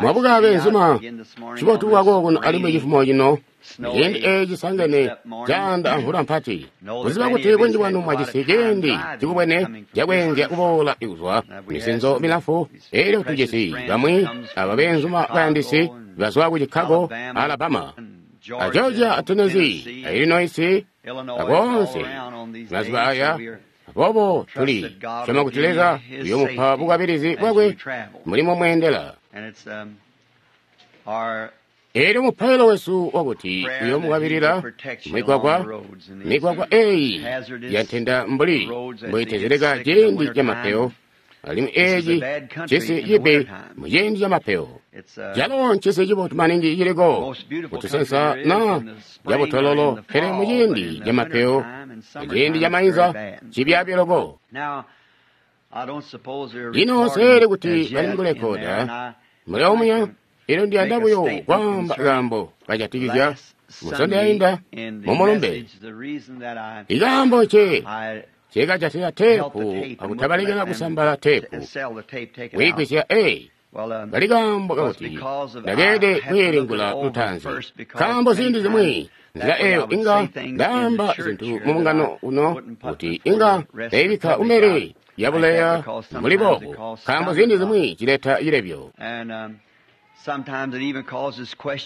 Mwabuka beenzuma, cibotu bwako kuno alimwi cifumo cino, ciindi eeci sangene caanda amvula mpati. Kuziba kuti bunji bwanu mwajisi ciindi cikubwene cakweenzya kuboola kuzwa misinzo milamfu, elyo tujisi bamwi aba beenzuma bayandisi bazwa ku Chicago, Alabama, a Georgia, a Tennessee, a Illinois, akoonse mazuba aya. Aboobo tuli syoma kuti Leza uyoomupa bukwabilizi bwakwe mulimo mweendela. Elyo mupailo wesu wakuti uyoomukwabilila migwagwa, migwagwa eeyi yantenda mbuli mbuyitezeleka ciindi camapeyo, alimwi eeci cisi cibi muciindi camapeyo. Calo ncisi cibotu maningi ciliko kutusensa na cabutololo, pele muciindi camapeyo, muciindi camainza cibyaabi loko. Lino seeli kuti bali mukulekoda muli omuya, elyo ndiyanda buyo kwaamba kaambo kajatikizya Musondo yainda mumulumbe. Ikaambo nce cekajatila teepu akutabalekela kusambala teepu kuyigwisya kali kaambo kakuti ndakeelede kwiilingula lutaanzi, nkaambo ziindi zimwi nzila eyo inga ndaamba zintu mumungano uno kuti inga ndaibikka kumbele yabuleya mbuli boobu, nkaambo ziindi zimwi cileta cilebyo.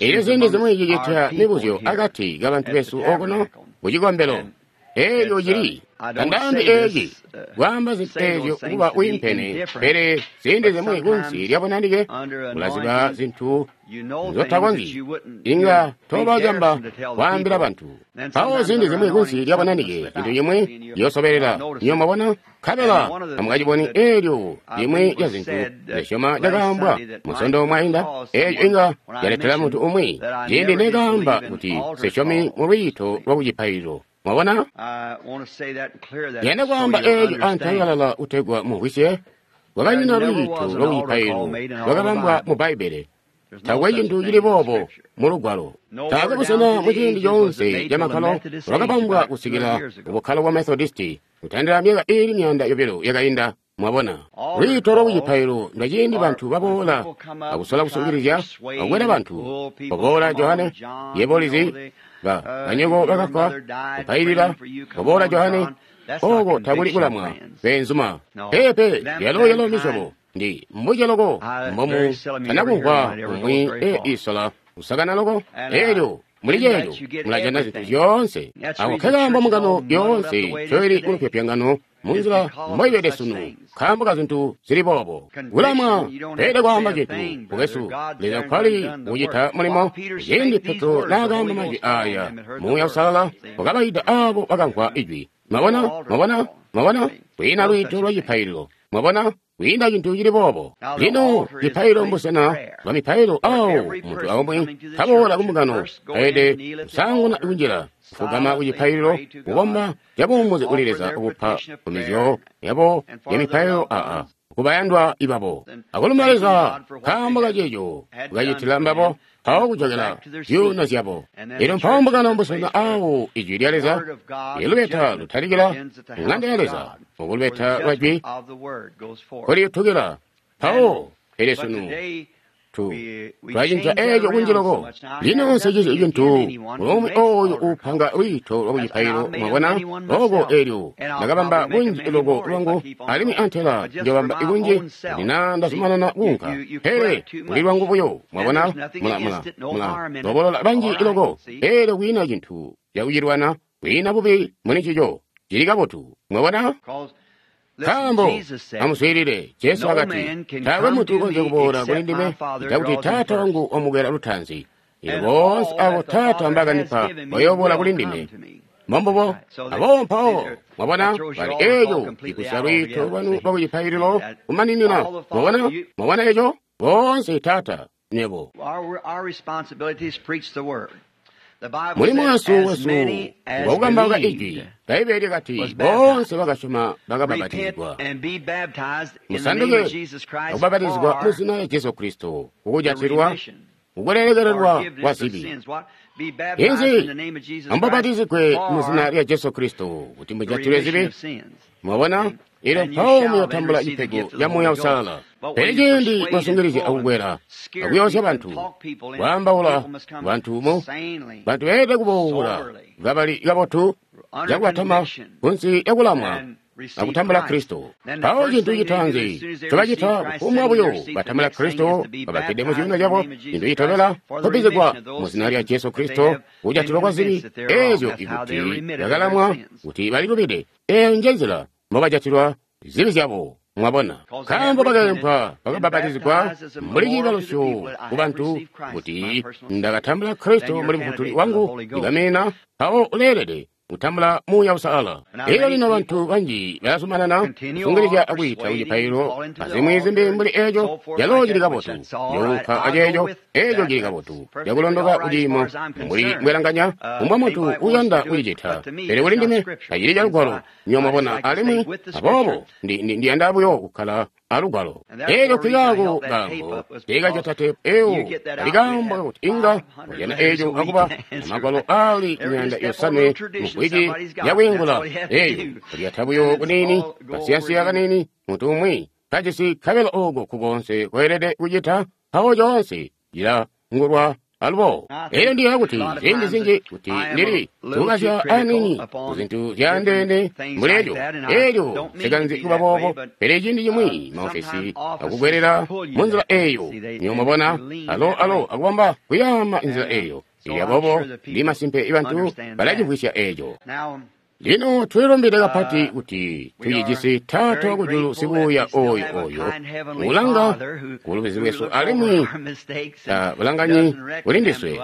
Elyo ziindi zimwi cicita mibuzyo akati kabantu besu okuno kucikombelo. Elyo cili tandaambi eeci kwaamba zintu eezyo kuba wiimpene, pele ziindi zimwi kunsi lyabunanike ulaziba zintu nzotakonzyi inga toba camba kwaambila bantu. Mpawo ziindi zimwi kunsi lyabunanike cintu cimwi ciyoosobelela, nywebo mwabona, nkabela tamukaciboni. Eelyo limwi lya zintu nzesyoma cakaambwa Musondo mwainda, eeco inga caletela muntu umwi ciindi nekaamba kuti nsesyomi mulwiito lwakucipaililo. Mwabona? Ndiyanda kwaamba eeco antangalala kutegwa mumvwisye. Kwakanyina lwiito lwakucipaililo lwakabambwa mu Bbaibbele. Taakwe cintu cili boobo mu Lugwalo. Taakwe busena muciindi coonse camakkalo lwakabambwa kusikila kubukkalo bwa Methodisti kutandila myaka iili 200 yakainda. Mwabona, lwiito lwakucipaililo ndwaciindi bantu baboola akusola kusungilizya akukwela bantu. Koboola Johane, yebo ulizi, banyoko bakafwa kupailila. Koboola Johane, oko takuli kulamwa beenzuma. Peepe, yalo yalo misyobo ndi mbuce loko mbomu tanakumvwa umwi isola kusakana loko. Elyo muli ceeco mulajana zintu zyoonse. Ako nkekaambo mbungano yoonse ncoili kulupyopyongano munzila mboibede sunu, nkaambo ka zintu zili boobo. Kulamwa peelede kwaamba cintu mukwesu, Leza nkwali kucita mulimo. Ciindi Petro naakaamba majwi aaya, Muuya Uusalala wakabaida aabo bakamvwa ijwi. Mwabona? Mwabona? Mwabona? Kwiina lwiito lwa cipaililo. Mwabona? Kwiina cintu cili boobo. Lino cipaililo mbusena bwa mipailo awo muntu aumwi kaboola kumbungano aelede kusaanguna kunjila kufugama kucipaililo kukomba cabuumuzi kuli Leza kupa nkumbizyo yabo ya mipailo aa kubayandwa ibabo akulumba Leza nkaambo kaceeco kukacitila mbabo mpawo kujokela zyuuno zyabo. Elyo mpawo mbungano mbusena awo ijwi lya Leza ilubeta lutalikila ŋanda ya Leza okulubeta lwa jwi kuliyutukila mpawo. Pele sunu twacinca eeco kunji loko. Lino nsecizi cintu mulomwe ooyo uupanga lwiito lwakucipaililo. Mwabona oko eelyo ndakabamba kunji loko lwangu, alimwi antela njobamba ikunji kuti naa ndazumanana kuunka, pele kuli lwangu buyo. Mwabona, mula lobolola banji loko, eelyo kwiina cintu cakucilwana, kwiina bubi muli ncico, cili kabotu. Mwabona? Nkaambo amuswiilile, Jesu wakati, taakwe muntu ukonzya kuboola kuli ndime cakuti Taata wangu wamukwela lutaanzi. Elyo boonse abo Taata mbaakandipa bayooboola kuli ndime. Mbombubo, aboobo mpawo mwabona bali eeco ikusya lwiito lwanu lwakucipaililo kumaninina. Mwabona? Mwabona eco? Boonse Taata, nywebo. Mulimo wesu ngwakukambauka ijwi. Bbaibbele lyakati boonse bakasyoma bakabapatizigwa. Musanduke akubapatizigwa mu zina lya Jesu Kristo kukujatilwa kukulekelelwa kwa zibi. Inzi amubapatizigwe mu zina lya Jesu Kristo kuti mujatilwe zibi. Mwabona? Elyo mpawo muyotambula cipego ca Muuya Uusalala. Pele ciindi mwasungilizya akukwela akuyoosya bantu, kwaambaula bantu mu bantu beelede kuboola kabali kabotu cakubatama kunsi lyakulamwa akutambula Kristo. Mpawo cintu citaanzi ncobacita kufumbwa buyo batambula Kristo babakkede mu ciuno cabo, cintu citobela kubbizigwa mu zina lya Jesu Kristo kujatilwa kwa zibi eezyo ikuti bakalamwa kuti balilubide. Eeyo nje nzila mbobajatilwa zibi zyabo. Mwabona, nkaambo bakaempwa bakabapatizigwa mbuli ciibalusyo ku bantu kuti ndakatambula Kristo mbuli Mufutuli wangu ndikamina, mpawo uleelede kutambula Muuya Uusalala. Elyo lino bantu banji balazumanana kusungilizya akwiita kucipaililo azimwi zimbi mbuli eeco, calo cili kabotu. Njounka aceeco, eeco cili kabotu cakulondoka kuciimo mbuli mbwelanganya kumbwa muntu uyanda kucicita, pele kuli ndime tacili calugwalo. Nywebo mwabona, alimwi aboobo ndiyanda buyo kukkala alugwalo. Elyo nkikaako kaambo teekajata teepu eyo kali kaambo kakuti inga wajana eeco akuba amagwalo aali 500 mumvwiki yakwiingula eyo kulyata buyo kuniini kasiyansiya kaniini muntu umwi kajisi kabelo ooko kukonse kweelede kucita mpawo coonse cilangulwa alubo. Elyo ndiyeeya kuti ziindi zinji kuti ndili sikukazya aniini ku zintu zyaandeene mbuli eco. Elyo nsikanzi kuba boobo, pele ciindi cimwi maofesi akukwelela mu nzila eyo. Nywebo mwabona, alo alo akubamba kuyaama nzila eyo. Elyo aboobo ndi masimpe bantu balacimvwisya eco. Lino tulilumbide kapati kuti tucijisi Taata wakujulu sibuuya oyo oyo ulanga kulubizi lwesu alimwi bulanganyi kuli ndiswe.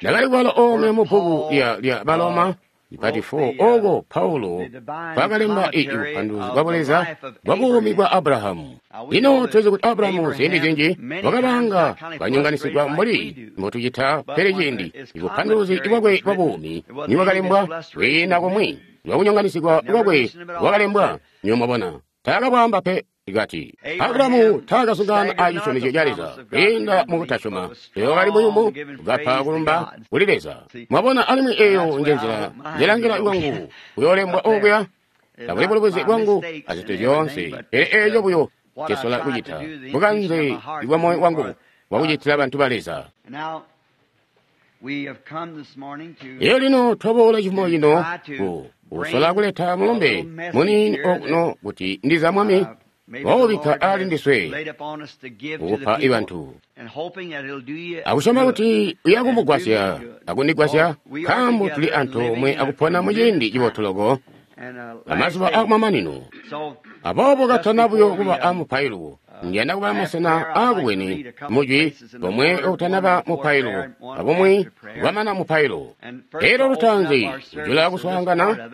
Ndakali kubala omwe mu bbuku lya Baloma ipati 4 oko Paulo kwakalemba ubupanduluzi bwa Buleza bwa buumi bwa Abrahamu. Lino tulizi kuti Abrahamu ziindi zinji wakabanga banyonganisigwa mbuli mbotucita, pele ciindi ubupanduluzi bwakwe bwa buumi nibwakalembwa kwiina kumwi lwakunyonganisigwa kwakwe bwakalembwa. Nywebo mwabona, taakabwaamba pe. Kati Abrahamu taakazungaana a cisyomezyo ca Leza kwiinda mukutasyoma, pele wakali muyumu kapa kulumba kuli Leza. Mwabona, alimwi eeyo nje nzila njelangila lwangu kuyoolembwa okuya, tabuli bulubuzi bwangu azintu zyoonse, pele eeco buyo ncesola kucita bukanze bwa moyo wangu bwakucitila bantu ba Leza. Elyo lino twaboola cifumo cino kusola kuleta mulumbe muniini okuno kuti ndiza Mwami waubikka aali ndiswe kukupa bantu, akusyoma kuti uyakumugwasya akundigwasya, nkaambo tuli antoomwe akupona muciindi cibotu loko amazuba akumamanino. Aboobo katana buyo kuba amupailo, ndiyanda kuba masena aakubwene mujwi bomwe okutanaba mupailo abumwi bwamana mupailo. Elyo lutaanzi kujula kuswaangana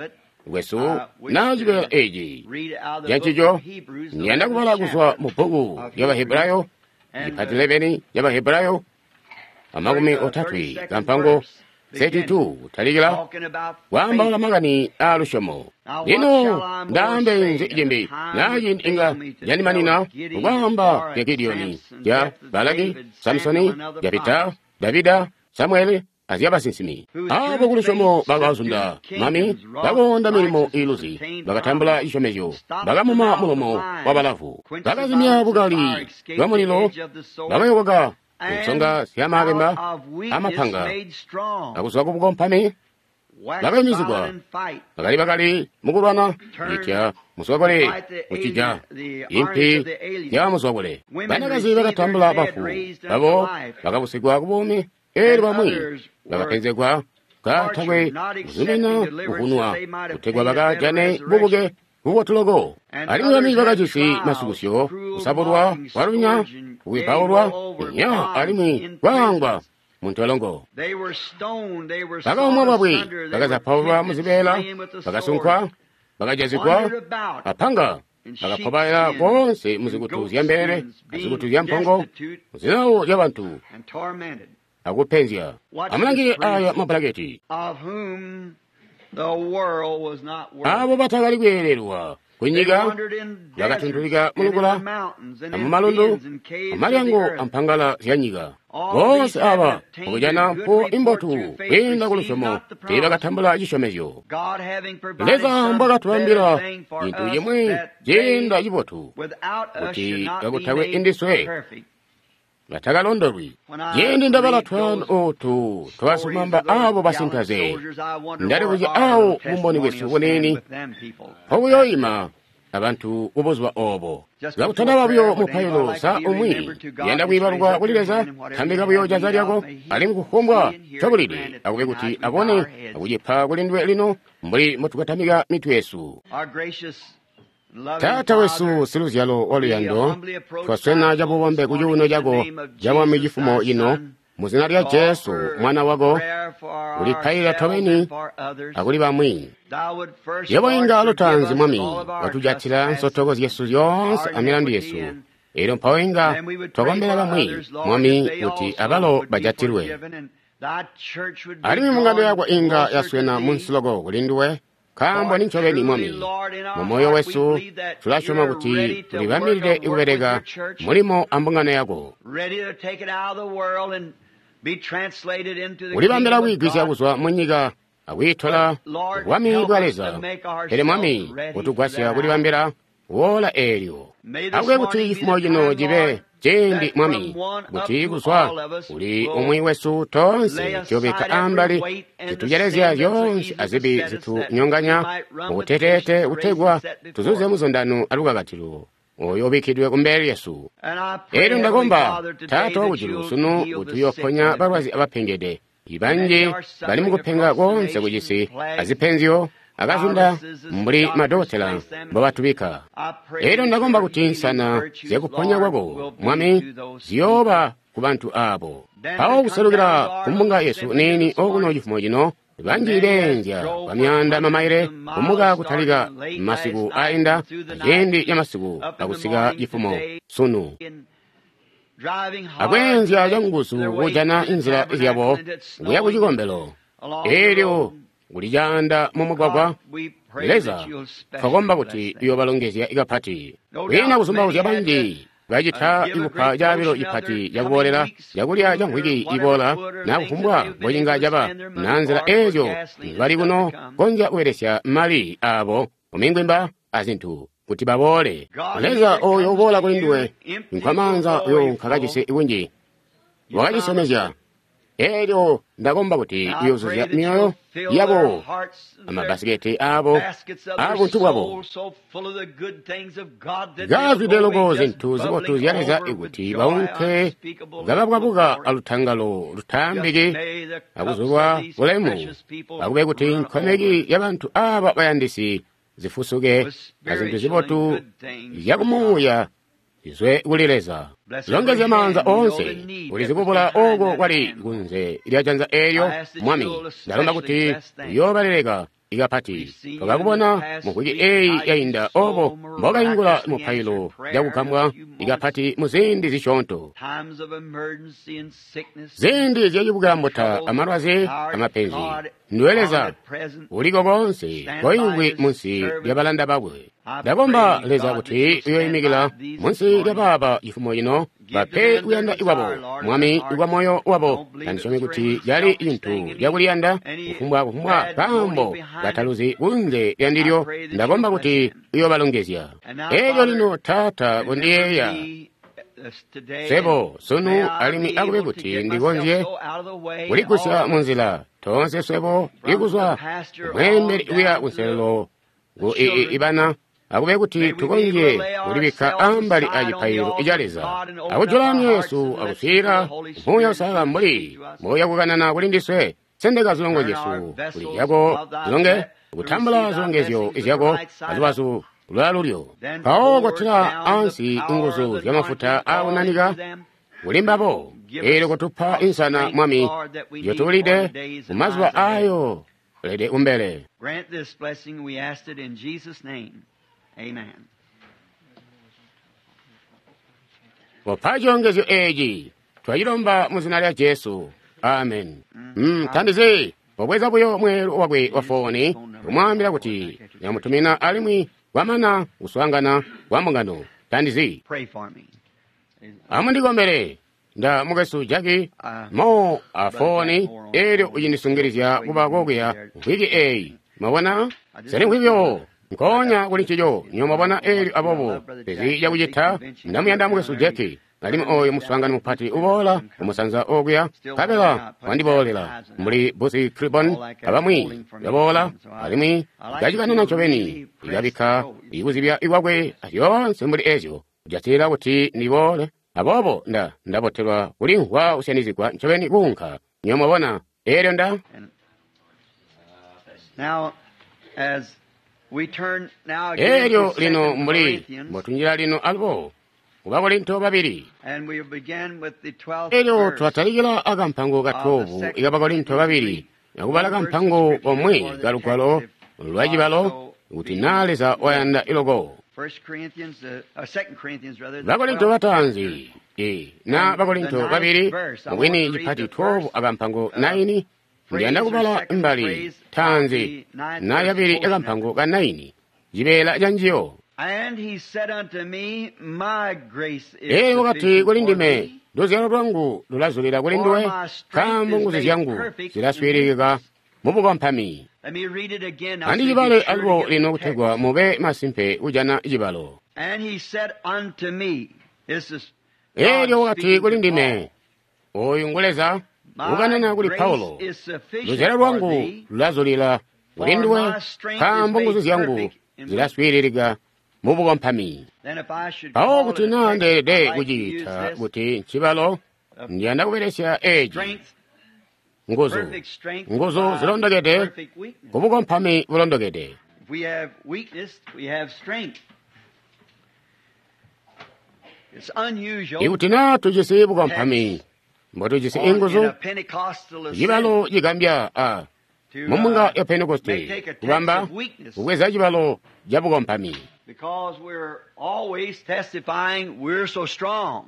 kwesu naa cibeela eci cancico, ndiyanda kubala kuzwa mu bbuku lya Bahebrayo, ipati 11 lya Bahebrayo, amakumi otatwe kampango 32 kutalikila kwaambaula makani aa lusyomo. Lino ndaambe nzi cimbi naa ciindi inga candimanina kukwaamba zya Gidiyoni, zya Balaki, Samusoni, Jefita, Davida, Samuele azyabasinsimi. Aabo kulusyomo bakazunda mami, bakoonda milimo iiluzi, bakatambula cisyomezyo, bakamuma mulomo wabalavu, bakazimya bukali bwa mulilo, bakayokoka kunsonga zyamabemba amapanga, akuzwa kubukompami bakayumizigwa, bakali bakali mukulwana kucitya muzwakule kucija impi zyamuzwakule. Banakazi bakatambula bafu babo bakabusigwa kubuumi, eelyo bamwi bakapenzegwa katakwe kuzumina kuvunwa kutegwa bakajane bubuke bubotu loko. Alimwi bamwi bakajisi masukusyo, kusabulwa kwalunya, kuwipaulwa nya alimwi kwaangwa muntolongo. Bakaumwa bwabwe, bakazapaulwa muzibeela, bakasunkwa, bakajazigwa apanga, bakapobaela koonse muzikutu zyambelele azikutu zyampongo, muzilawo zyabantu akupenzya. Amulangile aya mabulaketi. Abo batakali kweelelwa Kunyika bakatuntulika mulukula amumalundu amalyango ampangala zyanyika. Boonse aba mukujana mpuwo imbotu kwiinda kulusyomo teebakatambula cisyomezyo. Leza mbwakatubambila cintu cimwi ciinda cibotu, kuti kakutakwe indiswe batakalondolwi. Ciindi ndabala twaano ootu twasumamba aabo basinkaze, ndalibuzya awo bumboni bwesu buniini mpobuyoyima abantu kubuzuba oobo. Kakutanaba buyo mupailo sa umwi uyanda kwiibalukwa kuli Leza, tambika buyo janza lyako, alimwi kufumbwa ncobulide akube kuti abone akucipa kuli nduwe lino mbuli mbotukatamika mitwe yesu. Taata wesu siluzyalo waluyando, twaswena cabubombe kucuuno cako cabwami cifumo ino, muzina lya Jesu mwana wako, kulipailila tobeni akuli bamwi. Yebo inga lutaanzi Mwami watujatila nsotoko zyesu zyoonse amilandu yesu, elyo mpawo inga twakombela bamwi Mwami kuti abalo bajatilwe. Alimwi mbungano yako inga yaswena munsi loko kuli nduwe, nkaambo nincobeni Mwami, mumoyo wesu tulasyoma kuti tulibambilide kubeleka mulimo ambungano yako, kulibambila kwiigwisya kuzwa munyika akwiitola bwami bwa Leza. Pele Mwami, utugwasya kulibambila woola eelyo. Akube kuti cifumo cino cibe ciindi Mwami, kuti kuzwa kuli umwi wesu toonse tuyobikka ambali zitucelezya zyoonse azibi zitunyonganya mukuteteete kutegwa tuzuze muzundano alukakatilo oyo ubikkidwe kumbele lyesu. Elyo ndakomba Taata wakujulu sunu kuti uyoponya balwazi abapengede. Ibanji bali mukupenga koonse kucisi azipenzyo akazunda mbuli madokotela mbobatubikka. Elyo ndakomba kuti nsana zyakuponya kwako Mwami ziyooba ku bantu aabo. Mpawo kuselukila kumbunga yesu niini okuno cifumo cino, banji beenzya kwamyaanda mamaile kumuka kutalika masiku ainda aciindi camasiku akusika cifumo sunu, akweenzya canguzu kujana inzila zyabo kuya kucikombelo. Elyo kuli caanda mumugwagwa, Leza twakomba kuti uyobalongezya kapati. Kwiina kuzumbauzya banji bacita ikupa caabilo cipati cakuboolela cakulya ca mvwiki iboola na kufumbwa mbocinga caba na nzila eezyo bali kuno konzya kubelesya mali aabo mumingwimba azintu kuti baboole. Leza oyo uboola kuli nduwe nkwamaanza uyo nkakajisi kunji wakacisyomezya. Elyo ndakomba kuti uyoozuzya myoyo yabo amabbasiketi aabo abuntu bwabo kazwide loko zintu zibotu zya Leza ikuti baunke kababwabuka alutangalo lutaambiki akuzulwa bulemu, akube kuti nkomeki yabantu aaba bayandisi zifusuke azintu zibotu zyakumuuya zizwe kuli Leza. Longezya maanza oonse ulizikubula ooko kwali kunze lya janza eelyo Mwami. Ndalomba kuti uyoobaleleka ikapati. Twakakubona muvwiki eeyi yainda oobo mbokayingula mupailo cakugambwa ikapati muziindi zisyoonto, ziindi zyacibukambota amalwazi amapenzi. Nduwe Leza uliko koonse koimvwi munsi lyabalanda bakwe. Ndakomba Leza kuti uyoimikila munsi lyabaaba cifumo cino, bape kuyanda kwabo Mwami kwa moyo wabo. Tandisyomi kuti cali cintu cakuliyanda kufumbwa kaambo kataluzi kunze lyandilyo. Ndakomba kuti uyoobalongezya. Elyo lino Taata kondiyeeya swebo sunu, alimwi akube kuti ndikonzye kuligusya munzila toonse swebo ikuzwa kumweembeli kuya kunselelo ku ibana, akube kuti tukonzye kulibikka ambali a cipaililo ca Leza akujula myoyo yesu akuswiilila Muuya Uusalala mbuli mboya kukanana kuli ndiswe. Sendeka zilongo zyesu kuli zyako zilonge, kutambula zilongezyo zyako alubazu lwalulyo. Mpawo kotila ansi nguzu zyamafuta aakunanika kuli mbabo, eelyo kotupa insana Mwami yotulide mumazuba aayo lede kumbele. Grant this blessing, we asked it in Jesus' name. Amen. Kopa cilongezyo eeci twacilomba muzina lya Jesu. Amen. Tandizi wabweza buyo mweelu wakwe wa fooni kumwaambila kuti yamutumina alimwi kwamana kuswaangana kwa mbungano. Tandizi. Amundikombele. Nda mukwesu Jackie Mo afoni elyo ucindisungilizya kuba kokuya mvwiki eyi. Mwabona? Seli mvwikyo. Nkonya kuli ncico. Nyo mwabona elyo abobo. Pezi yakucita ndamuyanda mukwesu Jackie. Alimwi oyo muswaangano mupati uboola kumusanza okuya nkabela wandiboolela mbuli Busi Tribon abamwi baboola alimwi kacikanana ncobeni ikabikka ikuzibya ikwakwe azyoonse mbuli ezyo kujatilila kuti ndiboole. Aboobo ndabotelwa kulimvwa kusyanizigwa ncobeni kuunka. Nyo mwabona elyo nda elyo lino mbuli mbotunjila lino alubo ku Bakorinto babili. Elyo twatalikila akampango ka 12 ika Bakorinto babili akubala kampango komwe ka lugwalo lwa cibalo kuti naa Leza wayanda iloko. Bakorinto bataanzi na Bakorinto babili mubwini cipati 12 akampango 9 ndiyanda kubala mbali taanzi na yabili akampango ka 9 cibeela ca njiyo. Elyo wakati kuli ndime, luzyalo lwangu lulazulila kuli nduwe, nkaambo nguzu zyangu zilaswiililika mubukompami. Andicibale alubo lino kutegwa mube masimpe kujana cibalo. Elyo wakati kuli ndime, oyu ngu Leza ukanana kuli Paulo, luzyalo lwangu lulazulila kuli nduwe, nkaambo nguzu zyangu zilaswiililika mubukompami. Mpawo kuti naa ndeelede kuciita kuti ncibalo, ndiyanda kubelesya eci nguzu, nguzu zilondokede kubukompami bulondokede. Ikuti naa tujisi bukompami mbotujisi inguzu, cibalo cigambya a mumbunga ya Pentekoste kubamba kubweza cibalo ca bukompami.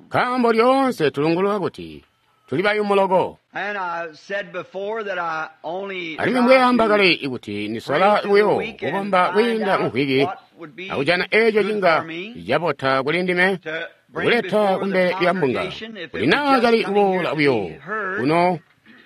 Nkaambo lyoonse tulungulula kuti tuli bayumu loko. Alimwi mbweamba kale ikuti nisola buyo kukomba kwiinda mvwiki akujana eeco cinga cabota kuli ndime kuleta kumbele lya mbunga, kuti naa cali kuboola buyo kuno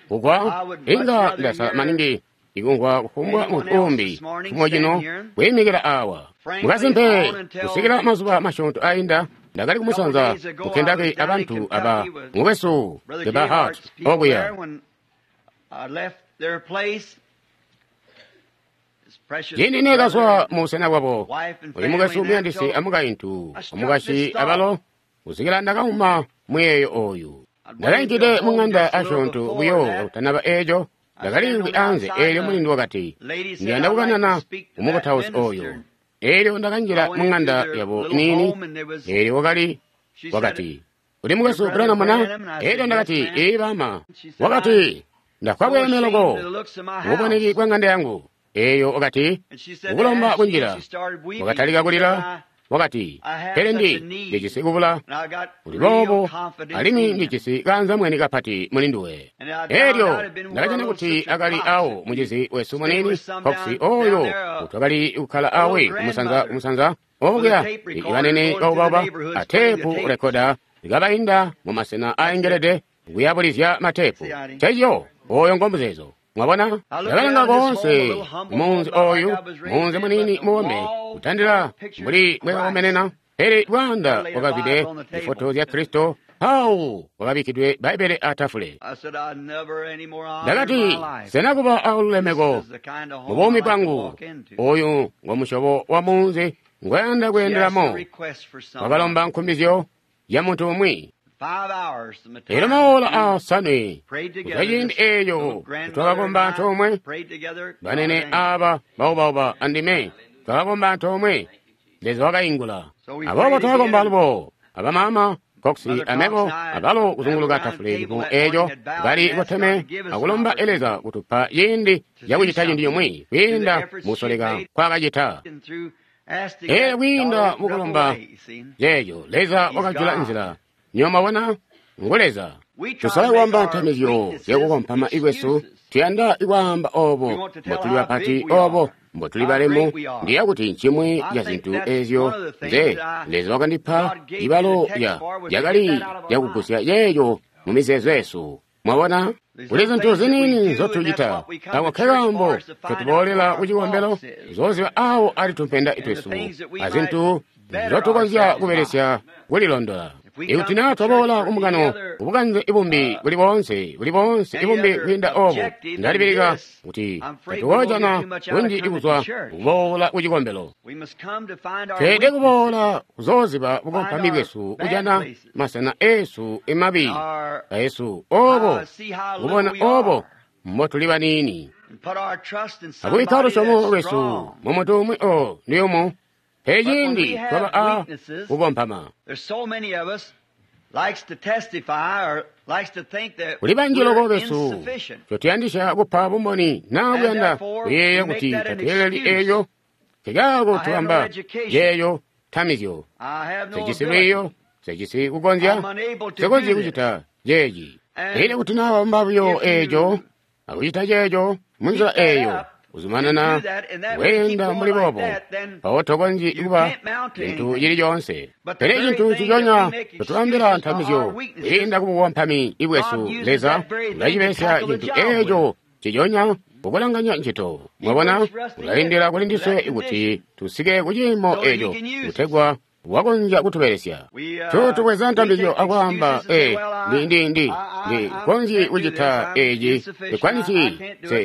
kugwa inga ndasala maningi ikumvwa kufumbwa muntu umbi chimwe chino kuyimikira awa. Mukasimpe kusikila mazuba masyoonto ainda ndakali kumusanza ku Kentucky abantu aba mukwesu Gebhardt okuya. Ciindi neekazwa mu busena bwabo, uyu mukwesu muyandisi amukaintu omukashi abalo kusikila ndakauma muyeeyo oyu. Ndakainkide mu ŋanda asyoonto buyo kakutanaba eeco. Ndakaliimvwi anze eelyo mulindi wakati, ndiyanda kukanana kumukutausi oyo. Eelyo ndakanjila mu ŋanda yabo niini, eelyo wakali wakati, uli mukwesu Branham na? Eelyo ndakati, ee baama. Wakati, ndafwa bweeme loko mububoneki bwa ŋanda yangu. Eelyo wakati, ukulomba kunjila. Wakatalika kulila. Wakati, pele ndijisi kubula kuli boobo alimwi ndijisi kaanzamweni kapati muli nduwe. Eelyo ndakajana kuti akali awo mucizi wesu muniini Cox oyo twakali kukkala awe kumusanza kumusanza okuya ibanene baubauba a teepu rekoda likabainda mu masena aengelede kuyabulizya mateepu. Ncencico oyo ngomuzeezo. Mwabona, ndakalanga koonse munzi oyu, munzi muniini muwombe, kutandila mbuli mbwekakomenena, pele bwaanda bwakazwide zifoto zya Kristo, mpawo kwakabikkidwe Bbaibbele atafule. Ndakati, sena kuba alulemeko mu buumi bwangu, oyu ngo musyobo wa munzi ngwayanda kweendelamo. Wakalomba nkumbizyo ya muntu umwi. Elyo maola asanwe kuzwa ciindi eeco twakakomba antoomwe, banene aaba baubauba andime twakakomba antoomwe, Leza wakaingula. Aboobo twakakomba alubo abamaama Cox amebo abalo kuzunguluka tafule cifumo eeco bali koteme akulomba Leza kutupa ciindi cakucita cintu cimwi kwiinda mukusoleka nkwaakacita. Eelyo kwiinda mukulomba ceeco Leza wakajula nzila. Nywebo mwabona, ngu Leza. Tusola kubamba ntamizyo zyakukompama ikwesu, tuyanda kwaamba obo mbotuli bapati obo mbotuli balemu. Ndiya kuti ncimwi ca zintu ezyo nze Leza wakandipa ibalo yakali yakugusya yeeyo mu mizeezo yesu. Mwabona? Kuli zintu ziniini nzotucita. Ako nkekaambo ncotuboolela ku cikombelo, kuzoziba awo ali tumpenda twesu azintu nzotukonzya kubelesya kulilondola. Ikuti naa twaboola kumukano kubukanze ibumbi buli boonse ibumbi kwiinda obo, ndalibilika kuti tatukoojana kunji kuzwa kuboola ku cikombelo. Tweelede kuboola kuzooziba bukompami bwesu, kujana masena eesu emabi aesu obo, kubona obo mbotuli baniini, akubikka lusyomo lwesu mu muntu umwi o ndiyumu. Pele ciindi twaba a kukompama, kuli banji loko besu cotuyandisya kupa bumboni naa kuyanda kuyeeya kuti tatweeleli eeyo. Nkekaako tubamba yeeyo tamizyo. Sejisi lwiiyo, sejisi kukonzya, sekonzyi kucita ceeci. Pele kuti naa wabamba buyo eeco akucita ceeco munzila eeyo, uzumanana weenda mbuli boobo, mpawo tokonzyi kuba cintu cili coonse. Pele cintu ciconya totubambila ntamizyo kwiinda kubukompami bwesu, Leza ulacibelesya cintu eeco ciconya kukulanganya ncito. Mwabona, ulalindila kuli ndiswe kuti tusike ku ciimo eeco kutegwa wakonzya kutubelesya. Tutubweza ntambizyo akwaamba, ndi konzyi kucita eci, sikwanisi,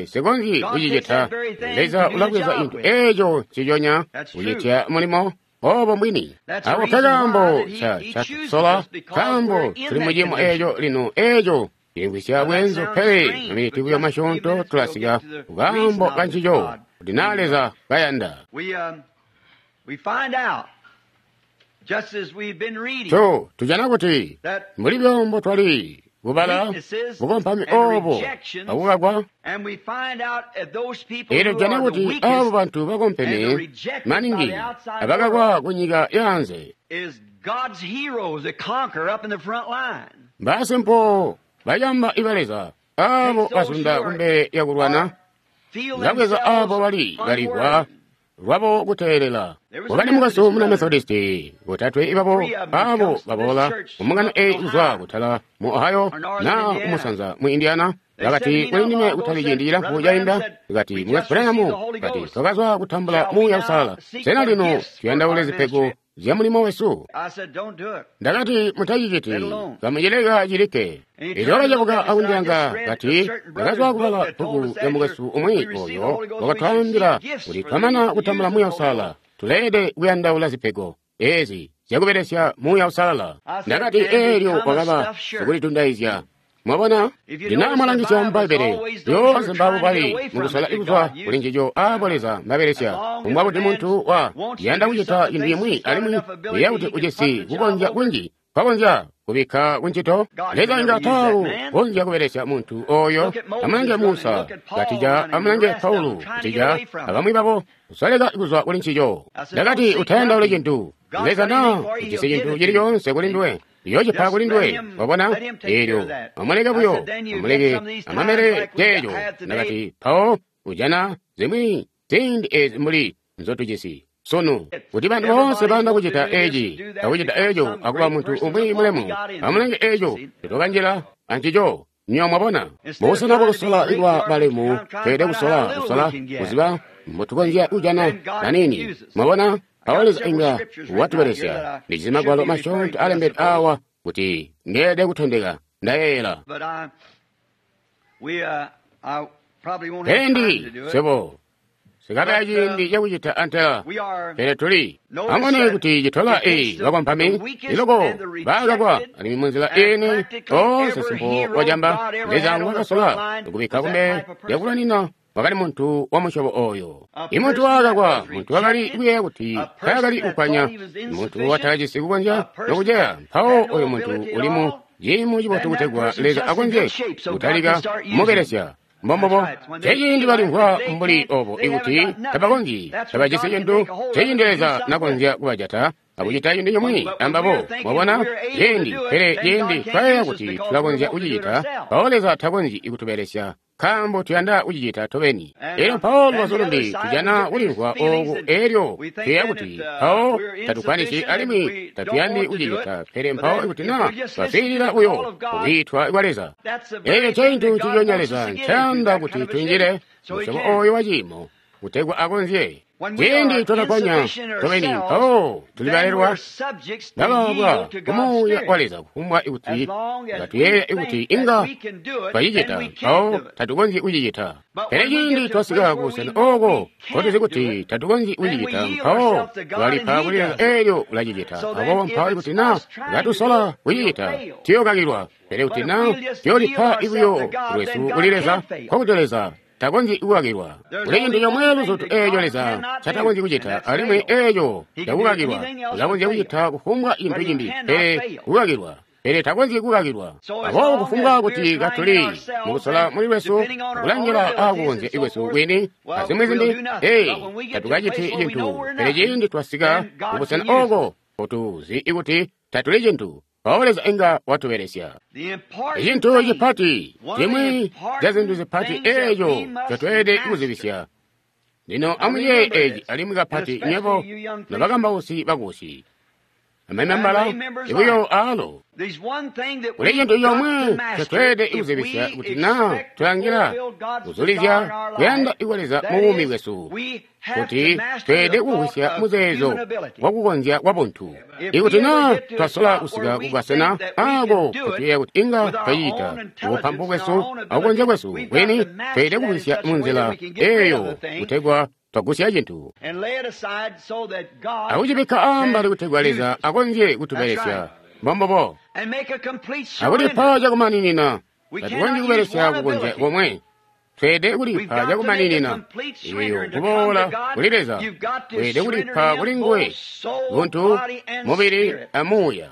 sikonzyi kucicita. Leza ulabweza cintu eeco ciconya kucitya mulimo obo mbwini. Ako nkekaambo catusola, nkaambo tuli mu ciimo eeco lino eeco cilimvwisya bweenzu, pele maminiti buyo masyoonto tulasika kukaambo kancico kuti naa Leza kayanda. Tujana kuti mbuli byombo twali kubala bukompami obo akukakwa, elyo tujana kuti abo bantu bakompeme maningi abakakwa ku nyika yaanze mbasimpo bayamba iba Leza abo bazunda kumbele yakulwana, labweza abo bali baligwa lwabo kuteelela. Wakali mukaso muna Methodisti botatwe ibabo abo baboola kumungano eyi kuzwa kutala mu Ohio na kumusanza mu Indiana. Bakati kuli ndime kutali ciindi cilamfu cainda, kati Mukwesu Branham, kati twakazwa kutambula Muuya Uusalala. Sena lino tuyandaule zipego zya mulimo wesu? Ndakati mutaciciti, kamucileka cilikke. Elyo wakacebuka akundilanga, kati ndakazwa kubala bbuku lya mukwesu umwi oyo wakatwaambila kuti twamana kutambula Muuya Uusalala, tuleelede kuyandaula zipego ezi zyakubelesya Muuya Uusalala. Ndakati eelyo wakaba sikulitundayizya. Mwabona, ndinamwalangisya mu Bbaibbele lyoonse mbabo bali mukusola kuzwa kuli ncico aabo Leza mbabelesya, kumbwa kuti muntu wa yanda kucita cintu cimwi alimwi uyeeya kuti ujisi kukonzya kunji kwakonzya kubikka kuncito. Leza inga taaku konzya kubelesya muntu oyo. Amulange Musa katija, amulange Paulo katija, abamwi babo kusoleka kuzwa kuli ncico. Ndakati utayandaule cintu. Leza naa ujisi cintu cili coonse kuli nduwe, yoocipa kuli nduwe. Wabona? Eelyo amuleke buyo, amuleke amamele ceeco. Ndakati mpawo ujana zimwi ziindi ezi mbuli nzotujisi sunu, kuti bantu boonse bayanda kucita eci akucita eco akuba muntu umwi mulemu. Amulenge eco tetokanjila ancico. Nyo mwabona, mubusena bwakusola kuba balemu, tweelede kusola kuziba mbotukonzya kujana nanini. Mwabona? Mpawo Leza inga watubelesya. Ndijisi magwalo masyoonto alembedwe awa kuti ndeelede kutondeka ndayeeyela. Pele ndi swebo sikabe aciindi cakucita antela, pele tuli amubone kuti citola eyi bakompami iloko baakakwa alimwi munzila iini oonse simpo wacamba Leza ngwakasola kubikka kumbele lyakulwanina wakali muntu wa musyobo oyo. Imuntu waakakwa, muntu wakali kuyeeya kuti taakali kukwanya, muntu watakajisi kukonzya nokuceya. Mpawo oyo muntu uli mu ciimo cibotu kutegwa Leza akonzye kutalika kumubelesya. Mbombobo ceciindi balimvwa mbuli obo ikuti tabakonzyi, tabajisi cintu, ceciindi Leza nakonzya kubajata akucita cintu cimwi ambabo. Mwabona ciindi, pele ciindi twayeeya kuti tulakonzya kucicita, mpawo Leza takonzyi kutubelesya nkaambo tuyanda kucicita tobeni. Elyo mpawo lubazu lumbi tujana kulimvwa ooku, elyo tuyeeya kuti mpawo tatukwanisi alimwi tatuyandi kucicita. Pele mpawo ikuti na twaswiilila buyo kukwiitwa kwa Leza, eco ncintu nciconya Leza ncayanda kuti tunjile musyobo oyo wa ciimo kutegwa akonzye. Ciindi twakakwanya tobeni, mpawo tulibalelwa bababwa kumuuya wa Leza. Kufumbwa ikuti ngatuyeeya ikuti inga twacicita, mpawo tatukonzyi kucicita. Pele ciindi twasika kubusena ooko nkotuzi kuti tatukonzyi kucicita, mpawo twalipa kuli Leza, eelyo ulacicita. Aboobo mpawo ikuti na katusola kucicita, tuyookakilwa. Pele kuti na tuyolipa buyo lwesu kuli Leza, nkokuti Leza takonzyi kukakilwa. Kuli cintu comwe luzutu eeco Leza ncatakonzyi kucita, alimwi eeco cakukakilwa. Ulakonzya kucita kufumbwa cintu cimbi pele kukakilwa, pele takonzyi kukakilwa. Aboobo kufumbwa kuti katuli mukusola muli lwesu, kulangila aakukonzya kwesu kwini azimwi zimbi, ee, tatukaciti cintu. Pele ciindi twasika kubusena ooko nkotuzi ikuti tatuli cintu, mpawo Leza inga watubelesya. Icintu cipati, cimwi ca zintu zipati eeco ncotweelede kuzibisya. Lino amuyeeye eeci alimwi kapati nywebo nobakambausi bakusi amamembala ibuyo aalo. Kuli cintu comwe ncotweelede kuzibisya kuti na tulangila kuzulizya kuyanda kwa Leza mu buumi bwesu, kuti tweelede kumvwisya muzeezo wakukonzya kwa buntu. Ikuti na twasola kusika kukasena aako kutuyeeya kuti inga twacita ubupampu bwesu akukonzya kwesu kwini, tweelede kumvwisya munzila eeyo kutegwa twagusya cintu akucibikka ambali kutegwa Leza akonzye kutubelesya. Mbombobo akulipa cakumaninina. Tatukonzyi kubelesya kukonzya komwe. Tweelede kulipa cakumaninina eyo kuboola kuli Leza. Tweelede kulipa kuli nguwe buntu, mubili amuuya.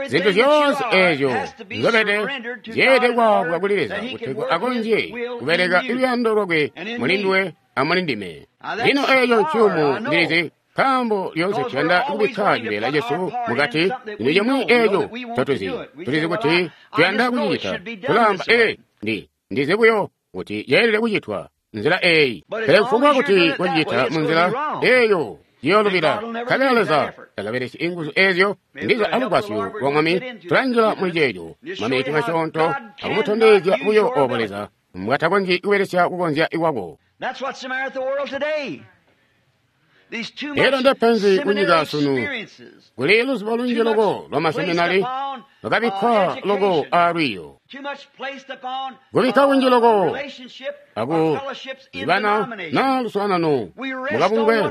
Zintu zyoonse eezyo nzobede zyeelede kwaabwa kuli Leza kutegwa akonzye kubeleka luyando lwakwe muli nduwe amuli ndime. Lino eeco nciyumu, ndilizi, nkaambo lyoonse tuyanda kubikka cibeela cesu mukati. Cintu cimwi eeco ncotuzi, tulizi kuti tuyanda kucicita. Tulaamba, ee, ndizi buyo kuti yeelede kucitwa nzila eeyi. Pele kufumbwa kuti kucicita munzila eeyo ciyoolubila, nkabela Leza takabelesyi inguzu eezyo. Ndiza alugwasyo lwa Mwami tulanjila muli ceeco maminiti masyoonto akumutondezya buyo oobo Leza mbwatakonzyi kubelesya kukonzya kwako. Elyo ndepenzi kunyika sunu. Kuli luzibo lunji loko lwa maseminari lwakabikkwa loko aalwiiyo, kubikka kunji loko akuzibana na luswaanano mukabungwe.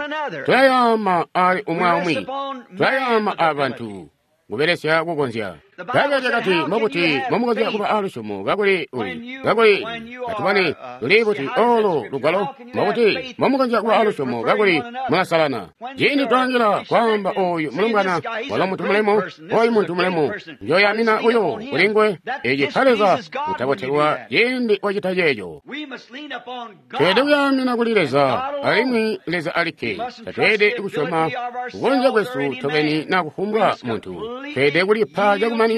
Tulayaama ali umwi aumwi, tulayaama abantu kubelesya kukonzya. Bbaibbele lyakati, mbobuti mbomukonzya kuba alusyomo kakuli uli kakuli atubone luli buti olo lugwalo? Mbobuti mbomukonzya kuba alusyomo kakuli mulasalana? Ciindi twalangila kwaamba oyu mulumbwana walo muntu mulemu, oyu muntu mulemu, njoyamina buyo kuli nguwe. Eci pa Leza kutabotelwa ciindi wacita ceeco. Tweelede kuyamina kuli Leza alimwi Leza alikke. Tatweelede kusyoma kukonzya kwesu tobeni na kufumbwa muntu. Tweelede kulipa cakumaninina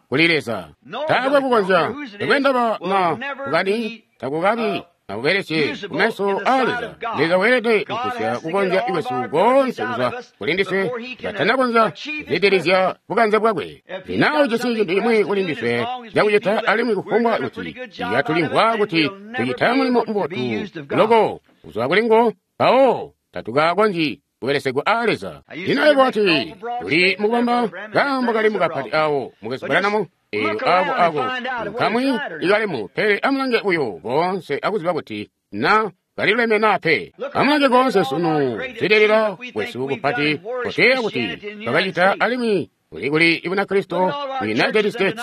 kuli Leza. Taakwe kukonzya, takwe ndaba na kukani, takukabi akubelesye kumeso aa Leza. Leza weelede kugusya kukonzya kwesu koonse kuzwa kuli ndiswe katanakonzya kuzwidilizya bukanze bwakwe. Lino ujisi cintu cimwi kuli ndiswe cakucita, alimwi kufumbwa kuti yatulimvwa kuti tucita mulimo mubotu loko kuzwa kuli nguwo, mpawo tatukakonzyi kubelesegwa aa Leza. Lino yebo wati, tuli mukubamba kaambo kali mukapati awo mukwesu Branham. Eyo ako ako kamwi ikalemu, pele amulange buyo koonse akuziba kuti na kaliluleme naa pe. Amulange koonse sunu zililila kwesu kupati koteya kuti twakacita, alimwi kuli kuli Bunakristo mu United States.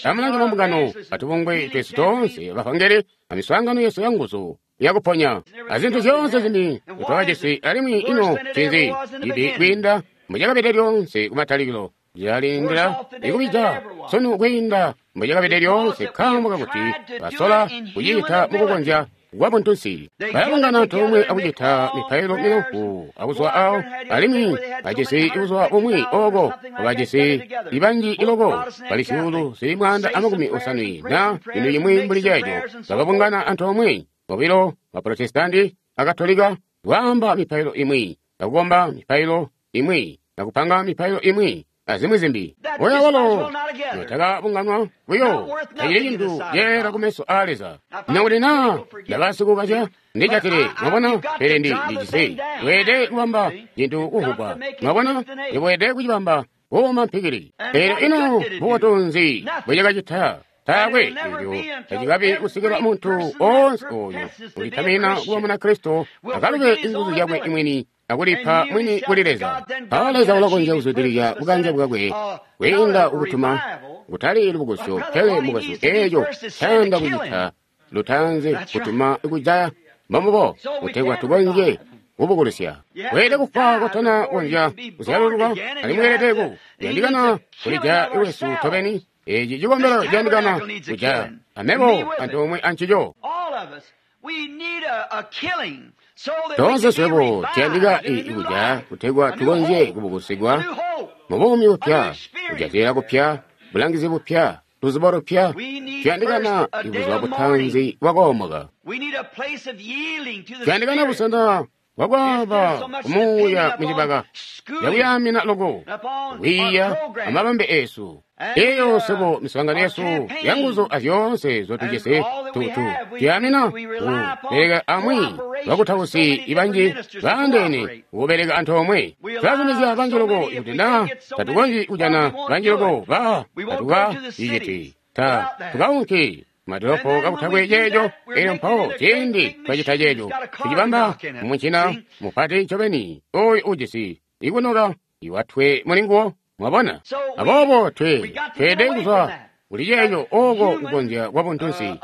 Amulange mambungano atubungwe twesu toonse bavangeli amiswaangano yesu yanguzu yakuponya azintu zyoonse zimbi twakajisi, alimwi ino ncinzi cibi kwiinda mbucakabede lyoonse kumatalikilo? Cilalindila ikubija sunu kwiinda mbucakabede lyoonse, nkaambo kakuti basola kucita mukukonzya kwa buntunsi. Balabungana antoomwe akucita mipailo milamfu akuzwa awo, alimwi bajisi buzuba bumwi oko bajisi ibanji iloko bali 150,000 na cintu cimwi mbuli ceeco. Bakabungana antoomwe bobilo Baprotestanti Akatolika kwaamba mipailo imwi, akukomba mipailo imwi, akupanga mipailo imwi, azimwi zimbi. Oya walo notakabunganwa buyo tacili cintu ceela kumeso aa Leza. Nakuti naa ndabasikukazya ndijatile, mwabona, pele ndijisi weede kubamba cintu kuvugwa, mwabona, iweede kucibamba kuuma mpikili. Pele ino bubotu nzi bwecakacita? Taakwe elyo tacikabi kusikila muntu onse oyo ulitamina kuba Munakristo akalube inguzu zyakwe imwini akulipa mwini kuli Leza. Mpawo Leza ulakonzya kuzwidilizya bukanze bwakwe kwiinda kukutuma kutali lubukulusyo pele mukwesu eeco ncayanda kucita lutaanzi kutuma kujaya mbombubo kutegwa tukonzye kubukulusya. Weelede kufwa kotana konzya kuzyalululwa, alimwi weelede ku kuyandikana kulijaya lwesu tobeni. Eci cikombelo ciyandikana kujaya amebo antoomwe ancico. Toonse swebo tuyandika ikujaya kutegwa tukonzye kubukusigwa mu buumi bupya, kujatila kupya, bulangizi bupya, luzubo lupya. Tuyandikana ibuzuba butanzi bwakoomoka. Tuyandikana busena bwakwaaba kumuuya mucibaka yakuyamina loko kwiiya amabambe eesu. Eyo sebo miswaangano yesu yanguzu azyoonse zotujisi tutu tuyamina kubeleka amwi bakutausi ibanji baandeene kubeleka antoomwe. Tulazumizya banji loko kuti naa tatukonzyi kujana banji loko ba tatuka iciti ta tukaunki madolopo kakutakwe ceeco. Elyo mpawo ciindi twacita ceeco tucibamba mumucina mupati ncobeni oyo ujisi ikunoka iwatwe mulinguwo. Mwabona? Aboobo tweede kuzwa kuli ceeco oko kukonzya kwa buntunsi.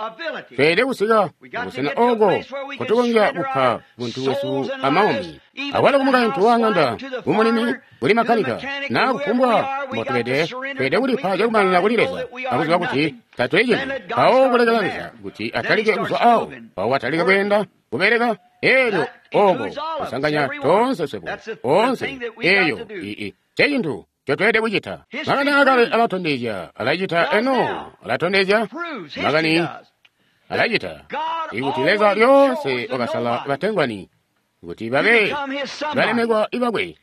Tweede kusika kubusena oko kotukonzya kupa buntu bwesu amaumi. Awalo kumukaintu wa ng'anda, kumulimi, kuli makanika, naa kufumbwa mbotubede, tweede kulipa cakumanina kuli Leza akuziba kuti tatuli cintu. Mpawo kulekela Leza kuti atalike kuzwa awo, mpawo atalike kweenda kubeleka. Eelyo oko kusanganya toonse swebo oonse eyo ncecintu ncotweelede kucita. Makani aakale alatondezya, alacita eno, alatondezya makani alacita ikuti Leza lyoonse wakasala batengwani kuti babe balemekwa ibakwe.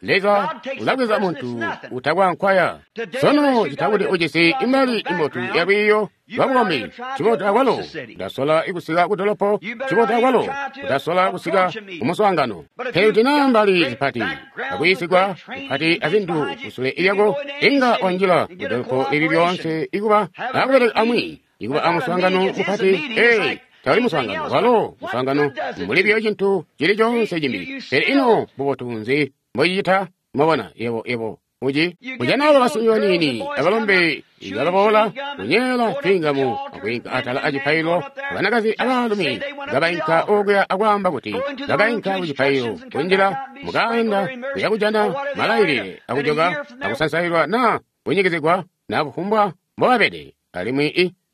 Leza ulabweza muntu utakwankwaya. Sono cita kuti ujisi imali imbotu yalwiiyo lwabukombi, cibotu akwalo utasola kusika kudolopo, cibotu akwalo utasola kusika kumuswaangano. Pele kuti naa mbali zipati akuyisigwa kupati azintu kusule lyako, inga wanjila kudolopo lili lyoonse ikuba akubeleka amwi, ikuba amuswaangano mupati. Ee, tawali muswaangano walo muswaangano mbuli biyo cintu cili coonse cimbi. Pele ino bubotu nzi mbocicita? Mwabona, yebo uci kujana abo basimbi baniini abalombe ibaboola kunyeela twingamu akwiinka atala acipaililo, banakazi abaalumi kabainka okuya akwaamba kuti bakainka kucipaililo kunjila mukaanda kuya kujana malailile akujoka akusansailwa naa kunyikizigwa naa kufumbwa mbobabede.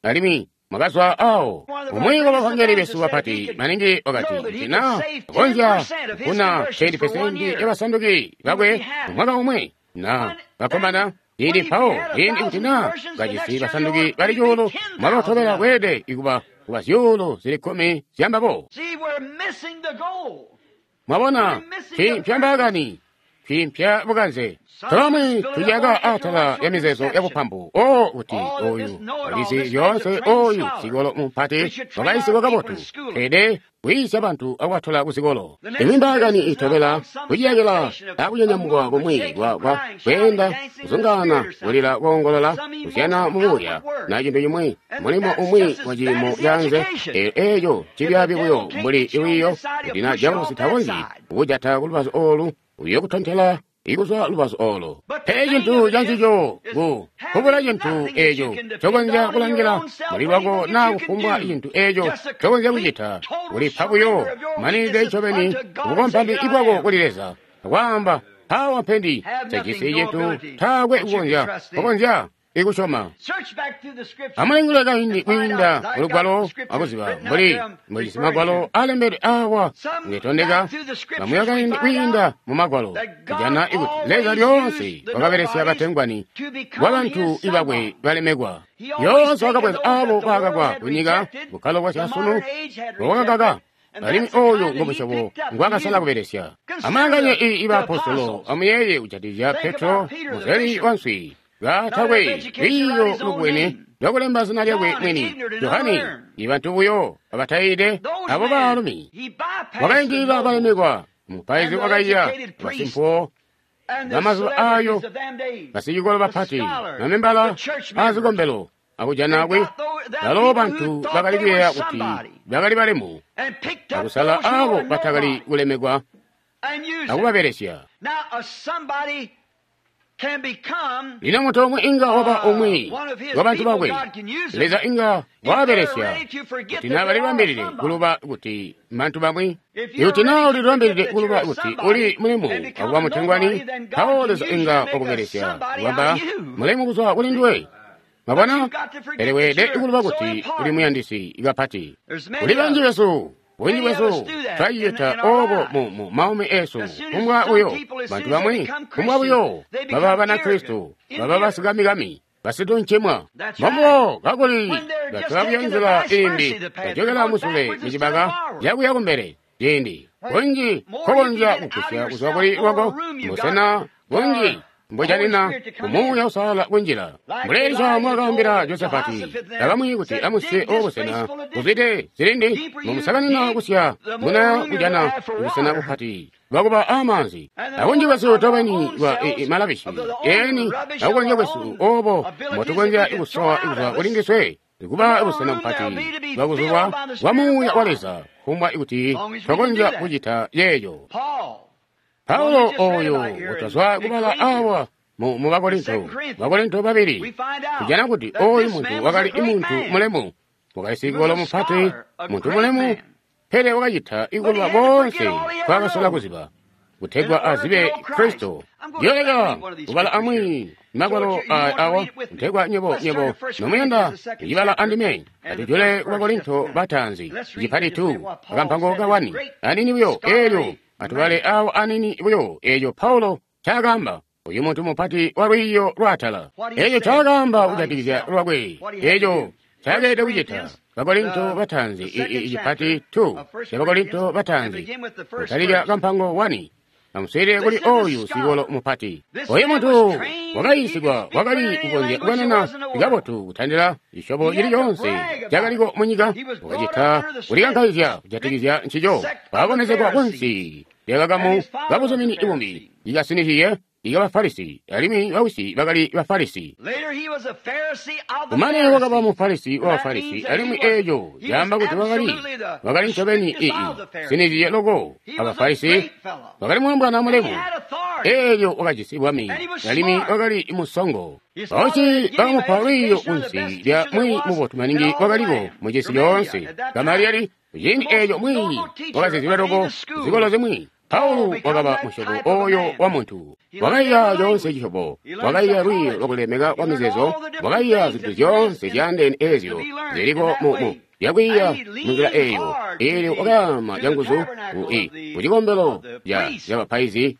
Alimwi mwakazwa awo. Umwi wabavangeli besu bapati maningi wakati kuti naa akonzya kufuna 10% yabasanduki bakwe mumwaka umwe na bakkomana ciindi mpawo ciindi kuti naa kajisi basanduki bali 1,000 mwaka utobela kweelede ikuba kuba 10,000 zyambabo. Mwabona, twiimpya mbaakani, twiimpya bukanze. Tobamwi tulyaka atala ya mizeezo ya bupambu. O kuti oyu walizi zyoonse, oyu sikolo mupati wakayisigwa kabotu. Tweelede kwiisya bantu akubattola kuzikolo. Imwi mbaakani itobela kuciyakila akunyanyamukwa kumwi kwa kweenda, kuzungaana, kulila, koongolola, kuzyana mumuuya, na cintu cimwi, mulimo umwi wa ciimo caanze. Eeco cibyaabi buyo mbuli lwiiyo kuti na diabolosi takonzyi kukujata kulubazu oolu, uyo kutontela ikuzwa lubazu olo. Pele cintu cancico kubula cintu eco cokonzya kulangila muli lwako naa kufumbwa cintu eco cokonzya kucita, kulipa buyo manide ncobeni kubukompami bwako kuli Leza, akwaamba, mpawa mpendi tajisi cintu, taakwe kukonzya ikusyoma. Amulingule kaindi kwiinda mulugwalo akuziba mbuli mbujisi magwalo alembedwe awa ngetondeka. Kamuya kaindi kwiinda mu magwalo kujana ikuti Leza lyoonse wakabelesya batengwani bwa bantu ibakwe balemekwa. Lyoonse wakabweza abo bakakwa kunyika bukkalo bwa syasunu bwakakaka, alimwi oyo ngo musyobo ngwakasala kubelesya. Amulanganye ibaapostolo, amuyeeye kujatikizya Petro, muzeli wanswi, katakwe lwiiyo lubwene lwakulemba zina lyakwe mwini, Johane, ibantu buyo abatayiide abo baalumi. Wakaindilila balemekwa, mupaizi wakaiya, basimpuwo bamazuba ayo, basicikolo bapati, mamembala aazikombelo, akujana kwe balo bantu bakali kuyeeya kuti bakali balemu, akusala abo batakali kulemekwa akubabelesya. Lino muntu omwe inga waba umwi wabantu bakwe, Leza inga wabelesya kuti naa balibambilile kuluba kuti bantu bamwi. Ikuti naa ulilibambilile kuluba kuti uli mulemu akuba mutengwani, mpawo Leza inga wakubelesya kubamba mulemu kuzwa kuli nduwe. Mwabona? Pele weelede kuluba kuti uli muyandisi kapati. Kuli banji besu, bunji bwesu twacicita obo mu maumi esu. Kumbwa buyo bantu bamwi, kumbwa buyo baba Banakristo, baba basikamikami, basituncimwa. Mbobo kakuli batola buyo nzila imbi, bajokela musule mucibaka cakuya kumbele. Ciindi bunji nkokonzya kugusya kuzwa kuli lwako, busena bunji mbujanina kumuuya usalala kunjila. Mbuli Elisha mwakaambila Josafati abamwi kuti amusye obusena buzwide zilindi, mumusakanina kusya muna kujana busena bupati bwakuba amaanzi. Abunji bwesu tobeni bwa malabishi eni akukonzya kwesu obo mbotukonzya kusowa kuzwa kuli ndiswe kuba busena bupati bwakuzulwa bwa muuya wa Leza, kumbwa kuti twakonzya kucita yeeyo. Paulo oyo utazwa kubala awa mu Bakorinto, Bakorinto 2, tujana kuti oyu muntu wakali muntu mulemu, wakali sicikolo mupati, muntu mulemu, pele wakacita ikuluba bonse twakasola kuziba kutegwa azibe Kristo. Ndiyoleka kubala amwi magwalo awa kutegwa nyebo nomuyanda kucibala andime. Atujule ku Bakorinto bataanzi cipati 2 akampango ka 1 anini buyo eelyo atubale awo anini buyo eeco Paulo ncaakaamba, uyu muntu mupati wa lwiiyo lwaatala, eeco ncaakaamba kujatikizya lwakwe, eeco ncaakelede kucita. Bakorinto bataanzi icipati 2 ca Bakorinto bataanzi kutalika kampango 1. Amuswiilile kuli oyu sicikolo mupati. Oyu muntu wakayiisigwa wakali kukonzya kukanana kabotu kutandila cisyobo cili coonse cakaliko munyika, wakacita kulikankaizya kujatikizya ncico. Wakakomezegwa kunsi lyakakamu kabuzumini ibumbi ikasinizyiye ikabafarisi, alimwi bawisi bakali Bafarisi. Kumane wakaba Mufarisi wa Bafarisi, alimwi eeco caamba kuti wakali ncobeni sinizyiye loko Abafarisi. Wakali mulombwana mulemu, eelyo wakajisi bwami, alimwi wakali musongo. Bawisi bakamupa lwiiyo kunsi lya mwiiyi mubotu maningi wakaliko mucisi coonse, Gamaliyeli. Ciindi eeco mwiiyi wakazizilwe loko zikolo zimwi. Paulo wakaba musyobo oyo wa muntu, wakaiya coonse cisyobo, wakaiya lwiiyo lwakulemeka kwa mizeezo, wakaiya zintu zyoonse zyaandeene eezyo ziliko mu lyakwiiya munzila eeyo. Eelyo wakayama canguzu kucikombelo cabapaizi,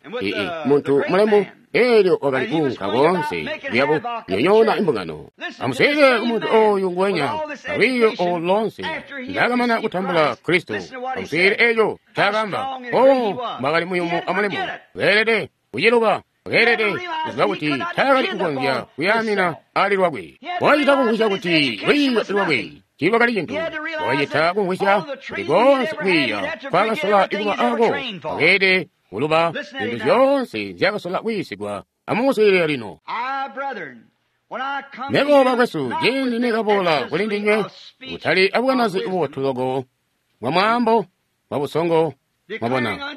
muntu mulemu. Eelyo wakali kuunka koonse kuyabu nyonyoona imbungano. Amuswiilile ku muntu oyu nguwenya alwiiyo olu loonse ndaakamana kutambula Kristo. Amuswiilile eeco ncaakaamba. O mbwakali muyumu amulemu, weelede kuciluba, weelede kuziba kuti taakali kukonzya kuyaamina ali lwakwe. Wakacita kumvwisya kuti lwiiyo lwakwe tiilwakali cintu. Wakacita kumvwisya kuti koonse kwiiya nkwaakasola kuba aako, wakeelede kuluba zintu zyoonse nzyaakasola kuyiisigwa. Amumuswiilile lino. Mebo bakwesu, ciindi nekaboola kuli ndinywe, kutali abukanazi bubotu loko bwa mwaambo bwa busongo, mwabona,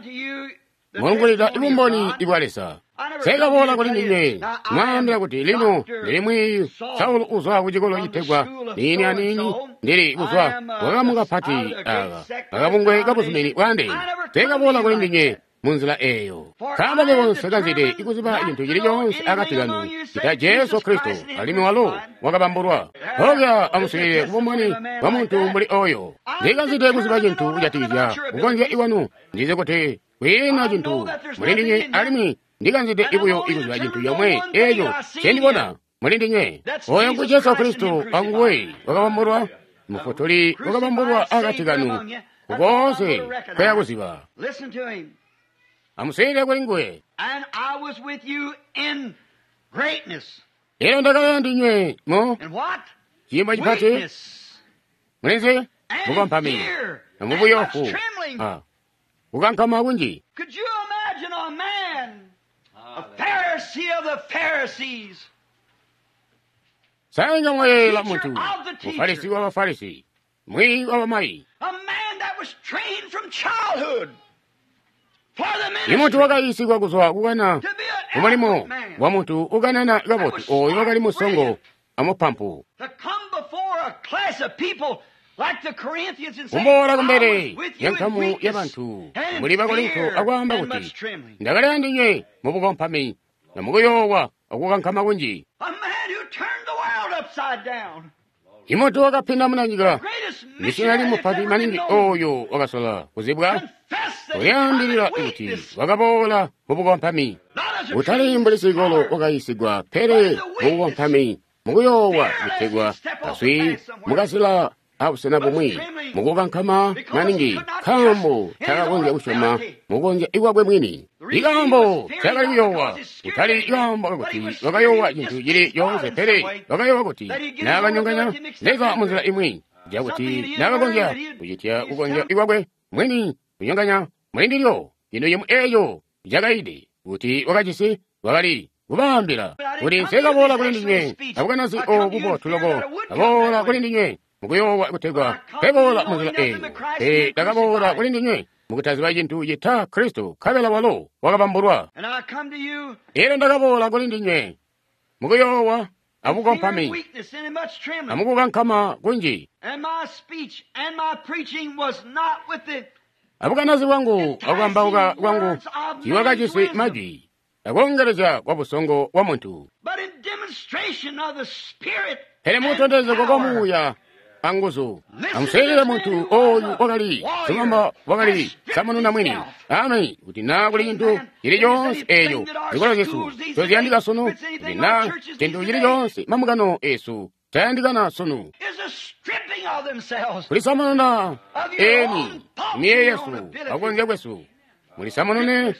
mulungulila ibumboni bwa Leza. Nsekaboola kuli ndinywe mwaambila kuti lino ndili mwiiyi Saulo uzwa kucikolo citegwa niini aniini, ndili kuzwa kakamu kapati aka akabungwe kabuzumini bwaandeene. Nsekaboola kuli ndinywe munzila eyo. Nkaambo mebo nsekanzide ikuziba cintu cili coonse akati kanu cita Jesu Kristo, alimwi walo wakabambulwa. Mpoonya amuswiilile kubumboni bwa muntu mbuli oyo. Ndikanzide kuziba cintu kujatikizya kukonzya ikwanu. Ndizi kuti kwiina cintu muli ndinywe, alimwi ndikanzide ibuyo ikuziba cintu comwe eco ncendibona muli ndinywe. Oyo ngu Jesu Kristo anguwe wakabambulwa, Mufutuli wakabambulwa akati kanu kukoonse kweya kuziba. Amuswiilile kuli nguwe. Elyo ndakali ndinywe mu ciimo cipati, mulinzi mukompami amubuyofu kukankama kunji. Sainga mwayeela muntu, Mufarisi wa Bafarisi, mwiyi wa bamayi, imuntu wakayiisigwa kuzwa kukana kumulimo wa muntu ukanana kabotu, oyo wakali musongo amupampu. Kumboola kumbele yankamu yabantu muli Bakorinto akwaamba kuti, ndakali andinywe mubukompami na mukuyoowa akukankama kunji. Imuntu wakapinda munanyika, misionari mupati maningi oyo wakasola kuzibwa, ulyaambilila kuti wakaboola mubukompami. Utali mbuli sikolo wakayiisigwa, pele mubukompami, mukuyoowa kutegwa kaswi mukazila abusena bumwi, mukukankama maningi, nkaambo takakonzya kusyoma mukukonzya ikwakwe mwini. Ikaambo takali kuyoowa, kutali ikaambo kakuti wakayoowa cintu cili coonse, pele wakayoowa kuti naakanyonganya Leza munzila imwi, cakuti naakakonzya kucitya kukonzya ikwakwe mwini kunyonganya muli ndilyo cintu cimwi eeco cakaide kuti wakajisi wakali kubaambila kuti nsekaboola kuli ndinywe abukanazi obu bubotu loko, aboola kuli ndinywe mukuyoowa kutegwa peboola munzila eyo, pele ndakaboola kuli ndinywe mukutaziba cintu cita Kristo, nkabela walo wakabambulwa. Elyo ndakaboola kuli ndinywe mukuyoowa abukompami amukukankama kunji. Abukanazi bwangu akukambauka kwangu tiiwakajisi majwi akoongelezya kwa busongo bwa muntu, pele mukutondezegwa kwa Muuya anguzu. Amuswiilile muntu oyu wakali silumamba, wakali samununa mwini. Ameni. Kuti naa kuli cintu cili coonse eeco zikolo zyesu toziyandika sunu, kuti naa cintu cili coonse mambungano esu tayandikana sunu, kulisamununa eni miyeeyo yesu akukonzya kwesu, mulisamunune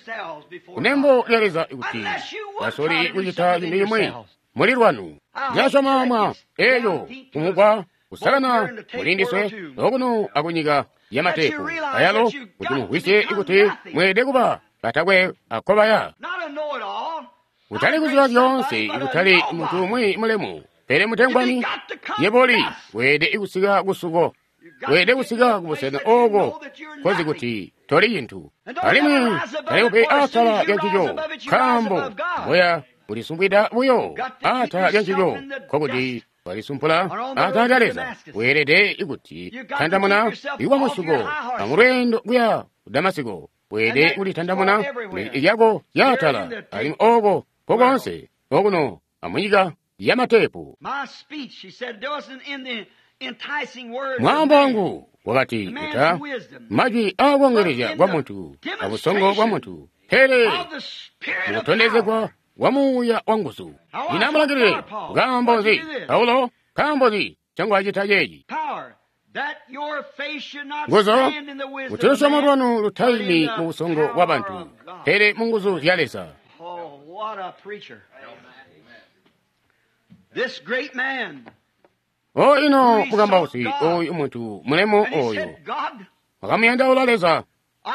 kunembo lya Leza kuti basoli kucita cintu cimwi muli lwanu. Ndilasyoma mwa eeco kumugwa kusakana mulindiswe okuno akunyika yamatepu ayalo, kuti mumvwisye ikuti mweelede kuba batakwe akobaya, kutali kuziba zyoonse, kutali muntu umwi mulemu, pele mutengwani yeboli weelede kusika kusuko, weelede kusika kubusena ooko kozi kuti toli cintu, alimwi talikupi atala lya ncico, nkaambo mboya kulisumbwida buyo atala lya ncico, nkokuti walisumpula atala lya Leza. Weelede ikuti tandamuna ikuba musuko amulweendo kuya ku Damasiko, weelede kulitandamuna lyako lyaatala, alimwi ooko kokonse okuno amunyika yamatepu. Mwaambo wangu wakati kuta majwi aakongelezya kwa muntu abusongo bwa muntu, pele mukutondezegwa kwa Muuya wa nguzu. Lino amulangilile. Nkaambo nzi Paulo? Nkaambo nzi cangwacita ceeci? Nguzu, kuti lusyomo lwanu lutaimi mu busongo bwa bantu, pele mu nguzu zya Leza. O ino mukambausi oyu muntu mulemu oyu wakamuyandaula Leza,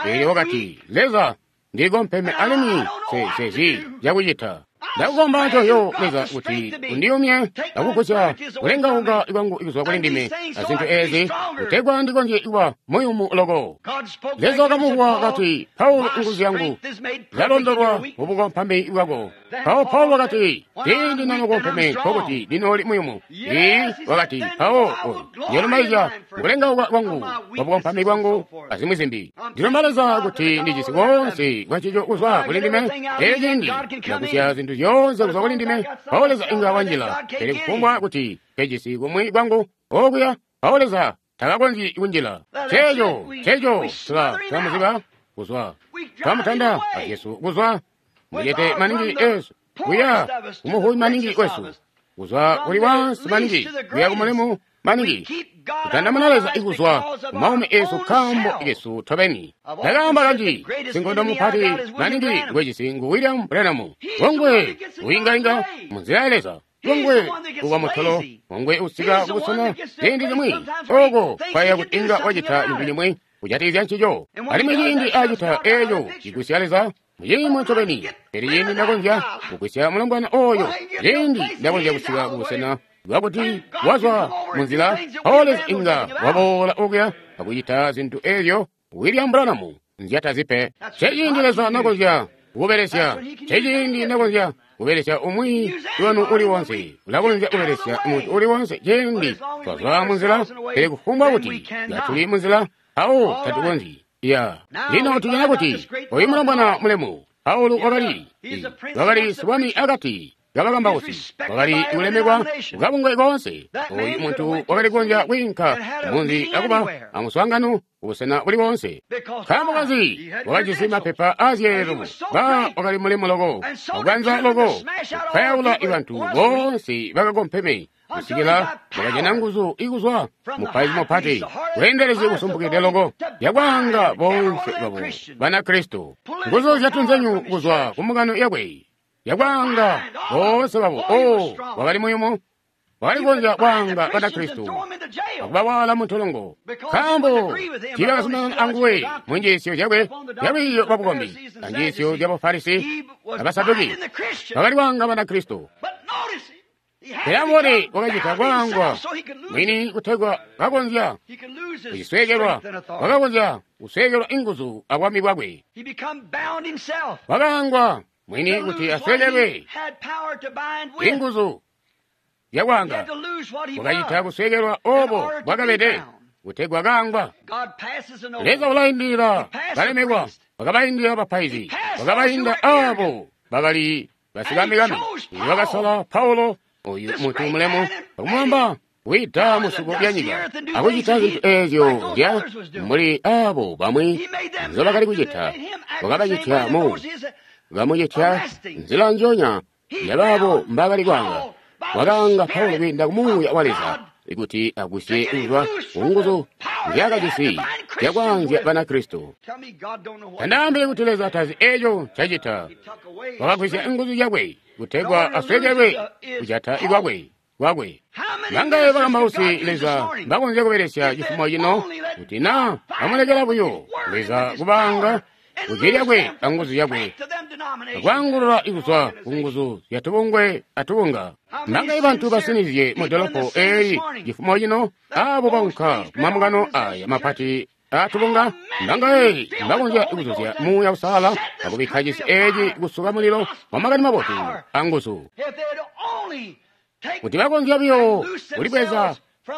eelyo wakati, Leza, ndikompeme alimwi sezi zyakucita. Ndakukomba ncoyo Leza kuti undiyumye akugusya kulengauka kwangu kuzwa kuli ndime azintu eezi, kutegwa ndikonzye kuba muyumu loko. Leza wakamuvuwa kati, Paulo, nguzu yangu zalondolwa mubukompami bwako. Mpawo Paulo wakati, ciindi nanokompeme nkokuti ndinooli muyumu. Ii, wakati, mpawo oyu ndiyolumbaizya mukulengauka kwangu kwabukompami bwangu azimwi zimbi. Ndilomba Leza kuti ndijisi koonse kwancico kuzwa kuli ndime. Elyo ciindi ndagusya zintu zyoonse kuzwa kuli ndime, mpawo Leza inga wanjila. Pele kufumbwa kuti nkejisi kumwi kwangu okuya, mpawo Leza takakonzyi kunjila. Ceeco, ceeco, tula tulamuziba kuzwa. Twamutanda a Jesu kuzwa mucete maningi esu kuya kumuhuyi maningi wesu, kuzwa kuli wansi maningi kuya kumulemu maningi. Kutandamuna Leza ikuzwa kumaumi esu kambo kesu tobeni. Ndakaamba kanji sinkondo mupati maningi ngwejisi ngu William Branham. Ngongwe uingainga munzila ya Leza. Ngongwe uwa mutolo, ngongwe usika kubusena ciindi cimwi oko kwaya kuti inga wacita cintu cimwi kujatikizya ncico. Alimwi ciindi acita eeco cigwisya Leza muciimo ncobeni. Pele ciindi ndakonzya kugwisya mulombwana oyo, ciindi ndakonzya kusika kubusena bwakuti wazwa munzila, mpawo Leza inga waboola okuya akucita zintu eezyo William Branham nzyatazipe. Ceciindi Leza nakonzya kubelesya, ceciindi nakonzya kubelesya umwi wanu uli wonse. Ulakonzya kubelesya muntu uli wonse ciindi twazwa munzila, pele kufumbwa kuti katuli munzila, mpawo tatukonzyi. Ya lino tujana kuti oyu mulombwana mulemu Paulo wakali sibwami akati kabakambausi, wakali kulemekwa kukabungwe koonse. Oyu muntu wakali kukonzya kwiinka munzi akuba amuswaangano kubusena buli boonse. Nkaambo kanzi? Wakajisi mapepa aazyeelelo. Ba wakali mulemu loko, akukanza loko, kupayaula bantu boonse bakakompeme kusikila wakajana nguzu ikuzwa mupaizi mupati bweendelezi busumpukide loko yakwaanga boonse babo Banakristo. Nguzu zyatunzenyu kuzwa kumukano yakwe yakwaanga boonse babo. O, wakali muyumu, wakali kukonzya kwaanga Banakristo akubawaala muntolongo nkaambo tiibakazumanana anguwe mu njiisyo zyakwe zyalwiiyo lwabukombi anjiisyo zyabufarisi abasaduki. Bakali kwaanga Banakristo. Pele amubone wakacita kwaangwa mwini kutegwa kakonzya kucisweekelwa, wakakonzya kusweekelwa inguzu abwami bwakwe. Wakaangwa mwini kuti asweekelwe inguzu zyakwaanga. Wakacita kusweekelwa obo bwakabede kutegwa kaangwa. Leza ulaindilila balemekwa, wakabaindila bapaizi, wakabainda aabo bakali basikamikami. Wakasala Paulo oyu muntu mulemu akumwamba wida musuko lya nyika akucita zintu eezyo zya mbuli aabo bamwi nzobakali kucita. Wakabacitya mu kamucitya nzila njonya yabaabo mbakali kwaanga. Wakaanga Paulo kwiinda kumuuya wa Leza kuti agwisye kuzwa kunguzu nzyakajisi zyakwaanzya Banakristo. Tandaambile kuti Leza tazi eeco ncacita. Wakagwisya nguzu zyakwe kutegwa asweekelwe kujata ikwakwe kwakwe. Bangaye bakambausi Leza bakonzya kubelesya cifumo cino kuti naa bamulekela buyo Leza kubaanga kujwi lyakwe anguzu zyakwe akwaangulula kuzwa kunguzu zyatubungwe atubunga. Bangaye bantu basinizye mudolopo eeli cifumo cino aabo baunka kumamungano aya mapati atubunga. Bangaye bakonzya kuzuzya Muuya Uusalala akubikka cisi eeci kusuka mulilo wa makani mabotu anguzu. Kuti bakonzya buyo kulibweza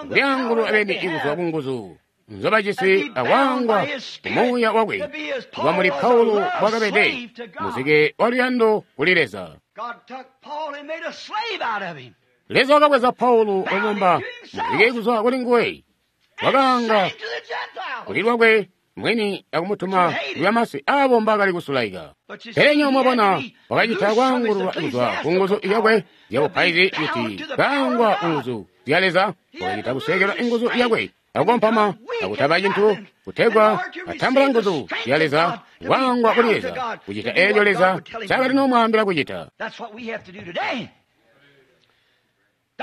kulyaangulula beni kuzwa kunguzu nzobajisi akwaangwa kumuuya wakwe kuba muli Paulo bwakabede muzike waluyando kuli Leza. Leza wakabweza Paulo wamwamba muzike kuzwa kuli nguwe, wakaanga kuli lwakwe mwini akumutuma kuyamasi aabo mbakali kusulaika. Pele nywebo mwabona wakacita kwaangululwa kuzwa kunguzu zyakwe zyabupaizi kuti kaangwa kunguzu zya Leza, wakacita kusweekelwa inguzu yakwe akukompama akutaba cintu kutegwa atambula nguzu zya Leza, kwaangwa kuli Leza, kucita eeco Leza ncaakali nomwaambila kucita.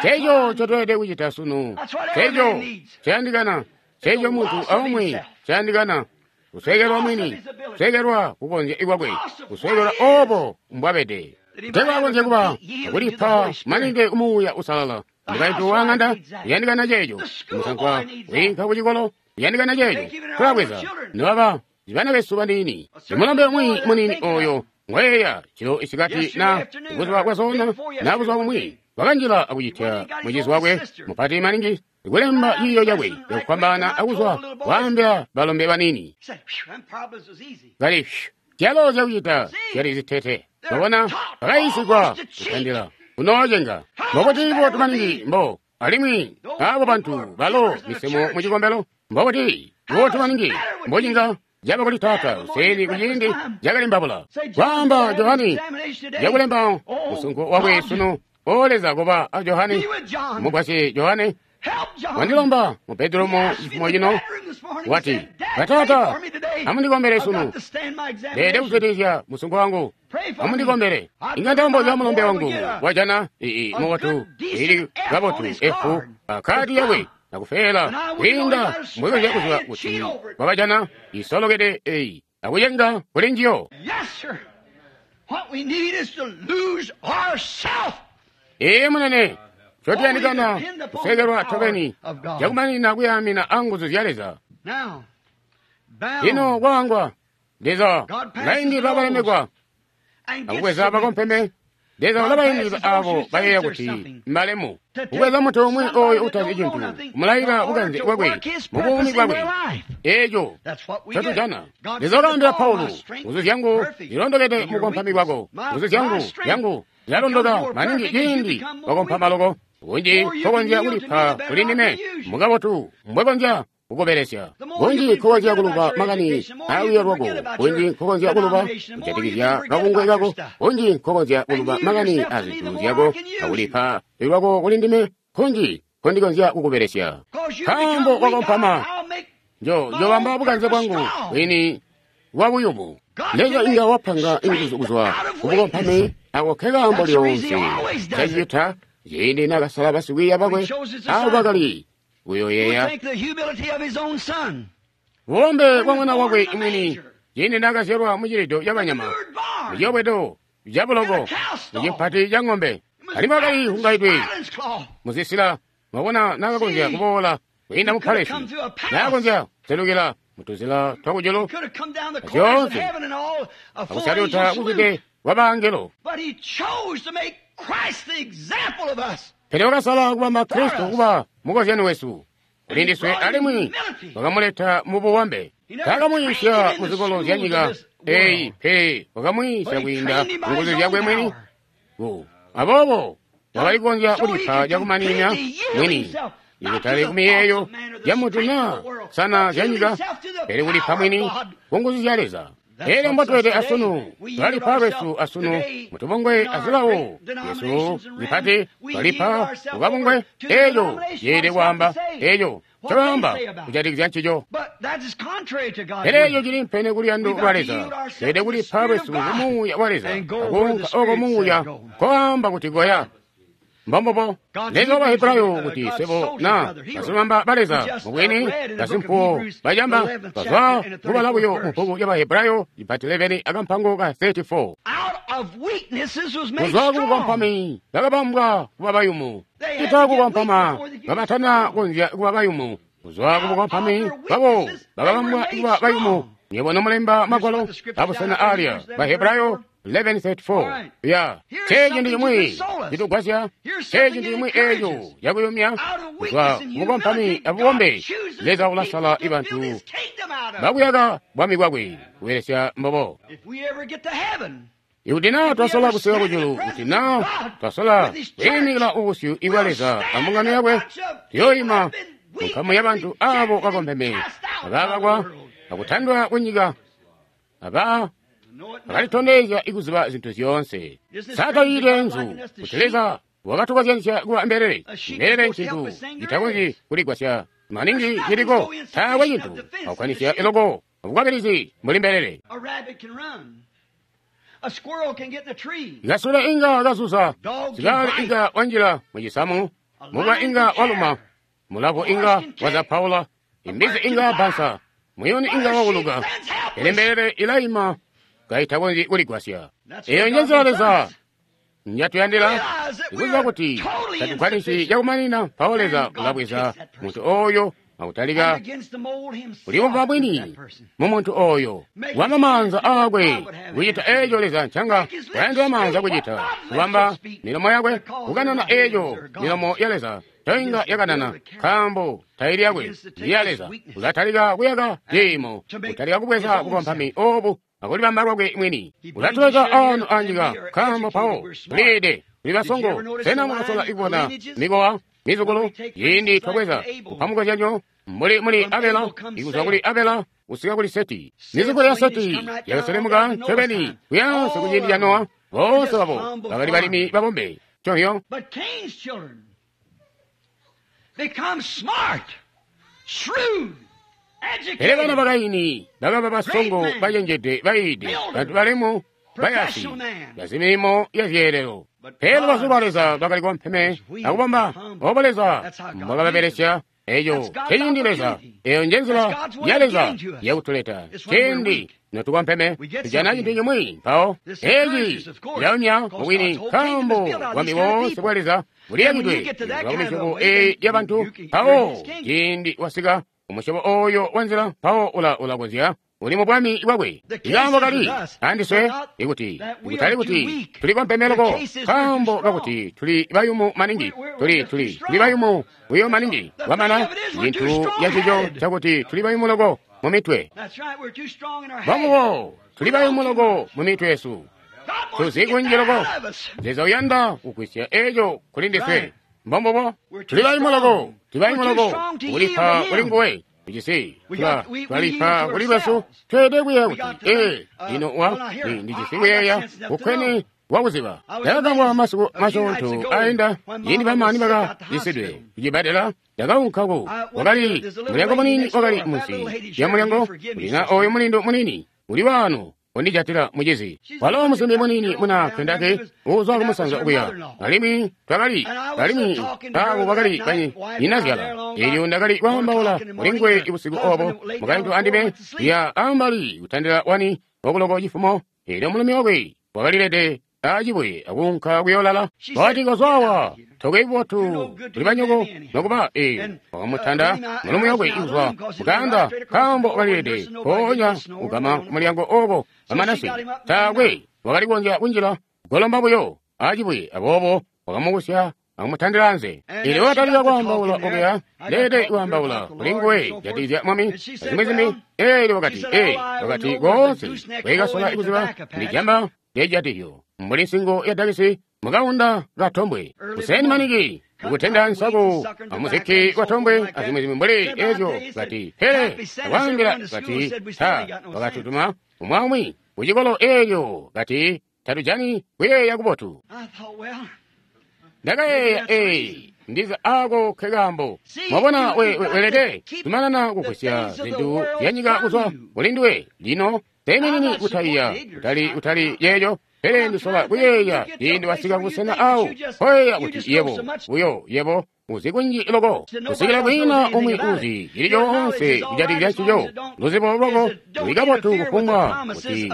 Ceeco ncotweelede kucita sunu, ceeco cayandikana, ceeco muntu aumwi cayandikana, kusweekelwa mwini, kusweekelwa kukonzya ikwakwe, kusweekelwa oobo mbwabede, kutegwa akonzye kuba akulipa maningi kumuuya usalala. Mukaintu wa ng'anda uyandikana ceeco, musankwa wiinka kucikolo uyandikana ceeco. Tulabweza nobaba bana besu baniini, imulombe umwi muniini oyo Ngweya cilo isikati na buzuba bwazona na buzuba bumwi wakanjila akucitya mucizi wakwe mupati maningi kulemba ciiyo cakwe cakufwambaana akuzwa waambila balombe banini. Kali zyalo zyakucita zyali zitete. Mwabona bakayiisigwa kutandila kunoocenga mbokuti botu maningi mbo alimwi abo bantu balo misemo mu cikombelo mbokuti botu maningi mbocinga caba kuli taata useni kuciindi cakalimbabula kwaamba Johani yakulemba musunko wakwe sunu. O Leza kuba a Johani mugwasye Johani wandilomba mu bedroom cifumo cino wati batata amundikombere sunu ndede kuzwidilizya musunko wangu amundikombere inga ndalombozya mulombe wangu wajana ii mubotu ili kabotu efu akadi yakwe nakufeela kwiinda mbwekonzya kuziba kuti wakajana isolokede eyi akuyenga kuli njiyo. Ee munene cotuyandikana kusekelwa tobeni cakumanina kuyamina anguzu zya Leza. Lino kwangwa Leza ulaindila balemekwa akubweza bakompeme. Leza ulabaindila abo bayeeya kuti mbalemu kubweza muntu umwi oyo utazi cintu kumulayila bukanze bwakwe mubuumi bwakwe. Eeco cotujana. Leza wakaambila Paulo, nguzu zyangu zilondokede mukompami kwako, nguzu zyangu zilalondoka maningi ciindi wakompama loko kunji nkokonzya kulipa kuli ndime mukabotu mbwekonzya kukubelesya kunji nkokonzya kuluba makani aawiyo lwako kunji nkokonzya kuluba kujatikizya kabungwe kako kunji nkokonzya kuluba makani azintu zyako akulipa lwako kuli ndime kunji nkondikonzya kukubelesya nkaambo wakompama njobamba bukanze bwangu bwini bwa buyumu. Leza inga wapanga inguzu kuzwa kubukompami ako kekaambo lyonse cacita ciindi nakasala basikwiiya bakwe abo bakali kuyoyeya bubombe bwa mwana wakwe mwini ciindi nakazyalwa mucilido cabanyama muciyobwedo cabuloko mucimpati ca ng'ombe alimwi akali hungaidwe muzisila. Mwabona nakakonzya kuboola kwiinda mu palesi nakakonzya kuselukila mutuzila twakujulu zyoonse akusaluta kuzwide kwa bangelo. Pele wakasala kubamba Kristo kuba mukozyano wesu kuli ndiswe alimwi wakamuleta mu bubambe. Takamuyiisya muzikolo zya nyika eyi pele wakamwiisya kwiinda munguzu zyakwe mwini. Aboobo wakali kukonzya kulipa cakumanina mwini ikutali kumiyeeyo ya muntu naa sana zya nyika pele kulipa mwini kunguzu zya Leza. Elyo mbotwete asunu twalipa lwesu asunu mutubungwe azilawo yesu zipati twalipa kukabungwe. Eeco ceelede kwaamba eeco ncobaamba kujatikizya ncico. Pele eeco cili mpene kuluyando lwa Leza. Tweelede kulipa lwesu kumuuya wa Leza akuunka oko muuya nkoamba kuti goya. Mbombobo Leza wa Bahebrayo kuti swebo na basilumamba ba Leza mubwini basimpuwo bacamba bazwa kubala buyo mu bbuku lya Bahebrayo ipati 11 akampango ka 34. Kuzwa kubukompami bakabambwa kuba bayumu, cita kukompama kabatana konzya kuba bayumu. Kuzwa kubukompami babo bakabambwa kuba bayumu. Nyebo nomulemba magwalo abusena alya Bahebrayo 11:34. Ya ceeci ndi chimwi chitugwasya, ceeci ndi chimwi eeco cakuyumya kuzwa kubukompami abubombe. Leza ulasala ibantu bakuyaka bwami bwakwe kubelesya mbobo. Ikuti naa twasola kusika kujulu, kuti naa twasola kwiimikila ubusyu ibwa Leza ambungano yakwe, tuyooyima munkamu yabantu abo bakompeme abakakwa akutandwa kunyika aba akalitondezya ikuziba zintu zyoonse. Saatayile nzu kuti Leza wakatukozyanisya kuba mbelele. Mbelele ncintu citakonzyi kuligwasya maningi ciliko taakwe cintu akukwanisya eloko abukwabilizi mbuli mbelele. Ikasula inga kazuza, sikale inga wanjila mucisamu, mubwa inga waluma, mulavu inga wazapaula, imbizi inga bansa, muyuni inga wauluka. Pele mbelele ilayima kaitakonzyi kuligwasya. Eyo njenzila Leza njatuyandila ikuziba kuti tatukwanisi cakumanina. Mpawo Leza ulabweza muntu oyo Akutalika kulibumba mwini mu muntu oyo, kubamba maanza aakwe kucita eco Leza ncanga wayandila maanza kucita, kubamba milomo yakwe kukanana eco milomo ya Leza toinga yakanana, nkaambo taili yakwe ndi ya Leza. Ulatalika kuyaka ciimo, kutalika kubweza bukompami obu akulibamba lwakwe mwini. Ulatuleka ano anyika, nkaambo mpawo tuliide tuli basongo. Sena mwakasola kubona mikowa mizukulu ciindi twabweza kupa mukozyanyo mbuli muli Abela, ikuzwa kuli Abela kusika kuli Seti. Mizukulu ya Seti yakaselemuka ncobeni kuyaansi ku ciindi ca Nowa. Boonse babo bakali balimi babombe conhyo. Pele bana ba Kaini bakaba basongo, bacenjede, bayiide, bantu balemu, bayasi, bazimilimo ya zyeelelo. Pele lubazu lwa Leza lwakali kompeme akubomba. Obo Leza mbwakababelesya. Eco ciindi Leza, eyo njenzila ya Leza yakutuleta. Ciindi notukompeme tujana cintu cimwi mpawo eci cilaumya mubwini, nkaambo bwami boonse bwa Leza buliyakidwe kuzwa ku misyobo eyi ya bantu. Mpawo ciindi wasika umusyobo oyo wa nzila, mpawo ulakonzya uli mu bwami bwakwe. Ikaambo kali andiswe ikuti kutali kuti tulikompeme loko, nkaambo kakuti tuli bayumu maningi, tuli bayumu buyo maningi. Kwamana cintu yacico cakuti tuli bayumu loko mu mitwe. Bamubo tuli bayumu loko mu mitwe yesu, tuzi kunji loko. Leza uyanda kugwisya eco kuli ndiswe. Mbombubo, tuli bayumu loko, tuli bayumu loko kulipa kuli nguwe. Ujisi twalipa kuli lwesu. Tweelede kuyeeya kuti ee lino wa ndijisi kuyeeya kukwene wakuziba. Ndakagambwa masiku masyoonto ainda ciindi bamani bakacisidwe kucibbadela. Ndakaunka ku wakali mulyango munini wakali munsi lya mulyango kulina oyo mulindu munini uli waano undijatila mucizi. Walo musimbi munini muna Kentucky uuzwa kumusanza okuya, alimwi twakali alimwi abo bakali banyinazyala. Elyo ndakali kwaambaula kuli nguwe busiku obo, mukaintu andime ya ambali kutandila 1 okuloko cifumo. Elyo mulumi wakwe wakalilede acibuye akuunka kuyoolala. Wakati, kozwawa tokwe bubotu kuli banyoko nokuba. Wakamutanda mulumi wakwe kuzwa mukaanda, nkaambo wakalilede mpoonya kugama kumulyango oko bamanasi. Taakwe wakali kukonzya kunjila, golomba buyo acibuye. Aboobo wakamubusya akumutandila anze. Elyo wakatalika kwaambaula okuya, leede kwaambaula kuli nguwe jatizya Mwami azimwi zimbi. Elyo wakati, wakati koonse kwekasola kuziba ndijamba lyecijatizyo mbuli nsingo ya dakisi mukaunda katombwe. Kuseni maniki ukutenda nsaku amuzikki wa tombwe azimwi zimbi mbuli ezyo. Kati pele akwaambila kati ta wakatutuma umwaumwi kucikolo elyo kati tatujani kuyeeya kubotu. Ndakayeeya, ndiza ako kekaambo. Mwabona, welede kumanana kugwisya zintu zyanyika kuzwa kuli nduwe. Lino teeminini kutayiya kutali yeeyo, pele ndisola kuyeeya ciindi wasika kubusena awo koyeeya kuti yebo buyo yebo uzi kunji loko kusikila kwina umwi uzi cili coonse kujatikizya ncico. Luzibo lwako luli kabotu kufumbwa kuti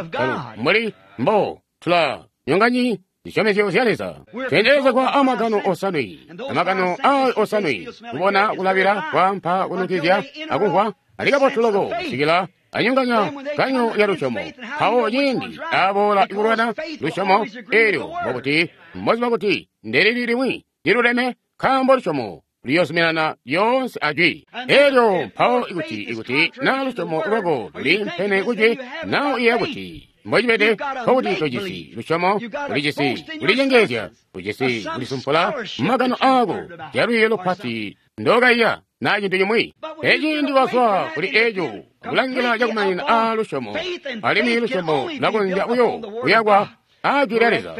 mbuli mbo tula nyonganyi zisyomezyo zya Leza. Tweendelezegwa amagano osanwe, amagano ayo osanwe, kubona, kulabila, kwaampa, kunukizya akumvwa, ali kabotu loko kusikila anyonganya kanyo ya lusyomo. Mpawo ciindi aboola kulwana lusyomo elyo, mbokuti mboziba kuti ndelili limwi liluleme, nkaambo lusyomo luyozuminana lyoonse ajwi. Elyo mpawo ikuti na lusyomo lwako luli mpene kujwi, na uyeeya kuti mbocibede, nkokuti tojisi lusyomo, ulijisi kulicengeezya, ujisi kulisumpula mumagano aako zyalwiiyo lupati ndokaiya na cintu cimwi. Eciindi wazwa kuli eco akulangila cakumanina a lusyomo, alimwi lusyomo lulakonzya buyo kuyakwa a jwi lya Leza,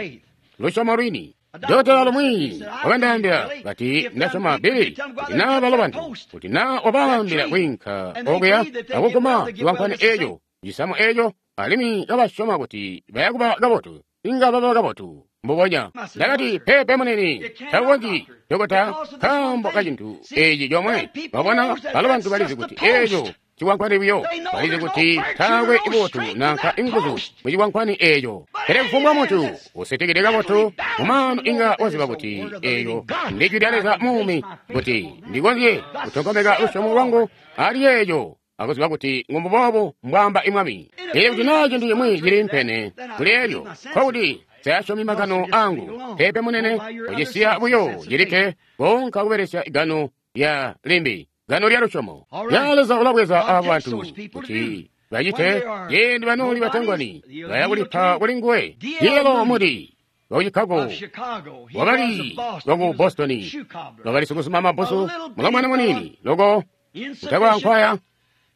lusyomo lwini. Dokotela lumwi wakandaambila kati, ndasyoma Billy, kuti naa balo bantu, kuti naa wabaambila kwiinka okuya akuguma ciwankwani eco, cisamu eco, alimwi kabasyoma kuti bayakuba kabotu, inga baba kabotu mbubonya. Ndakati, peepe munene, takukonzyi dokota, nkaambo kacintu eci comwe. Wabona, balo bantu balizi kuti eco cikwankwani buyo. Balizi kuti taakwe ibotu nanka inguzu mu cikwankwani eeco. Pele kufumbwa muntu usitikide kabotu mumaanu inga waziba kuti eeyo ndi jwi lya Leza muumi, kuti ndikonzye kutonkomeka lusyomo lwangu ali eeco akuziba kuti ngumbuboobo mbwaamba imwami. Pele kuti naa cintu cimwi cili mpene kuli elyo, nkokuti sayasyomi magano angu. Pepe munene, kucisiya buyo cilikke konka kubelesya gano lya limbi, gano lya lusyomo. Ya Leza ulabweza abo bantu kuti bacite ciindi banooli batengwani baya kulipa kuli nguwe. Yelo Moody waku Chicago, wakali waku Boston, wakali sikusuma mabusu, mulomwana munini loko utakwankwaya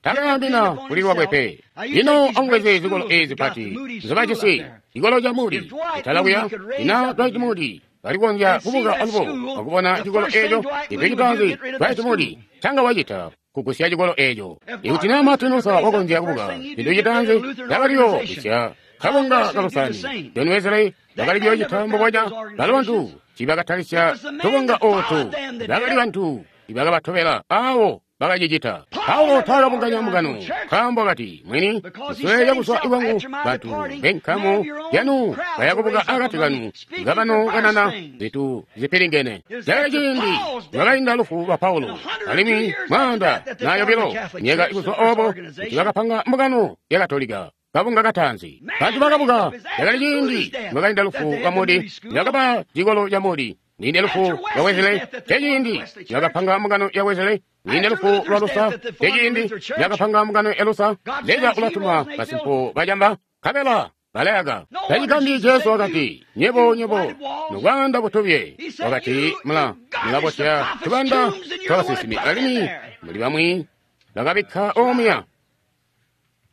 takayambina kuli lwakwe pe. Lino amubweze zikolo ezi pati nzobajisi, cikolo ca Moody kutala kuya, ina Dwight Moody balikonzya kubuka alubo akubona cikolo eco. Cintu citaanzi Dwight Moody canga wacita kugusya cikolo eco. Ikuti naa Martin Luther wakonzya kubuka, cintu citaanzi cakaliyo gusya kabunga kalusani. John Wesley bakali kuyocita mbubonya. Balo bantu tiibakatalisya tubunga ootu, bakali bantu ibakabatobela awo bakacicita. Paulo taakabunganya mbungano, nkaambo kati mwini kusweeka kuzwa ikwangu bantu benkamu yanu bayakubuka akati kanu ngabano kanana zintu zipilingene. Cakali ciindi lwakainda lufu lwa Paulo, alimwi mwaanda na yobilo myaka ikuzwa oobo kuti bakapanga mbungano ya Katolika, kabunga kataanzi. Bantu bakabuka. Cakali ciindi lwakainda lufu lwa Moody, bakaba cikolo ca Moody. Ninde lufu lwa Wesley, ceciindi bakapanga mbungano ya Wesley. Ninde lufu lwa Luther, ceciindi bakapanga mbungano ya Luther. Leza ulatuma basimpo bacamba, nkabela balayaka. Tacigambi Jesu wakati, nyebo nyebo nubwanda butubye. Wakati mula mulabotya tubanda twabasinsimi, alimwi muli bamwi bakabikka omuya.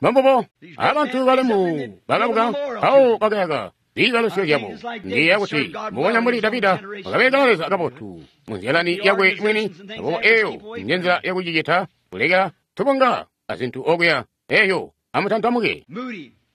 Mambobo abantu balemu bakabuka mpawo bakayaka ziibalusyo zyabo. Ndiyeeya kuti mbubonya mbuli Davida wakabelekela Leza kabotu munzilani yakwe mwini. Aboobo eeyo njenzila yakucicita, kulekela tubunga azintu okuya. Eeyo amutantamuke.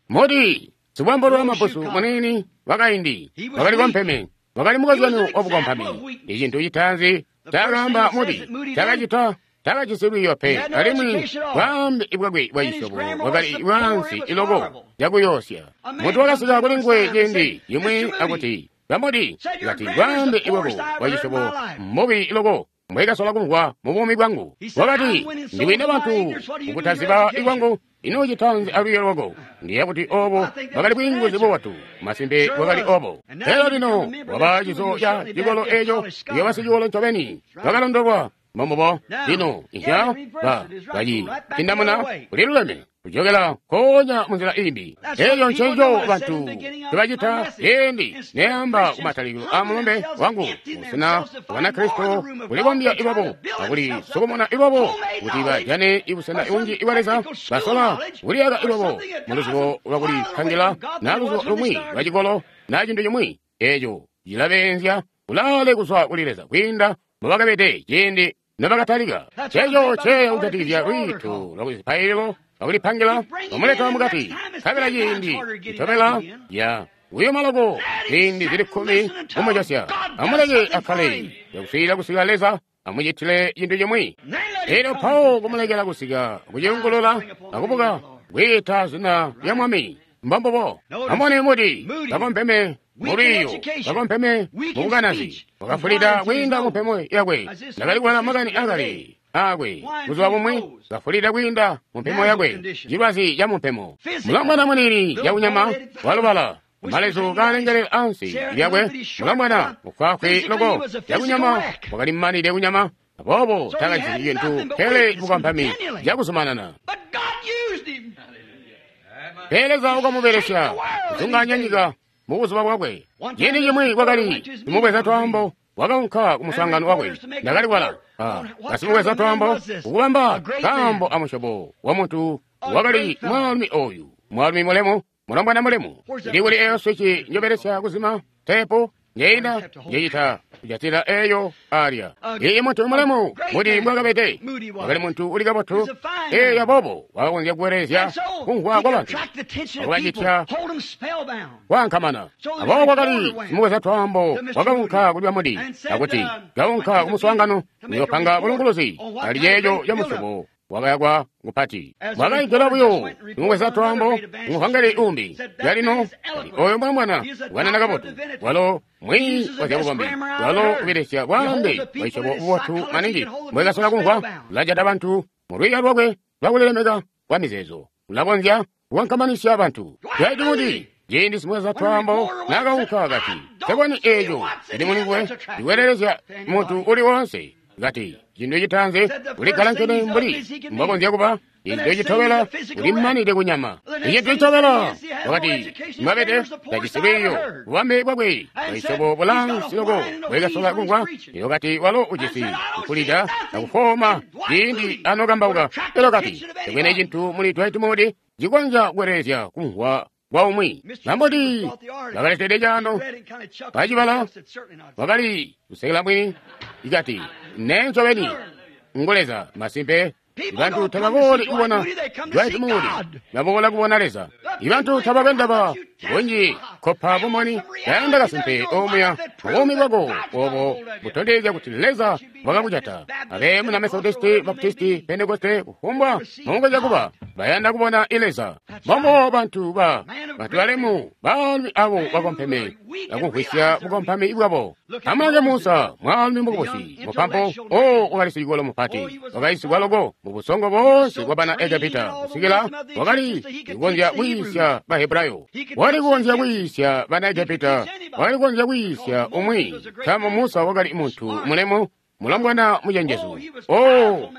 Moody sibwambolwa mabusu munini wakaindi wakali kompeme, wakali mukozyanyo wabukompami. Icintu citaanzi cakaamba Moody cakacita takajisi lwiiyo pe, alimwi bwaambe bwakwe bwacisyobo bwakali bwaansi iloko cakuyoosya. Muntu wakasika kuli nguwe ciindi cimwi akuti, "Ba Moody," kati, "bwaambe bwako bwacisyobo mbubi iloko mbwekasola kumvwa mu buumi bwangu." Wakati, "Ndiwina bantu mukutaziba ikwangu, ino citanzi alwiiyo lwako?" Ndiyeeya kuti oobo bwakali bwiinguzi bubotu. Masimpe bwakali oobo. Pele lino waba cizo ca cikolo eeco, uyooba sicikolo ncobeni bakalondolwa. Mbombubo. Lino inzya ba baci cindamuna kuliluleme kujokela nkoonya munzila imbi. Eeyo ncencico bantu tebacita ciindi neamba kumatalikilo a mulumbe wangu busena Banakristo kulibombya iwabo akulisukumuna iwabo kuti bajane ibusena bunji ibwa Leza. Basola kuliyaka iwabo muluzibo lwakulipangila na luzibo lumwi lwa cikolo na cintu cimwi eeco cilabeenzya kulaale kuzwa kuli Leza kwiinda mbobakabede ciindi nobakatalika. Ceeco ceeya kujatikizya lwiito lwakuzipaililo lwakulipangila bamuleta mukati, nkabela ciindi citobela ya kuyuma loko ziindi zili 10 kumujosya. Amuleke akkale yakuswiilila kusika Leza amucitile cintu cimwi. Elyo mpawo kumulekela kusika kuciyungulula akubuka kwiita zina lya Mwami. Mbombubo. Amone Moody bakompeme mulwiiyo, bakompeme mubukanazi, wakafulida kwiinda mumpemo yakwe. Ndakali kubala makani akale akwe buzuba bumwi, kafulida kwiinda mumpemo yakwe, cilwazi ca mumpemo. Mulomwana munini cakunyama walubala malezu kalengelela ansi lyakwe, mulomwana mufwaafwi loko cakunyama wakali mmanide kunyama, aboobo takajisi cintu pele bukompami cakuzumanana. Pele Leza wakamubelesya kuzungaanya nyika mubuzuba bwakwe. Ciindi cimwi kwakali simubweza twaambo wakaunka kumuswaangano wakwe. Ndakali kubala basimubweza twaambo kukubamba kaambo amusyobo wa muntu wakali mwaalumi oyu, mwaalumi mulemu, mulombwana mulemu. Ili kuli eyo swici njobelesya kuzima teepu njeina njecita kujatila eyo alya. Iyi muntu mulemu Moody mbwakabede, wakali muntu uli kabotu. Eyo aboobo wakakonzya kuwelezya kumvwa kwa bantu akubacitya kwaankamana. Aboobo kwakali simubweza twaambo wakaunka kuli ba Moody akuti, "Kaunka kumuswaangano, uyoopanga bulunguluzi ali ceeco ca musyobo wakayakwa kupati. Mwakaigela buyo nimubweza twaambo muvangeli umbi yalino oyo mwana wanana kabotu walo mwiyi wa zyabukombi walo ubelesya bwaambe bwaisyobo bubotu maningi mbwekasola kumvwa. Ulajata bantu mu lwiiyo lwakwe lwakulilemeka kwa mizeezo, ulakonzya kukankamanisya bantu. Dwight Moody ciindi simweza twaambo naakaunka kati, "Seboni eeco cili mulinguwe cikwelelezya muntu uli woonse." Kati, "Cintu citaanzi uligalankene mbuli mbwakonzya kuba, cintu citobela ulimanide kunyama, icintu citobela," wakati, "mwabede tajisi lwiiyo bubambe bwakwe bwaisyobo bulaansi loko bwekasola kumvwa." Elyo kati, "Walo ujisi kukulida akufooma ciindi anokambauka." Elyo kati, "Tekwene cintu muli Dwight Moody cikonzya kukwelelezya kumvwa kwa umwi." Bamboti bakaletede caano bacibala, wakali kusekela mwini, ikati, "Nee ncobeni ngu Leza masimpe." Ibantu tababooli kubona Dwight Moody, baboola kubona Leza. Ibantu tabakwe ndaba bunji kopa bumoni, bayanda kasimpe omuya buumi bwako obo butondezya kuti Leza wakakujata. Abe muna Methodisti, Baptisti, Pentekoste, kufumbwa mukonzya kuba, bayanda kubona Leza. Mombo bantu ba bantu balemu baalumi abo bakompeme akumvwisya bukompami bwabo. Amulange Musa, mwaalumi mukubusi mupampo o wakali sicikolo mupati, wakayisigwa loko mu busongo boonse bwa bana Egepita kusikila wakali kukonzya kuyiisya Bahebrayo, wakali kukonzya kuyiisya bana Egepita, wakali kukonzya kuyiisya umwi. Nkaambo Musa wakali muntu mulemu, mulombwana mucenjezu, o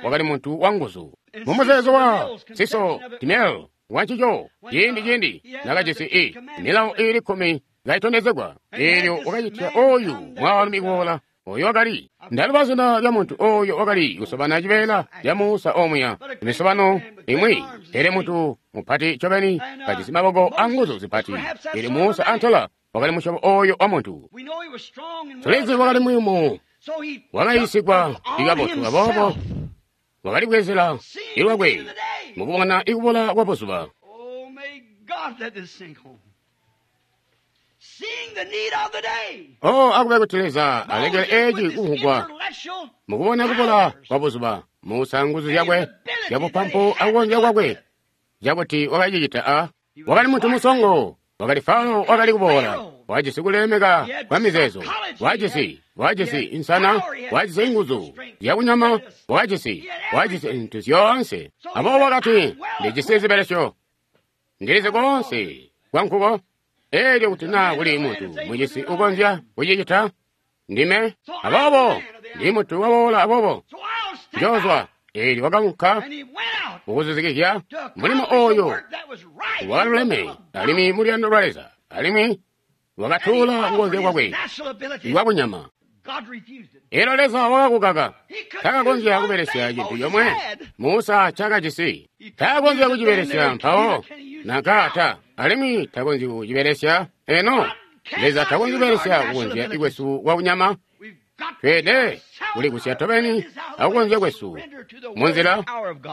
wakali muntu wanguzu. Mumuzeezo wa Siso Timel wancico ciindi nakajisi i milawo iili 10 kaitondezegwa, eelyo wakacitya oyu mwaalumi kuboola. Oyo wakali ndaluba zina lya muntu oyo wakali kusobana cibeela lya Musa omuya imisobano imwi, pele muntu mupati ncobeni kajisi maboko anguzu zipati. Pele Musa antela wakali musyobo oyo wa muntu. Tulizi wakali muyumu, wakayiisigwa ikabotu, aboobo wakali bwezela ilwakwe mukubona ikubola kwa buzuba. Oh, akube kuti Leza alekele eci kumvugwa mukubona kubola kwa buzuba. Musa nguzu zyakwe zyabupampu akukonzya kwakwe zyakuti wakacicita a wakali muntu musongo, wakali Farao wakali kuboola, wajisi kulemeka kwa mizeezo, wajisi insana, wajisi inguzu zyakunyama, wajisi zintu zyoonse. Aboobo wakati, "Ndijisi zibelesyo, ndilizi koonse kwankuko. Eelyo kuti naa kuli muntu mujisi ukonzya kucicita, ndime. Aboobo ndi muntu waboola, aboobo njoozwa." Eelyo wakaunka mukuzuzikizya mulimo oyo wakaluleme alimwi muluyando lwa Leza, alimwi wakatuula kukonzya kwakwe kwakunyama. Eelyo Leza wakakukaka. Takakonzya kubelesya cintu comwe Musa cakajisi. Takakonzya kucibelesya mpawo nanka alimwi takonzyi kucibelesya eno. Leza takonzyi kubelesya kukonzya kwesu kwakunyama. Tweelede kulikusya tobeni akukonzya kwesu munzila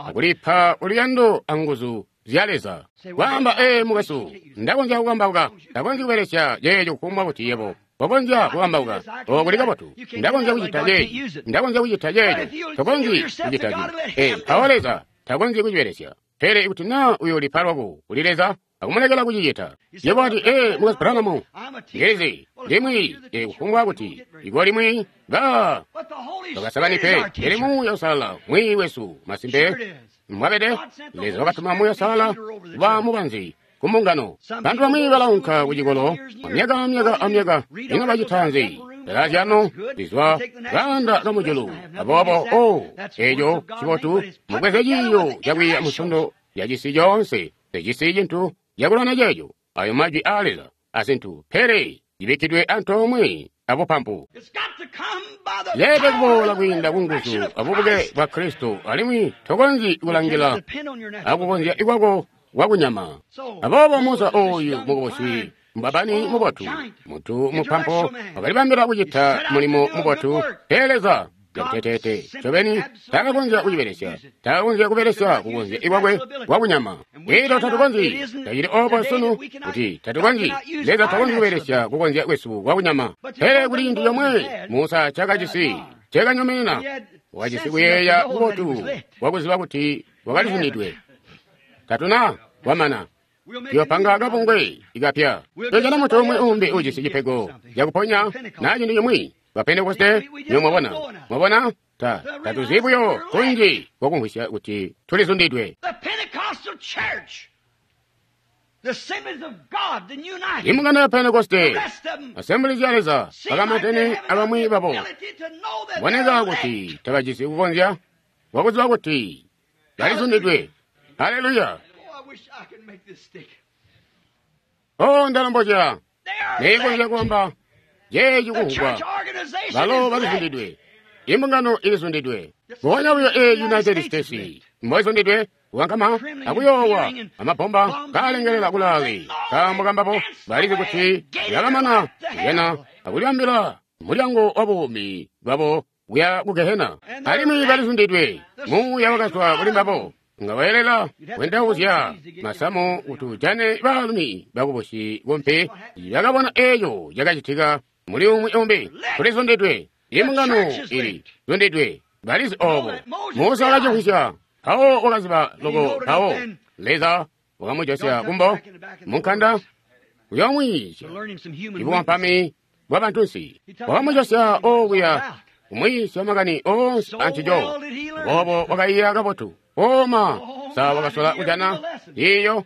akulipa uluyando anguzu zya Leza. Kwaamba, "Ee, mukwesu, ndakonzya kukambauka, ndakonzya kubelesya ceeco kufumbwa kuti yebo wakonzya kukambauka. O, kuli kabotu, ndakonzya kucita ceeci, ndakonzya kucita ceeco." Tokonzyi kucita ci. Mpawo Leza takonzyi kucibelesya. Pele kuti naa uyoolipa lwako kuli Leza akumulekela kucicita. Yebo wati, "Ee, mukwesu Branham, ndilizi ndimwi kufumbwa kuti iko limwi ba bakasabani pe, pele Muuya Uusalala mwiiyi wesu." Masimpe mwabede, Leza wakatuma Muuya Uusalala kuba mubanzi ku mbungano. Bantu bamwi balaunka ku cikolo myaka amyaka amyaka, ino bacita nzi? Balazyano lizwa kaanda kamujulu. Aboobo o eeco cibotu, mubweze ciiyo cakwiiya musondo yacisi coonse, tecisi cintu cakulwana ceeco. Ayo majwi aa Leza azintu, pele cibikkidwe antoomwe abupampu. Leelede kuboola kwiinda kunguzu abubuke bwa Kristo, alimwi tokonzyi kulangila akukonzya kwako kwakunyama. Aboobo Musa oyu mukubusi mbabani mubotu, muntu mupampo, wakalibambila kucita mulimo mubotu, pele Leza cakuteteete ncobeni takakonzya kucibelesya, takakonzya kubelesya kukonzya kwakwe kwakunyama. Elyo tatukonzyi, tacili obo sunu kuti tatukonzyi, Leza takonzyi kubelesya kukonzya kwesu kwakunyama. Pele kuli cintu comwe Musa cakajisi cakanyonena, Wakajisi kuyeeya kubotu kwakuziba kuti wakalizundidwe. Tatuna wamana. Tuyopanga kabungwe ikapya. Tuyojana muntu umwi umbi ujisi cipego cakuponya na cintu cimwi. Ba Pentekoste, niyo mwabona. Mwabona? Tatuzi buyo kunji kwakumvwisya kuti tulizundidwe. Imbungano ya Pentekoste, Assemblies ya Leza, bakamatene abamwi babo. Boneka kuti tabajisi kukonzya kwakuziba kuti balizundidwe. Haleluya! Oh, ndalombozya neikonzya kuamba jeeci kuhukwa balo balizundidwe. Imbungano ilizundidwe. Mponya buyo e United States mboizundidwe kukankama akuyoowa amabomba kaalengelela kulaale nkaambo kambabo balizi kuti yakamana kujana akulibambila mulyango wa buumi bwabo kuya ku gehena. Alimwi balizundidwe. Muuya wakazwa kuli mbabo nga weelela kwendauzya masamu kuti ujane baalumi bakubusi kumpi bakabona eeco cakacitika muli umwi umbi. Tulizundidwe. Imbungano ili zundidwe. Balizi obo. Musa wakacimvwisya. Mpawo wakaziba loko mpawo Leza wakamujosya kumbo munkanda kuyoomwiisya ibuwampami bwa bantunsi. Wakamujosya okuya kumwiisya makani oonse ancico. Boobo wakaiya kabotu. Oma sa wakasola kujana iyo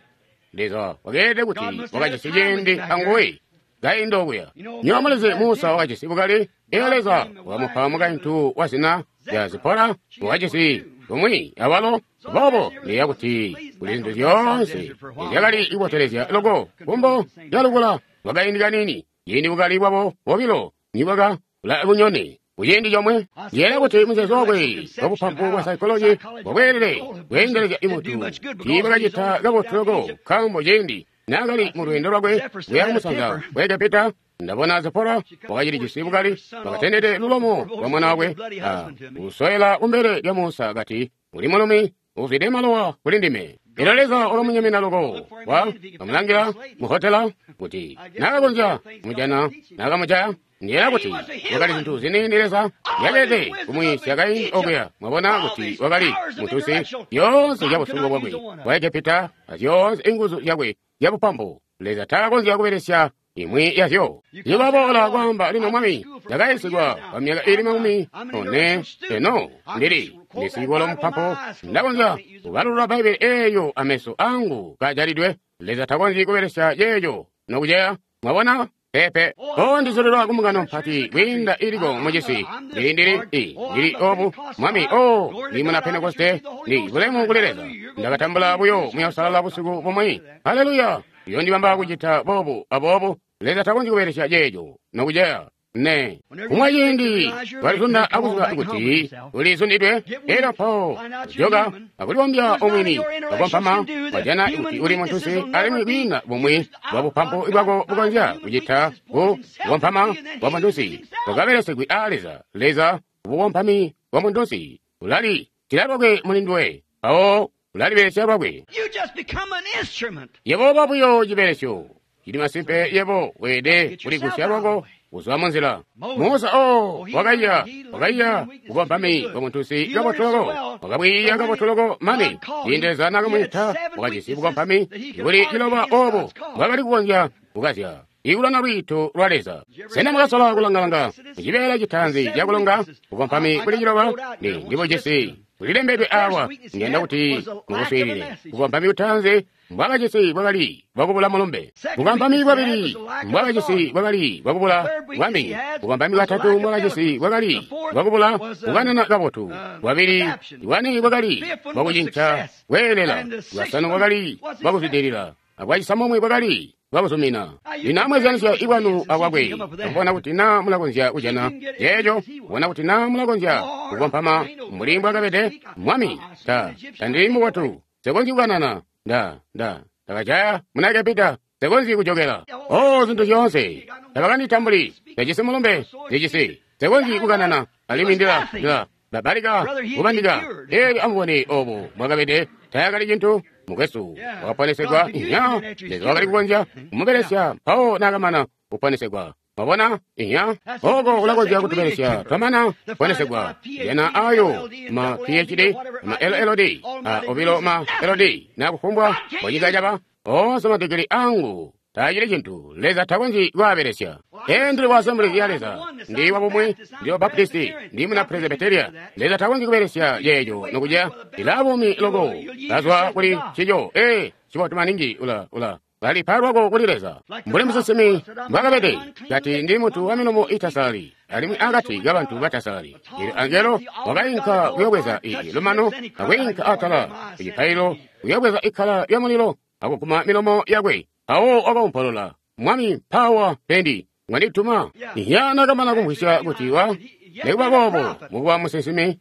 Leza wakeelede kuti wakajisi ciindi anguwe kainda okuya. Nywebo mulizi Musa wakajisi bukali. Iyo Leza wakamupa mukaintu wa zina lya Zipora wakajisi bumwi awalo. Boobo ndiyeeya kuti kuli zintu zyoonse zyakali kubotelezya loko kumbo lyalukula lwakaindi kaniini ciindi bukali bwabo bobilo nibwaka bunyone kuciindi comwe. Ndiyeeya kuti muzeezo wakwe wabupampu bwa saikoloji bwabweelele bweendelezya imuntu tiibwakacita kabotu loko nkaambo ciindi naakali mu lweendo lwakwe kuya kumusanza wa Egepita ndabona Zipora wakacilijisi bukali wakatendete lulomo lwa mwana wakwe kusoyela kumbele lya Musa kati uli mulumi uzwide malowa kuli ndime. Elyo Leza wakamunyemena loko wakamulangila muhotela kuti naakakonzya kumujana naakamujaya. Ndiyeeya kuti wakali zintu ziniini Leza yakeelede kumwiisya kaindi okuya. Mwabona kuti wakali muntunsi zyoonse zyabusungu bwakwe bwa Egepita azyoonse inguzu zyakwe zyabupampu. Leza taakonzya kubelesya imwi yazyo. Nibaboola kwaamba lino Mwami, ndakayiisigwa kwa myaka ili 40 eno ndili ndisikola mupampu ndakonzya kubalulula Bbaibili eeyo ameso angu kajalidwe. Leza takonzyi kubelesya ceeco nokuceya. Mwabona? Pepe. O ndizulilwa kumbungano mpati kwiinda iliko mucisi. Ndili obu Mwami. O ndi muna Pentekoste. Ndi bulemu kuli Leza. Ndakatambula buyo Muuya Uusalala busiku bumwi. Haleluya! Yondibamba kucita boobu aboobu. Leza takonzyi kubelesya ceeco nokuceya. Ne. Kumwa ciindi walizunda akuziba kuti ulizundidwe. Elyo mpawo kujoka akulibombya omwini wakompama wajana kuti uli muntunsi alimwi kwiina bumwi bwa bupampu bwako bukonzya kucita ku bukompama bwa muntunsi bwakabelesegwi aa Leza. Leza bukompami bwa muntunsi ulali tila lwakwe muli nduwe mpawo ulalibelesya lwakwe. Yebo uba buyo cibelesyo. Cili masimpe yebo weelede kuligusya lwako kuzwa munzila. Musa o wakaiya bukompami bwa muntunsi kabotu loko. Wakabwiiya kabotu loko mane ciindi Leza naakamwiita wakajisi bukompami buli ciloba obo bwakali kukonzya kukazya ikulwana lwiito lwa Leza. Sena mwakasola kulangalanga mucibeela citaanzi cakulonga bukompami buli ciloba? Ndibujisi bulilembedwe awa. Ndiyanda kuti mukuswiilile. Bukompami butaanzi mbwakajisi bwakali bwakubula mulumbe. Bukompami bwabili mbwakajisi bwakali bwakubula bwami. Bukompami bwatatu mbwakajisi bwakali bwakubula kukanana kabotu. Bwabili bwane bwakali bwakucinca kweelela. Bwasanu bwakali bwakuzwidilila. Abwacisamomwe bwakali bwakuzumina. Lino amweezyanisya ibwanu abwakwe. Kubona kuti naa mulakonzya kujana ceeco. Kubona kuti naa mulakonzya kukompama mbuli mbwakabede. Mwami, tandili mubotu. Nsekonzyi kukanana. Ndakajaya muna Egepita. Nsekonzyi kujokela. Oh, zintu zyoonse. Tabakanditambuli. Ndijisi mulumbe. Ndijisi. Nsekonzyi kukanana. Alimwi ndila babalika kubandika. Elyo amubone obo mbwakabede. Tayakali cintu. Mukwesu wakaponesegwa. Nya, Leza wakali kukonzya kumubelesya mpawo naakamana kuponesegwa. Mwabona? Iya. Oko ulakonzya kutubelesya twamana kuponesegwa. Jana ayo ma PhD, ma LLD, a obilo ma LD, na kufumbwa mbonyika caba. Onse madigiri angu taacili cintu. Leza takonzyi kwaabelesya. Ndili wa Assemblies ya Leza, ndi wa bumwi, ndi wa Baptisti, ndi muna Presbyteria. Leza takonzyi kubelesya yeejo nokuja ila bumi loko kazwa kuli cico. Cibotu maningi ula balipa lwako kuli Leza. Mbuli musinsimi mbwakabede, kati ndi muntu wa milomo itasalali, alimwi akati kabantu batasalali. Eelyo angelo wakainka kuyobweza lumano, akwiinka atala kucipaililo kuyobweza ikkala lya mulilo, akuguma milomo yakwe. Mpawo wakaumpolola, Mwami mpawa pendi mwandituma. Iya nakamana kumvwisya kuti wa nikuba boobo mukuba musinsimi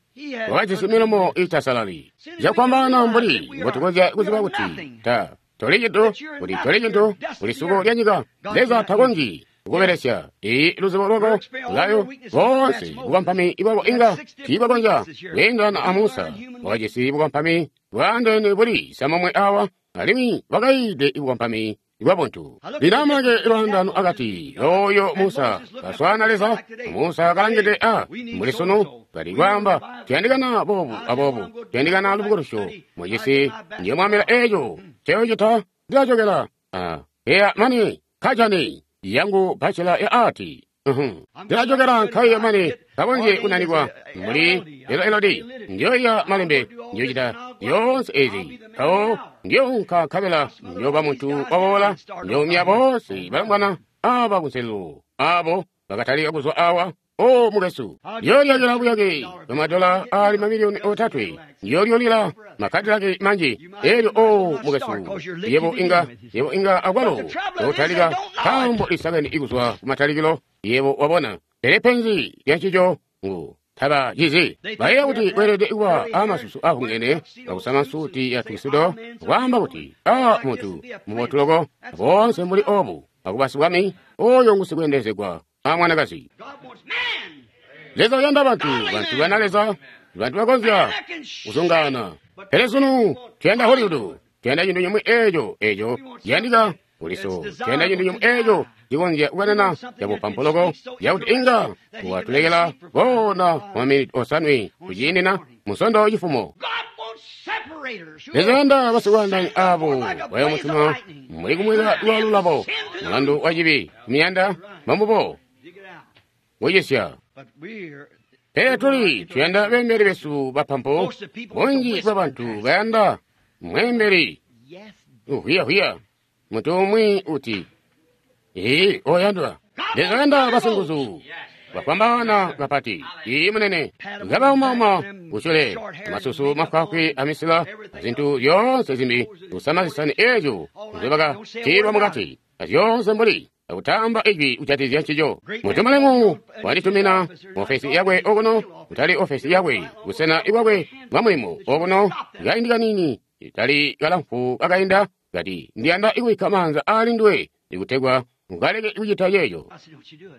wakajisi milomo itasalali. Cakwambaana mbuli mbotukonzya kuziba kuti ta toli cintu, kuti toli cintu, kuli suko lya nyika. Leza takonzyi kukubelesya luzibo lwako layo boonse bukampami bwako inga tiibakonzya kweendelana a Musa. Wakajisi bukampami bwaandeene buli samomwe awa, alimwi wakayiide bukampami bwabuntu. Lino amulange lwaandaano akati oyo Musa kaswaana Leza. Musa kalangide a mbuli sunu kali kwaamba tuyandikana boobu aboobu, tuyandikana lubukulusyo mucisi. Ndiyo mwamila eeco nceocita ndilacokela eya mani kajani yangu bachelor ya art. Ndilacokela nkhaiya mani kakonzye kunanikwa muli LLD ndiyoiya malembe ndiyocita yonse ezi mpawo ndiyounka nkabela ndiyoba muntu waboola ndiyoumya bonse balongwana aba kunselelo abo bakatalika kuzwa awa. O mukesu, ndiyolyakila buyake bwamadola ali mamiliyoni 3, ndiyolyolila makadilaki manji. Elyo o mukesu, yebo inga akwalo yotalika nkambo lisakeni ikuzwa kumatalikilo. Yebo wabona, pele penzi lyancico ngu taba cizi. Bayeeya kuti weelede kuba amasusu ahungene akusama nsuti ya tuxedo, kwaamba kuti a muntu mubotu loko boonse mbuli obu akuba sibwami oyo ngusikweendezegwa a mwanakazi. Leza uyanda bantu, bantu bana Leza, bantu bakonzya kuzungana. Pele sunu tuyanda Hollywood, tuyanda cintu cimwi eeco ciyandika kuliso, tuyanda cintu cimwi eeco cikonzya kukanana cabupampu loko cakuti inga watulekela koona maminiti 5 kuciindina musondo cifumo. Leza uyanda basikwaandaanya abo bayomutuma muli kumweka lwalulabo mulandu wa cibi kumiyanda bambubo kucisya. Pele tuli tuyanda beembeli besu bapampu. Bunji bwa bantu bayanda mweembeli uhwiyahuya muntu umwi uti ee oyandwa. Leza uyanda basinguzu bafwambaana kapati. Ii munene ngabaumama kusyule masusu mafwaafwi amisila azintu zyoonse zimbi kusama zisani eezyo nzobakatiilwa mukati azyoonse mbuli akutamba ijwi kujatizya ncico. Muntu mulemu wanditumina ofesi yakwe okuno, kutali ofesi yakwe, busena bwakwe bwa mulimo okuno, kaindi kanini itali kalamfu kakainda, kati ndiyanda ikubikka maanza aali nduwe ikutegwa ukaleke kucita ceeco.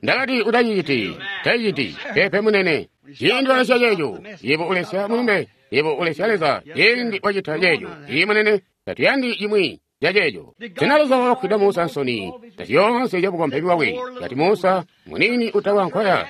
Ndakati utaciciti, taciciti, pepe munene. Ciindi walesya ceeco, yebo ulesya mulumbe, yebo ulesya Leza. Ciindi wacita ceeco, ii munene, tatuyandi cimwi ca ceeco. Sena Leza wakafwida Musa nsoni zyoonse zyabukombi bwakwe? Kati Musa munini utawa nkoya,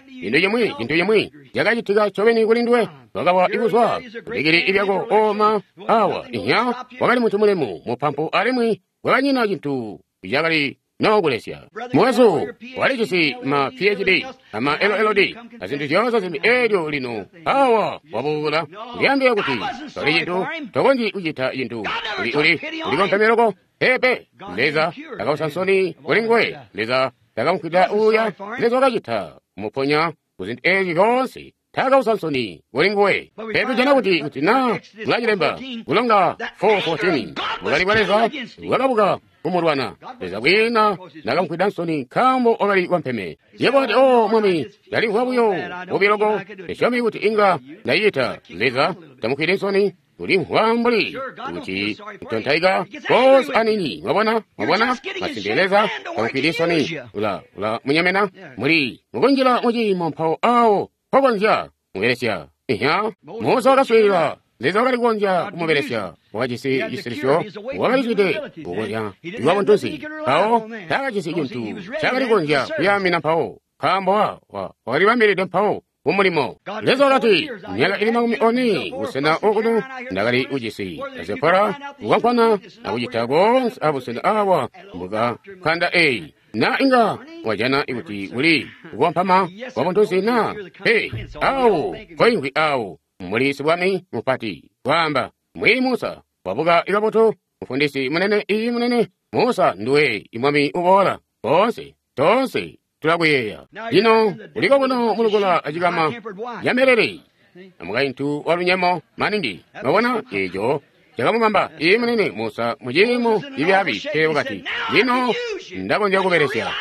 cintu cimwi cakacitika ncobeni kuli nduwe. Wakawa ikuzwa kubikili ibyako oma awa inya. Wakali muntu mulemu mupampu alimwi wakanyina cintu cakali nokulesya. Mwesu walijisi ma PhD ama LLD azintu zyoonse zimbi. Elyo lino awa wabuula kulyaambila kuti toli cintu, tokonzyi kucita cintu, uli ulikompheme loko. Pepe Leza takausa nsoni kuli nguwe. Leza takamufwida uuya. Leza wakacita kumuponya kuzintu ezi zyoonse. Takausa nsoni kuli nguwe. Pepe jana kuti na ulacilemba kulonga 4:14 bukali bwa Leza bwakabuka kumulwana. Leza kwina nakamufwida nsoni nkambo wakali wampeme. Yebo ati o mwami ndalimvwa buyo bubi loko, ndisyomi kuti inga ndacita. Leza tamufwide nsoni ulimvwa mbuli kuti ntontaika konse anini. Mwabona, masimpe Leza tamufwide nsoni. Ula munyemena muli mukunjila muciimo mpawo awo mpokonzya mubelesya. Iya, Musa wakaswiilila Leza wakali kukonzya kumubelesya. Wakajisi cisilisyo, wakalizwide kukonzya kuba buntunsi. Mpawo taakajisi cintu cakali kukonzya kuyaamina mpawo, nkaambo wakalibambilide mpawo kumulimo. Leza wakati, myaka ili 40 busena okuno ndakali ujisi Zipora kukwankwana akucita koonse abusena awa mbuka nkanda eyi. Na inga wajana kuti kuli kukompama kwa buntunsi na pe awo koingwi awo muli sibwami mupati kwaamba mwini Musa wabuka ikabotu mufundisi munene iyi munene Musa nduwe imwami uboola boonse tonse tulakuyeeya. Lino uliko kuno mulukula acikama yamelele amukaintu wa lunyemo maningi. Mwabona eco cakamubamba iyi munene Musa muciimo ibyabi pele wakati lino ndakonzya kubelesya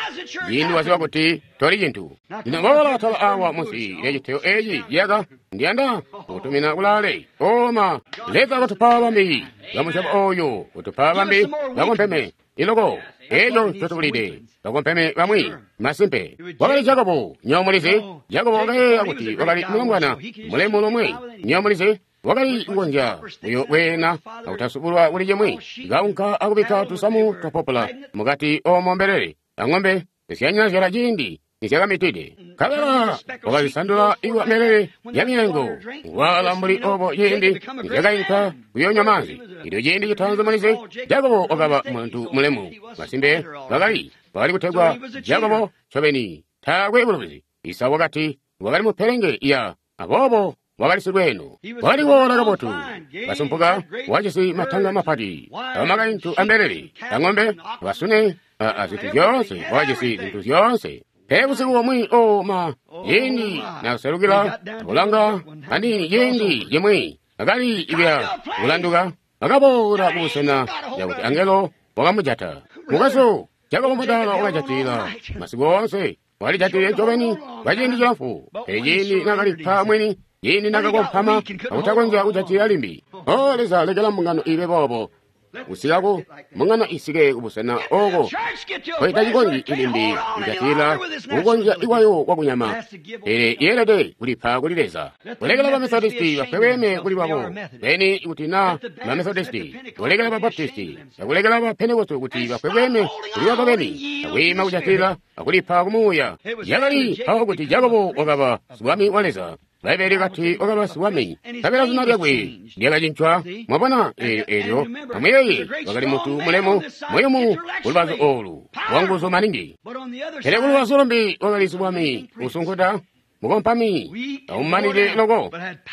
ciindi waziba kuti toli cintu. Lino boola atala awa munsi lya citeyo eci ciyaka ndiyanda kukutumina kulaale oma. Leza wakatupa bambi bamusyobo oyu, kutupa bambi bakompeme iloko eco ncotubulide bakompeme bamwi masimpe. Wakali Jakobo nyomulizi. Jakobo wakayeeya kuti wakali mulombwana mulemu lomwe nyomulizi. Wakali kukonzya uyo bweena akutasubulwa kuli cimwi kaunka akubikka tusamu twa popula mukati omo mbelele ang'ombe zyanyazyala ciindi nizyakamitide. Nkabela wakazisandula ikuba mbelele ya myengo waala mbuli obo ciindi nizyakainka kuyonywa maanzi. Ilyo ciindi citaanzi mulizi Jakobo wakaba muntu mulemu masimpe. Bakali kutegwa Jakobo ncobeni taakwe bulubizi. Isau wakati wakali mupelenge ya aboobo wakali silweeno. Wakali kuola kabotu kasumpuka, wajisi matanga mapati amakaintu ambelele ang'ombe basune azintu zyoonse. Wakajisi zintu zyoonse. Pele busiku bumwi oma ciindi nakuselukila akulanga aniini ciindi cimwi akali ibya kulanduka akaboola kubusena yakuti angelo wakamujata. Mukwesu Jakobo mudala wakajatila masiku oonse, walijatile ncobeni kwa ciindi cilamfu. Pele ciindi nakalipa mwini, ciindi nakakompama akutakonzya kujatila limbi. O Leza, lekela mbungano ibe boobo kusikaku mbungano isike kubusena oko koitacikonzyi ilimbi kujatila kukonzya ikwayo kwakunyama, pele yeelede kulipa kuli Leza. Kulekela ba Methodisti bafweweme kuli babo beni kuti na ba Methodisti, kulekela ba Baptisti, akulekela ba Pentekoste kuti bafweweme kuli babo beni, akwiima kujatila akulipa kumuuya. Yakali awo kuti Jakobo wakaba sibwami wa Leza. Bbaibele kati wakaba sibwami, nkabela zina lyakwe lyakacincwa. Mwabona eelyo amuyeeye wakali muntu mulemu muyumu kulubazu olu wanguzu maningi, pele kulubazu lumbi wakali sibwami usunkuta mukompami aumanile loko,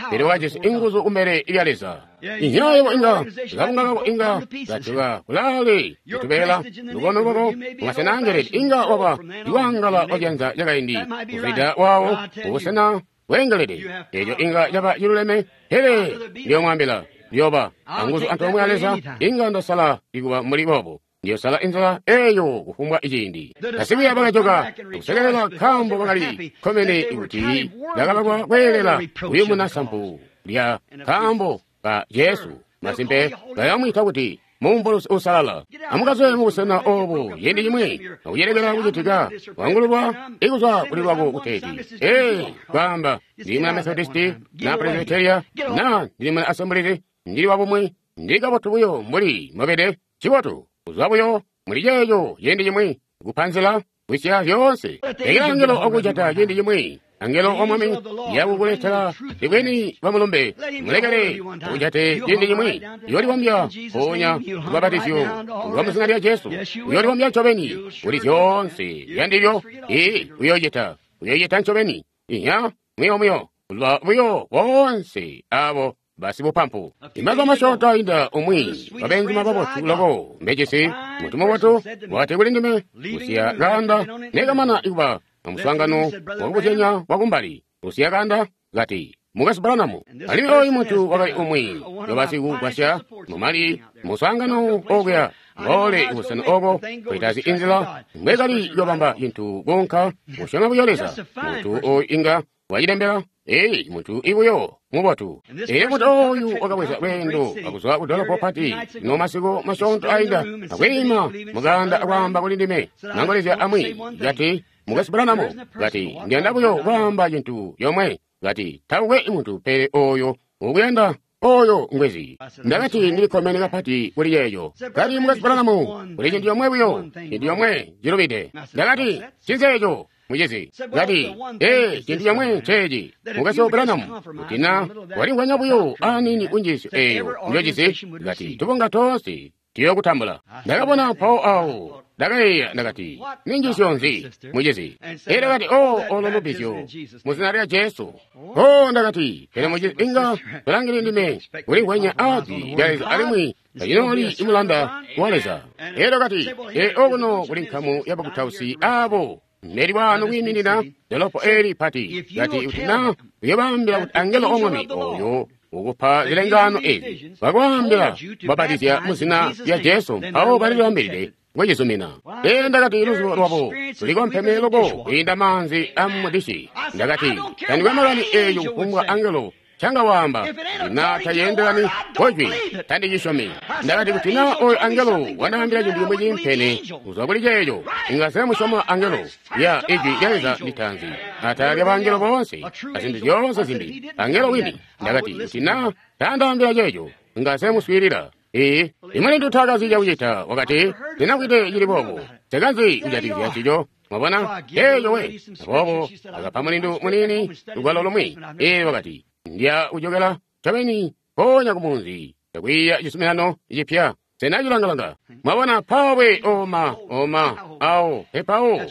pele wakajisi inguzu kumbele lya Leza. Inyayo inga kabunga kako inga katuka kulaale kutubeela lukono lwako mumasena angeleti inga waba iwangala wacyanza cakaindi kuzwida wawo kubusena bweengelede. Eco inga caba ciluleme, pele ndiyomwaambila ndiyoba anguzu antoomwe a Leza. Inga ndasala ikuba muli boobo, ndiyosala inzila eyo kufumbwa iciindi. Basikwiiya bakajoka akusekelela nkaambo bakali kkomene kuti bakabakwa kweelela kuyumuna sampu lya nkaambo ka Jesu. Masimpe bayamwiita kuti mumbulusi uusalala. Amukazwe mubusena obu ciindi cimwi akucelekela kucitika wangululwa ikuzwa kuli lwako kuteeti ee kwaamba ndili muna Methodisti na Presbyteria na ndili muna Assemblies, ndili wabumwi, ndili kabotu buyo mbuli mobede. Cibotu kuzwa buyo muli ceeco ciindi cimwi kupanzila kwisya zyoonse. Lekela angelo okujata ciindi cimwi, angelo wa Mwami yakukuletela ibweni bwa mulumbe. Mulekele akujate ciindi cimwi, uyoolibombya mpoonya lubabatizyo lwa muzina lya Jesu. Uyoolibombya ncobeni kuli zyoonse yandilyo. Ee, uyoocita ncobeni. Iya muyo muyo lwa buyo boonse abo basibupampu. Imazuba masyoonto ainda umwi wabenzuma babotu loko mbejisi muntu mubotu wakati kuli ndime kusiya kaanda nekamana ikuba amuswaangano wakubuzyanya wakumbali kusiya kaanda kati Mukwesu Branham. Alimwi oyu muntu wakali umwi wabasikugwasya mumali muswaangano okuya ngoole kubusena oko koitazi inzila mbwekali yobamba cintu kuunka kusyoma buyo Leza. Muntu oyu inga wacilembela. Ee, muntu ibuyo mubotu. Ee, muntu oyu wakabweza lweendo akuzwa ku dolopo pati no masiku masyoonto ainda akwiima mukanda akwaamba kuli ndime nangolezya amwi kati Mukwesu Branham kati ndiyanda buyo kwaamba cintu yomwe kati taukwe muntu pele oyo ukuyanda Oyo ngwezi. Ndakati ndili kkomene kapati kuli yeeyo. Kati Mukwesu Branham, kuli cintu comwe buyo, cintu comwe cilubide. Ndakati, ncinzi eco, mucizi? Kati, ee, cintu comwe nceeci, Mukwesu Branham, kuti na walimvwanya buyo aniini kunjiisyo eyo njojisi, kati tubunga toonse tuyokutambula. Ndakabona mpawo awo. Ndakayeeya, ndakati, ninjiisyo nzi, mucizi? Elyo kati, oh, olo lubbizyo mu zina lya Jesu. Oh, ndakati, pele mucizi, inga tolangili ndime kulimvwanya aa Jwi lya Leza alimwi tacinooli imulanda wa Leza. Elyo kati, ee, okuno kuli nkamu ya bakutausi abo neli wano kwiiminina dolopo eli pati. Kati, kuti na uyobaambila kuti angelo o Mwami oyo ukupa zilengaano ezi bakwaambila kubabatizya mu zina lya Jesu, mpawo balilibambilide kucizumina. Ee, ndakati, luzubo lwabo lulikompeme loko kwiinda maanzi amudishi. Ndakati, tandikwe makani eeyo kufumbwa angelo canga waamba, kuti na tayeendelani kojwi, tandicisyomi. Ndakati, kuti na oyo angelo wandaambila cintu cimwi ciimpene kuzwa kuli ceeco, inga nsemusyoma angelo. Ya ijwi lya Leza litaanzi, atala lya bangelo boonse azintu zyoonse zimbi, angelo wini. Ndakati, kuti na taandaambila ceeco, inga nsemuswiilila. Ee, imulindu taakazi cakucita, wakati, ndinakwite cili boobo, nsekanzi kujatikizya ncico. Mwabona? Eeyo we. Aboobo akapa mulindu muniini lugwalo lumwi. Ee, wakati, ndya kujokela ncobeni mpoonya ku munzi akwiiya cizuminano cipya. Sena cilangalanga. Mwabona, mpawe oma, oma, awo, epawo,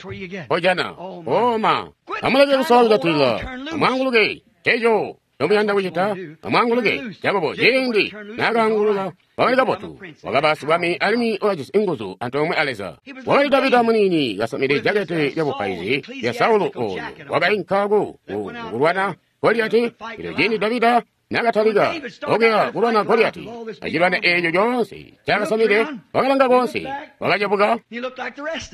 mpojana, oma. Amuleke kusola kujatilila, amwaanguluke, eco nomuyanda kucita, amwaanguluke. Jakobo, ciindi naakaanguluka, wakali kabotu, wakaba sibwami alimwi wakajisi nguzu antoomwe a Leza. Wakali Davida muniini kasamide jakete lyabupaizi lya Saulo oyo wakainka ku kulwana Goliati. Elyo ciindi Davida nakatalika okuya kulwana Goliati, acilwana eeco coonse cakasamide, wakalanga koonse, wakacebuka,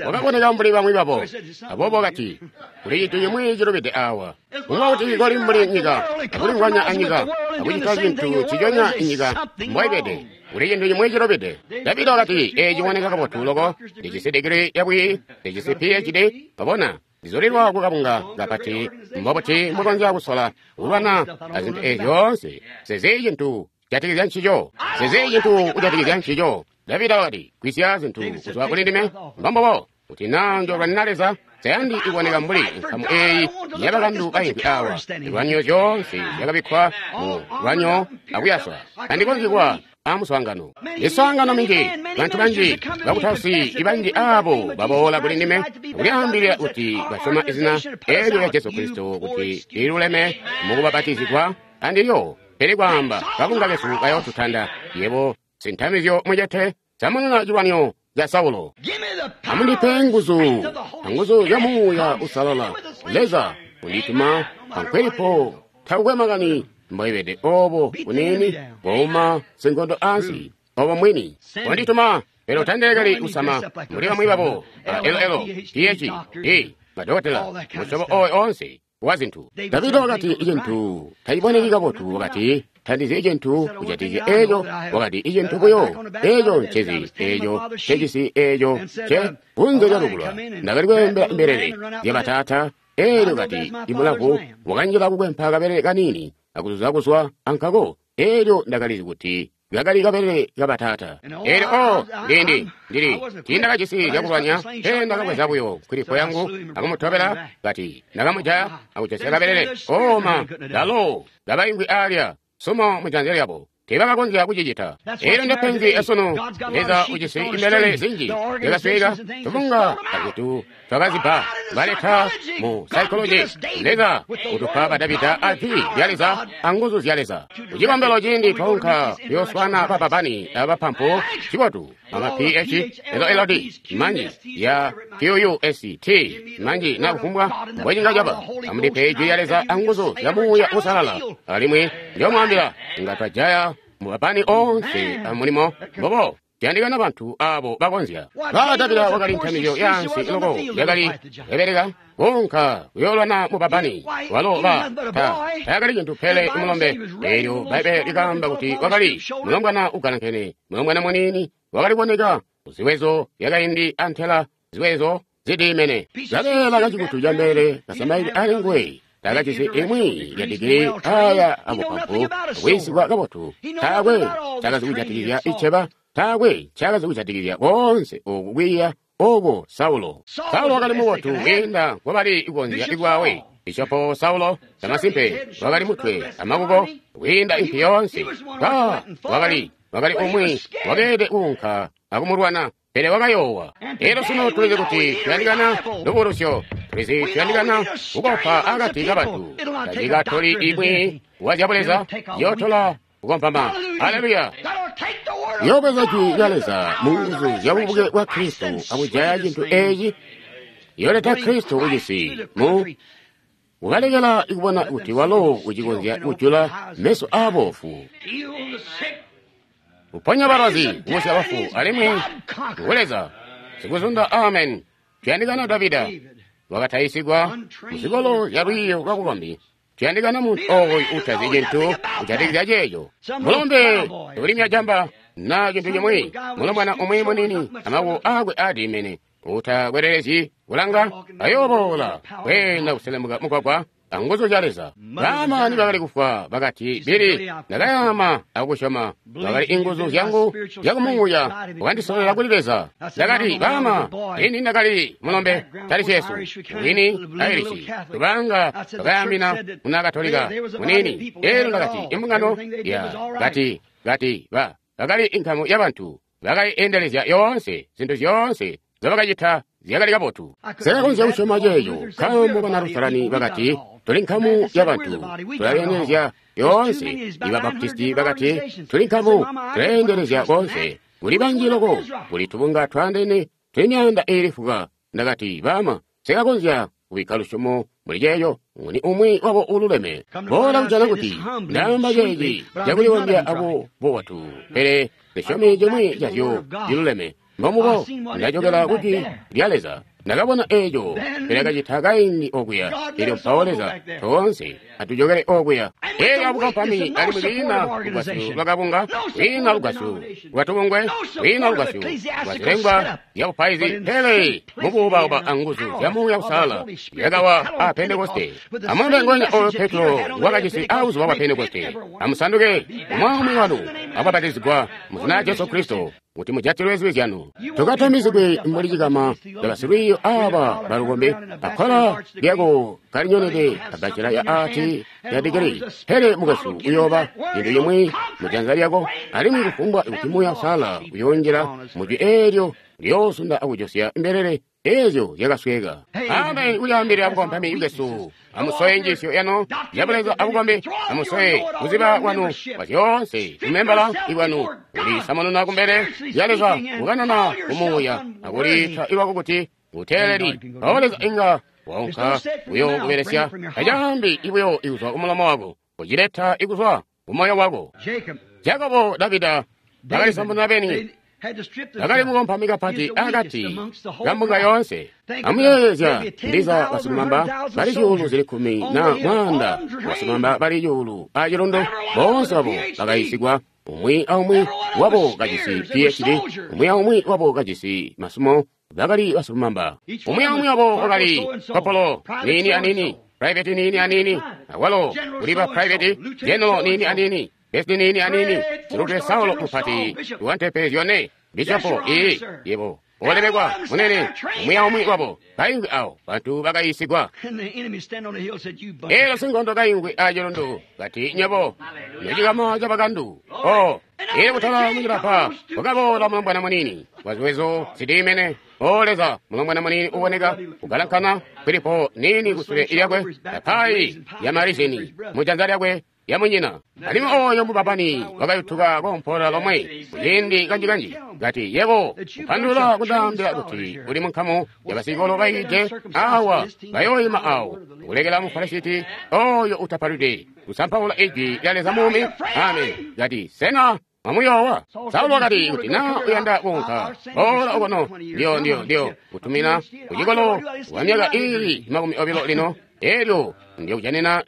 wakaboneka mbuli bamwi babo. Aboobo wakati, kuli cintu cimwi cilubide awa. Kuba kuti koli mbuli nyika, akulimvwanya anyika, akucita cintu ciconya inyika mbwaibede, kuli cintu cimwi cilubide. Davida wakati, ee, ciboneka kabotu loko, ndijisi digiri yabwiyi, ndijisi PhD, wabona, ndizulilwa kukabunga kapati. Mbobuti mbukonzya kusola kulwana azintu eezi zyoonse? Sezi cintu kujatikizya ncico. Sezi cintu kujatikizya ncico. Davida wakati, gwisya zintu kuzwa kuli ndime. Mbombobo, kuti naa njolwanina Leza, sayandi iboneka mbuli nkamu eeyi yabakandu baimvwi awa. Zilwanyo zyoonse zyakabikkwa mu lwanyo akuyaswa. Tandikonzyi kuba amuswaangano. Miswaangano minji, bantu banji, bakutausi banji abo baboola kuli ndime kulyaambilila kuti basyoma izina eelyo lya Jesu Kristo kuti liluleme mukubabatizigwa andilyo. Pele kwaamba kabunga kesu kayootutanda, yebo sintamizyo mucete, samununa cilwanyo ca Saulo. Amundipe nguzu, anguzu zya Muuya Uusalala. Leza undituma ankwelipo, takukwe makani mbwaibede obo buniini bwauma sinkondo ansi, obo mwini wandituma. Pele utandilekeli kusama mbuli bamwi babo ba LL, PH, D, madokotela, musyobo oyo onse wa zintu. Davida wakati icintu taciboneki kabotu, wakati tandizi icintu kujatikizya eeco, wakati icintu buyo eeco ncezi, eeco ncecisi, eeco nce kunze lyalukulwa. Ndakali kweembela mbelele zyabataata. Eelyo kati imulavu wakanjila kukwempa kabelele kaniini akuzuza kuzwa ankako. Eelyo ndakalizi kuti kakali kabelele kabataata. Eelyo o ndindi ndili tiindakajisi zyakulwanya, pele ndakabweza buyo nkwilipo yangu akumutobela. Kati ndakamujaya akujosya kabelele. Oma kalo kabaimvwi aalya sumo mujanza lyabo, teebakakonzya kucicita. Eelyo ndepenzi esunu. Leza ujisi imbelele zinji zyakasweeka, tubunga azintu twakazibba baleta mu psychology. Leza utupa ba Davida a Jwi lya Leza anguzu zya Leza. Kucikombelo ciindi twaunka kuyooswana bababani abapampu cibotu ama PH LLD manji ya QUST manji na kufumbwa mbwecinga caba. Amundipe Jwi lya Leza anguzu zya Muuya Uusalala, alimwi ndiyomwaambila inga twajaya mubapani onse amulimo mbobo. Tiyandikana bantu abo bakonzya. Ba Davida wakali ntamizyo yaansi loko yakali ebeleka kuunka kuyoolwana mubabani walo ba tayakali cintu pele mulombe. Eelyo Bbaibbele likaamba kuti wakali mulombwana ugalankene, mulombwana muniini wakali kuboneka kuziwezo zyakaindi antela ziwezo zidiimene. Kabeela kacikutu cambelele kasamaili ali nguwe. Takajisi imwi ya digiri aya abupampu kuyisigwa kabotu. Taakwe cakazi kujatikizya iceba. Taakwe cakazi kujatikizya konse oku kwiiya oko Saulo. Saulo wakali mubotu kwiinda nkobali kukonzya ikwawe. Bishopo Saulo camasimpe wakali mutwe amakuko kwiinda impi yoonse. Wakali umwi wakeelede kuunka akumulwana, pele wakayoowa. Elyo sunu tulizi kuti tuyandikana lubulusyo, tulizi tuyandikana kukopa akati kabantu. Tacikatoli imwi wazyabuleza yotola kukompama. Haleluya! Yoobweza jwi lya Leza mu nguzu zya bubuke bwa Kristo akujaya cintu eeci, yooleta Kristo kucisi mu kukalekela ikubona kuti walo ucikonzya kujula meso aaboofu, kuponya balwazi, kubusya bafu, alimwi ngu Leza sikuzunda. Amen. Tuyandikana Davida wakatayisigwa muzikolo zya lwiiyo lwabukombi. Tuyandikana muntu ooyu utazi cintu kujatikizya ceeco. Mulombe ulimya jamba na cintu cimwi, mulombwana umwi munini amaboko aakwe aadimene utakwelelezyi kulanga ayooboola kweenda kuselemuka mugwagwa anguzu zya Leza. Baama nibakali kufwa bakati, Bili, ndakayama akusyoma. Bakali inguzu zyangu zyakumuuya wakandisololela kuli Leza. Ndakati, baama, ini ndakali mulombe tali Jesu mwini Airishi tubanga bakayamina muna Katolika munini. Elyo ndakati, imbungano ya kati kati ba bakali inkamu yabantu bakaiendelezya yoonse zintu zyoonse zobakacita zyakali kabotu. Sekakonzya kusyoma ceeco nkaambo bana Lusalani bakati tuli nkamu yabantu tulaleendelezya yoonse. Iba Baptisti bakati tuli nkamu tulaleendelezya koonse. Kuli banji loko, kuli tubunga twaandeene tuli myaanda iili fuka. Ndakati, baama, sekakonzya kubikka lusyomo muli ceeco. Nguni umwi wabo ululeme? Boola kujana kuti ndaamba ceeci cakulibombya abo bubotu, pele zisyomi cimwi cazyo ciluleme. Mbomubo ndajokela kujwi lya Leza. Ndakabona eeco pele kacita kaindi okuya. Elyo mpawo Leza toonse atujokele okuya. Elyo abukampami alimwi kwiina lugwasyo lwakabunga, kwiina lugwasyo lwatubungwe, kwiina lugwasyo lwazilengwa zyabupaizi, pele mubuubauba anguzu zya Muuya Uusalala zyakawa a Pentekoste. Amulumbe ngonya oyo Petro wakajisi abuzuba bwa Pentekoste. Amusanduke umwi wanu akubapatizigwa mu zina lya Jesu Kristo kuti mujatilwe zibi zyanu. Tukatamizigwe mbuli cikama cabasilwiiyo aaba balukombe akkola lyako kalinyonede abacela ya ati ya digiri. Pele mukwesu uyooba cintu cimwi mujanza lyako, alimwi kufumbwa kuti Muuya Uusalala uyoonjila mujwi eelyo liyoosunda akujosya mbelele eezyo zyakasweka. Amen. Kulyaambilila bukompami bwesu, amusowe njiisyo yanu yabuleza abukombi, amusowe kuziba kwanu kwa zyoonse kumembala ikwanu, kulisamununa kumbele lya Leza, kukanana kumuuya akuliita iwako kuti uteeleli. Mpawo Leza inga waunka buyo kubelesya tacaambi ibuyo ikuzwa kumulomo wako, kucileta ikuzwa kumoyo wako. Jakobo, Davida bakalisamununa beni. Bakali mukompami kapati akati kambunga yoonse. Amuyeeyezya ndiza basilumamba bali zyuulu zili 10 na mwaanda, basilumamba bali 1,000 acilundu, boonse babo bakayisigwa, umwi aumwi wabo kajisi PhD, umwi aumwi wabo kajisi masumo, bakali basilumamba. Umwi aumwi wabo wakali kopolo niini anini, private niini anini, awalo kuli ba private general niini anini, besi niini anini, silutwe Saulo mupati wantepe zyone, bishopo ii yebo olemekwa munene. Umwi aumwi wabo kaingwi awo bantu bakayisigwa. Elyo sinkondo kaingwi acilundu kati, nyebo nocikama cabakandu. O ili kutala mucilapa kwakaboola mulombwana munini waziwezo zidiimene. O Leza, mulombwana munini uboneka kugalankana, Filipo nini kusule lyakwe, apayi ya marizini mujanza lyakwe yamunyina. Alimwi oyo mubabani wakayutuka kompola lomwe kuciindi kanjikanji kati, yebo kupandulula kundaambila kuti uli munkamu yabasikolo bayiide awa bayooyima awo kulekela mufarasiti oyo utapalwide kusampaula ijwi lya Leza muumi. Amen. Kati, sena mwamuyoowa? Saulo wakati, kuti na uyanda kuunka boola okono, ndiyo kutumina kucikolo wa myaka iili 20 lino, elyo ndiyokujanina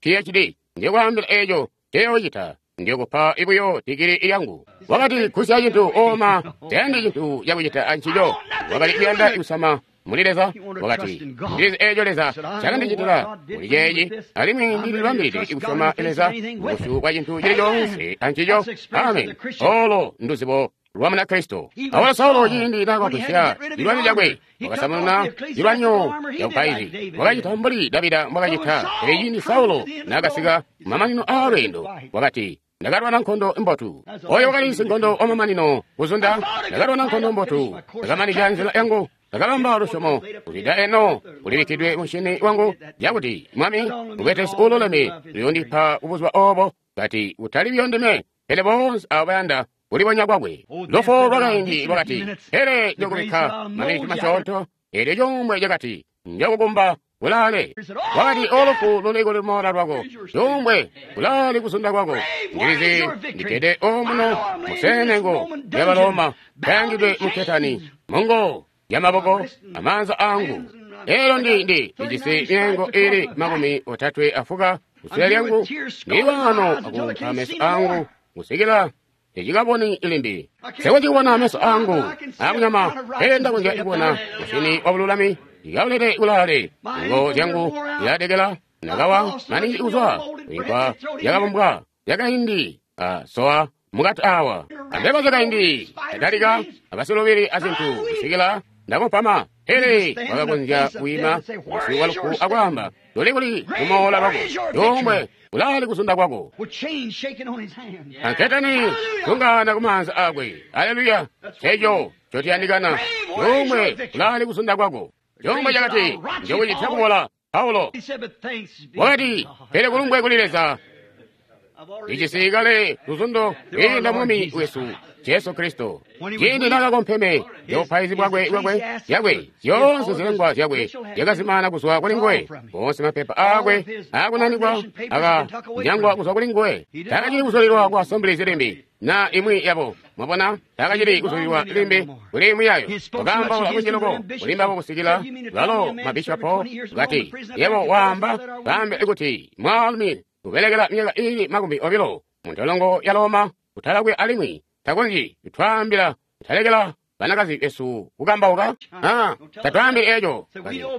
PhD. Ndikwaambila eeco teyoocita, ndikupa ibuyo digiri lyangu. Wakati, kusya cintu oma, tayandi cintu cakucita ancico. Wakali kuyanda kusama muli Leza. Wakati, ndilizi eeco Leza cakandicitila muli ceeci, alimwi ndilibambilide kusyoma Leza mubusyu bwa cintu cili coonse ancico. Amen. Olo nduzibo lwa Munakristo. Awalo Saulo ciindi naakagwisya cilwanyo cakwe, wakasamununa cilwanyo cabupaizi, wakacita mbuli Davida mbwakacita. Pele ciindi Saulo naakasika kumamanino aalweendo, wakati, ndakalwana nkondo mbotu. Oyo wakali sinkondo wamamanino kuzunda. Ndakalwana nkondo mbotu, ndakamanizya nzila yangu, ndakabamba lusyomo. Kuzwida eno kulibikkidwe mushini wangu yakuti Mwami mubetesi uululeme uyoondipa kubuzuba oobo, kati kutali buyo ndime, pele boonse abo bayanda kulibonya kwakwe. Lufu lwakaindi lwakati, pele njokubikka maminiti masyoonto. Eelyo cuumbwe cakati, njokukumba kulaale. Wakati, o lufu luli kuli lumoola lwako, cuumbwe kulaale kuzunda kwako. Ndilizi ndikkede omuno musenengo lya Baloma, kayangidwe mu ketani, mungo yamaboko amaanza angu. Elo ndi ndijisi myengo ili 34 kusule lyangu, ndili wano akuumpa meso angu kusikila tecikaboni limbi. Sikucikubona meso angu akunyama, pele ndakonzya kubona mushini wa bululami ikaulete kulaale. Ngo zyangu ziladekela nakawa maningi kuzwa inkwa yakabumbwa yakaindi asowa mukati awa ambebo zyakaindi atalika abasilubili azintu kusikila ndakupama. Pele wakakonzya kwiima busyu bwa lufu akwaamba, luli kuli lumoola lwako, cuumbwe kulaali kuzunda kwako. Anketani tungana kumaanza akwe. Aleluya! Eco cotiyandikana. Cuumbwe kulaali kuzunda kwako. Cuumbwe cakati, njokucitya kubola. Paulo wakati, pele kulumbwe kuli Leza, ijisi kale luzundo kwiinda Mwami wesu Jesu Kristo. Ciindi naakakompeme yobupaizi bwakwe yakwe, zyoonse zilengwa zyakwe zyakazimana kuzwa kuli nguwe. Boonse mapepa aakwe aakunanikwa akanyangwa kuzwa kuli nguwe. Taakacili kuzulilwa ku Assemblies limbi na imwi yabo. Mwabona, taakacili kuzulilwa limbi kuli imwi yayo. Wakaambaula kunji loko kuli mbabo kusikila balo mabishopo kati, yebo waamba baambe kuti mwaalumi ubelekela myaka ili 20 muntolongo ya Roma kutalakwe alimwi takonzyi kutwaambila kutalekela banakazi besu kukambauka. Tatwaambili eco,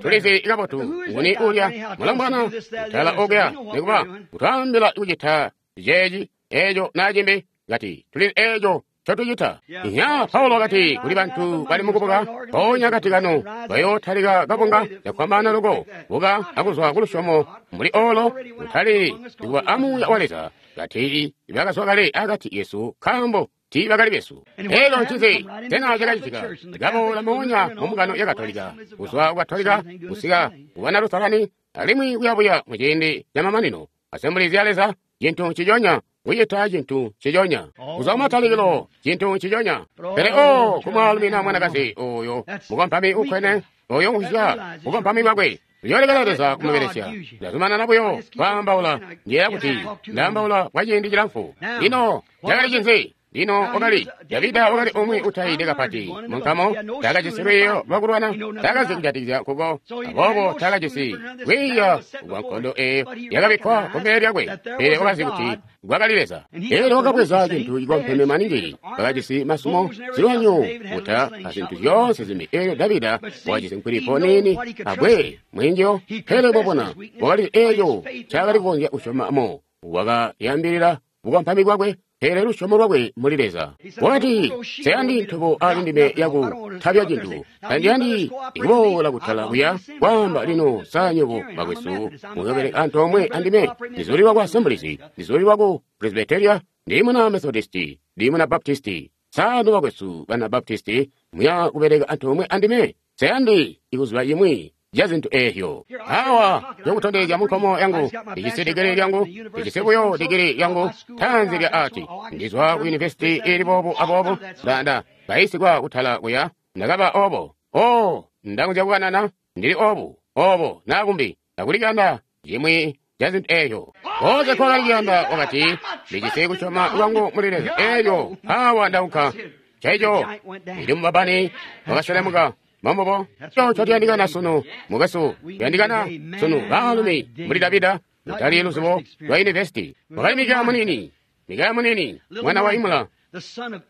tulizi kabotu nguni ulya mulombwana kutala okuya nikuba kutwaambila kucita ceeci eco na cimbi, kati tulizi eco ncotucita. Nya Paulo wakati kuli bantu bali mukubuka, mpoonya kati kano bayootalika kabunga cakwambaana loko buka akuzwa kulusyomo mbuli olo kutali kuba amuuya wa Leza, kati bakazwa kale akati yesu nkaambo tiibakali besu. Elo ncinzi sena cakacitika? Kaboola moonya mu mbungano ya Katolika, kuzwa ku Katolika kusika ku bana Lutherani, alimwi kuyabuya muciindi camamanino Assemblies ya Leza, cintu nciconya kucita cintu nciconya kuzwa kumatalikilo, cintu nciconya. Pele o kumwaalumi na mwanakazi oyo mukompami ukwene, oyo uhya mukompami bwakwe, uyoolekela Leza kumubelesya. Ndazumanana buyo kwaambaula, ndiyeeya kuti ndaambaula kwa ciindi cilamfu. Lino cakali cinzi? Lino wakali Davida wakali umwi utaide kapati munkamo, taakajisi lwiiyo lwakulwana, taakazi kujatikizya nkuko, aboobo taakajisi lwiiyo lwa nkondo eeyo yakabikkwa kumbele lyakwe, pele wakazi kuti kwakali Leza. Elyo wakabweza cintu cikompeme maningi, wakajisi masumo, zilwanyo, buta azintu zyoonse zimbi. Elyo Davida wakajisi nkwilipo niini abwe mwinjo, pele mwabona wakali eeco ncaakali kukonzya kusyomamo, wakayambilila bukompami bwakwe, pele lusyomo lwakwe muli Leza. Wakati, nseyandi ntobo ali ndime yakutabya cintu, tandiyandi kuboola kutala kuya kwaamba lino sa nywebo bakwesu muyobeleka antoomwe andime. Ndizulilwa ku Assemblies, ndizulilwa ku Presbyteria, ndi muna Methodisti, ndi muna Baptisti. Sa nobakwesu bana Baptisti muya kubeleka antoomwe andime? Nseyandi ikuziba cimwi ca zintu eezyo. Awa ndikutondezya munkomo yangu, ndijisi digiri lyangu, ndijisi buyo digiri lyangu tanzi lya ati, ndizwa ku yunivesiti ili boobu aboobu, ndanda kayisigwa kutala kuya, ndakaba obo. O, ndakonzya kukanana, ndili obu, obo, nakumbi, ndakulikanda cimwi ca zintu eezyo. Koonse nkookali kuyanda wakati, ndijisi kusyoma kwangu muli Leza. Eelyo awa ndaunka. Nceeco, ndili mubabani wakaselemuka. Mambobo, eco ncotuyandikana sunu, mukwesu, tuyandikana sunu baalumi mbuli Davida, kutali luzibo lwa yunivesiti. Wakali Mikaya munini, Mikaya munini, mwana wa Imula,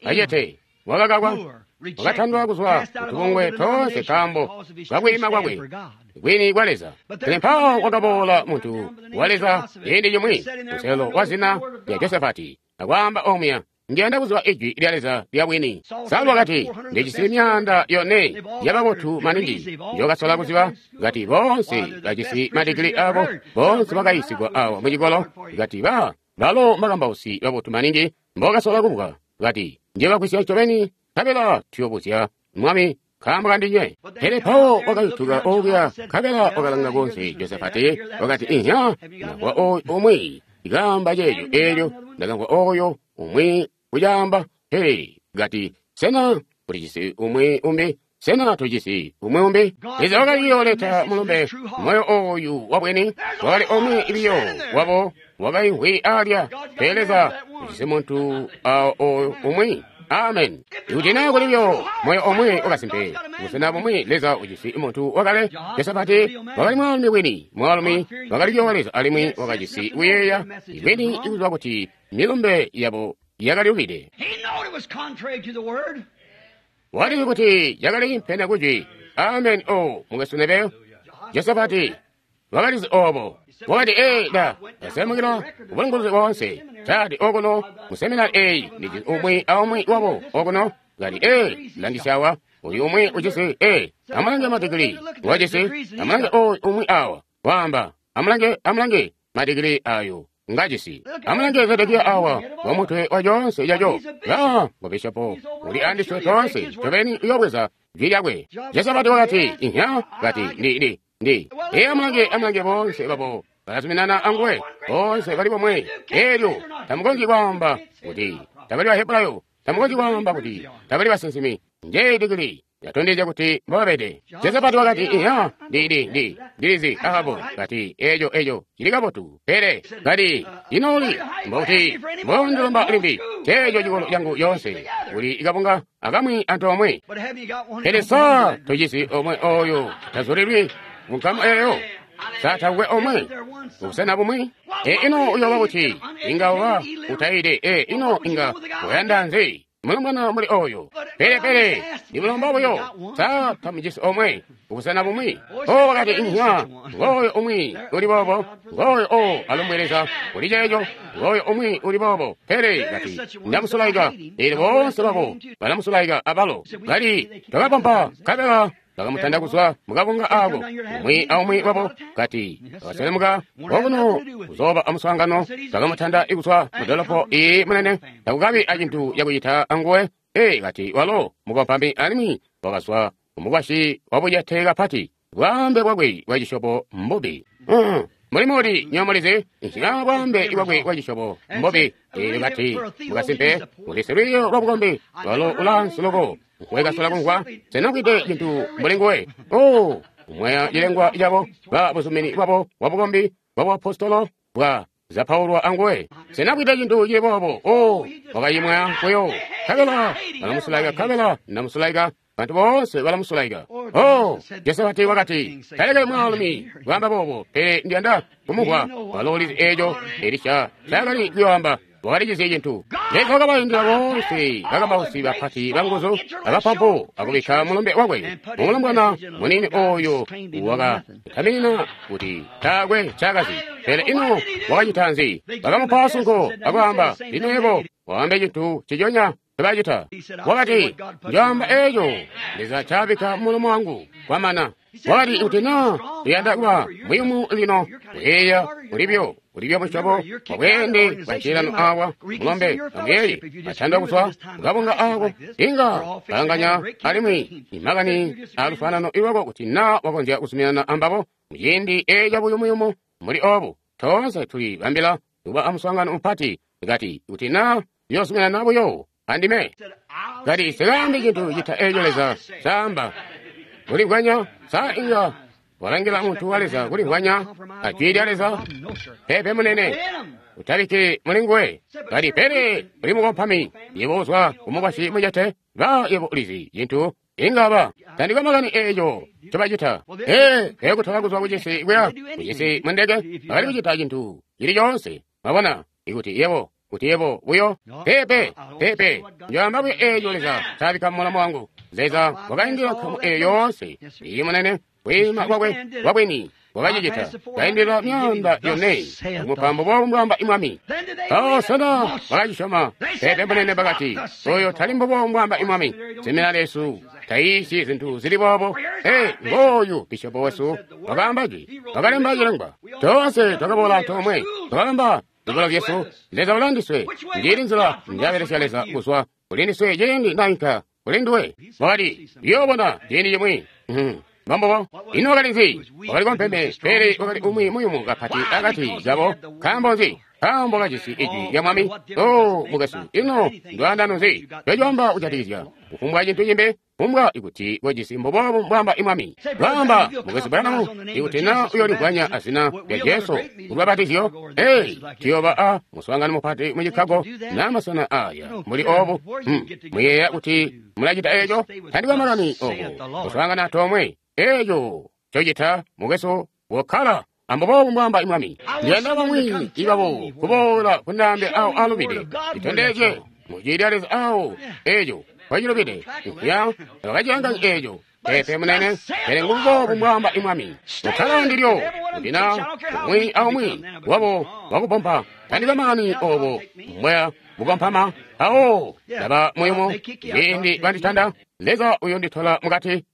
acete, wakakakwa. Wakatandwa kuzwa kutubungwe toonse nkaambo kakwiima kwakwe kwini kwa Leza. Pele mpawo wakaboola muntu wa Leza ciindi cimwi, muselo wa zina lya Josafati, akwaamba omuya, Ndiyanda kuziba ijwi lya Leza lya bwini. Saulo wakati, ndijisi 400 yababotu maningi njokasola kuziba. Kati boonse bajisi madigili abo, boonse bakayisigwa awo mucikolo. Kati balo mbakambausi babotu maningi mbokasola kumvwa. Kati ndiyobagwisya ncobeni, nkabela tuyobuzya mwami nkaambo kandinywe. Pele mpawo wakayutuka okuya, nkabela wakalanga konse Josafati, wakati, inhya, ndamvwa oyu umwi kaamba ceeco eelyo, ndakamvwa oyo umwi kucaamba. Pele kati, sena tulijisi umwi umbi? Sena tujisi umwi umbi? Leza wakali kuyooleta mulumbe moyo oyu wabwini. Wakali omwe biyo wabo wakaimvwi alya. Pele Leza ujisi muntu oyu umwi. Amen. Ikuti naa kuli buyo moyo omwe wakasimpe, busena bumwi Leza ujisi muntu wakale. Josafati wakali mwaalumi wini, mwaalumi wakali kuyoowa Leza alimwi wakajisi kuyeeya bwini ikuziba kuti milumbe yabo yakalubide. Walizi kuti yakali impene kujwi. Amen. O mukwesu Neville, Josafati wakalizi obo. Wakati, ee, da ndasemukila ubulunguluzi boonse. Tati okuno mu seminari eyi ndijisi umwi aumwi wabo okuno. Kati, ee, langisyawa uyu umwi ujisi, ee, amulange madigili wajisi, amulange oyu umwi awa waamba, amulange, amulange madigili ayo ngajisi, amulange Zedekiya awa wa mutwe wa coonse caco. Ba ngobishopo uli andiswe toonse ncobeni uyobweza jwi lyakwe. Josafati wakati, inhya, kati ndi ndi ee, amulange, amulange boonse babo balazuminana anguwe, boonse bali bomwe. Eelyo tamukonzyi kwaamba kuti tabali Bahebrayo, tamukonzyi kwaamba kuti tabali basinsimi. Njeyi digili yatondezya kuti mbobabede. Josafati wakati, inhya, ndi ndilizi Ahabu. Kati eco eco cili kabotu, pele kati inooli mbokuti mbondilomba limbi ceeco cikolo cangu yoonse kuli kabunga akamwi antoomwe. Pele sa tojisi omwe oyo tazulilwi munkamu eyo? Sa takwe omwe ubusena bumwi? E ino uyoba kuti inga uba utayide. E ino inga uyanda nzi mulombwana muli oyo? Pele pele ndimulomba buyo, sa tamujisi omwe ubusena bumwi? O wakati, inhya, ngooyo umwi uli boobo, ngooyo o alumbwe Leza kuli ceeco, ngooyo umwi uli boobo. Pele kati ndamusulaika, eelyo boonse babo balamusulaika abalo. Kati twakapampa nkabela bakamutanda kuzwa mukabunga ako, umwi aumwi wabo. Kati bakaselemuka okuno kuzooba amuswaangano, bakamutanda kuzwa mudolopo iyi munene, takukabi acintu cakucita anguwe. Ee, kati walo mukompami alimwi wakazwa kumukwasyi wabucete kapati, bwaambe bwakwe bwa cisyobo mbubi. Muli muli nyomulizi nshika bwaambe bwakwe bwa cisyobo mbubi. Eelyo kati mukasimpe kuti silwiiyo lwa bukombi walo ulaansi loko wekasola kumvwa senamvwide cintu mbuli nguwe. O kumwaya cilengwa cabo ba buzumini bwabo bwa bukombi bwa buapostolo bwa zapaulwa anguwe. Senamvwide cintu cili boobo. O wakayimwaya kuyo, nkabela balamusulaika, nkabela ndamusulaika. Bantu boonse balamusulaika. Oh, Josafati wakati, taleke mwaalumi kwaamba boobo, pele ndiyanda kumumvwa. Walo ulizi eeco Elisha ncaakali kuyoamba. Wakalizizi cintu. Leza wakabaindila boonse bakambausi bapati banguzu abapampu akubikka mulumbe wakwe mumulombwana muniini oyo wakataminina kuti taakwe ncaakazi. Pele ino wakacita nzi? Bakamupa sunko akwaamba, lino yebo waambe cintu ciconya ncobacita. Wakati, njoamba eeco Leza ncaabikka mumulomo wangu. Kwamana. Wakati, kuti naa uyanda kuba muyumu lino, kuyeeya ulibyo ulibyo musyobo wabweende bwa ncililano awa, mulombe amuyeeye batandwa kuzwa kukabunga ako, inga balanganya alimwi imakani alufanano ilwako kuti naa wakonzya kuzuminana ambabo muciindi eeca buyumuyumu muli obu. Toonse tuli bambila kuba amuswaangano mupati. Kati kuti naa uyozuminana buyo andime. Kati sikaambi cintu cita eeco Leza caamba. Kulimvwanya, sa inga walangila muntu wa Leza kulimvwanya ajwi lya Leza? Peepe munene, utabikki muli nguwe. Kati pele uli mukompami, yebo uzwa kumukwasyi mucete, ba yebo ulizi cintu inga ba tandikwe makani eeco ncobacita. Ee, peekutola kuzwa kucisi kuya kucisi mundeke, bakali kucita cintu cili coonse. Mwabona, ikuti yebo kuti yebo buyo peepe peepe njoamba buyo eeco Leza ncaabikka mumulomo wangu. Leza wakaindila nkamu eyo yoonse. Iyi, munene, kwiima kwakwe kwabwini wakacicita. Kaindila 400 kumupa mbubobu mbwaamba Mwami. Oh, sena bakacisyoma? Peepe, munene, bakati, oyo tali mbubobu mbwaamba Mwami. Seminari yesu tayiisyi zintu zili boobo. Ee, ngooyu bishopo wesu wakaamba jwi, wakalemba cilengwa. Toonse twakaboola antoomwe, twakalemba zikolo zyesu. Leza ulandiswe. Njili nzila njabelesya Leza kuzwa kulindiswe ciindi nainka kuli nduwe. Wakati, yoobona ciindi cimwi. Mbambobo. Ino wakali nzi? Wakali kompeme, pele wakali umwi muyumu kapati akati kabo. Nkaambo nzi? Nkaambo kajisi ijwi lya Mwami. O, mukwesu, ino ndwaandano nzi lwecwamba kujatikizya kufumbwa cintu cimbi? Kufumbwa ikuti kojisi mbubobu mbwaamba Mwami. Lwaamba, mukwesu Branham, ikuti na uyoligwanya azina lya Jesu kulubapatizyo, ee, tuyooba a muswaangano mupati mu Chicago na masena aya mbuli obu. Muyeeya kuti mulacita eeco? Tandikwe makani oku kuswaangana tomwe. Eeco cocita, mukwesu, wokkala ambubobu mbwaamba Mwami. Ndiyanda bamwi ibabo kuboola kundaambe awo alubide, litondezye mujwi lya Leza awo eeco kwacilubide. Ya, bakacilanganya eeco. Peepe, munene, pele ngumbubobu mbwaamba Mwami. Ukkala ndilyo, kuti na umwi aumwi wabo wakupompa. Tandikwe makani obo mbweya bukompama. Awo ndaba muyumu ciindi banditanda, Leza uyonditola mukati.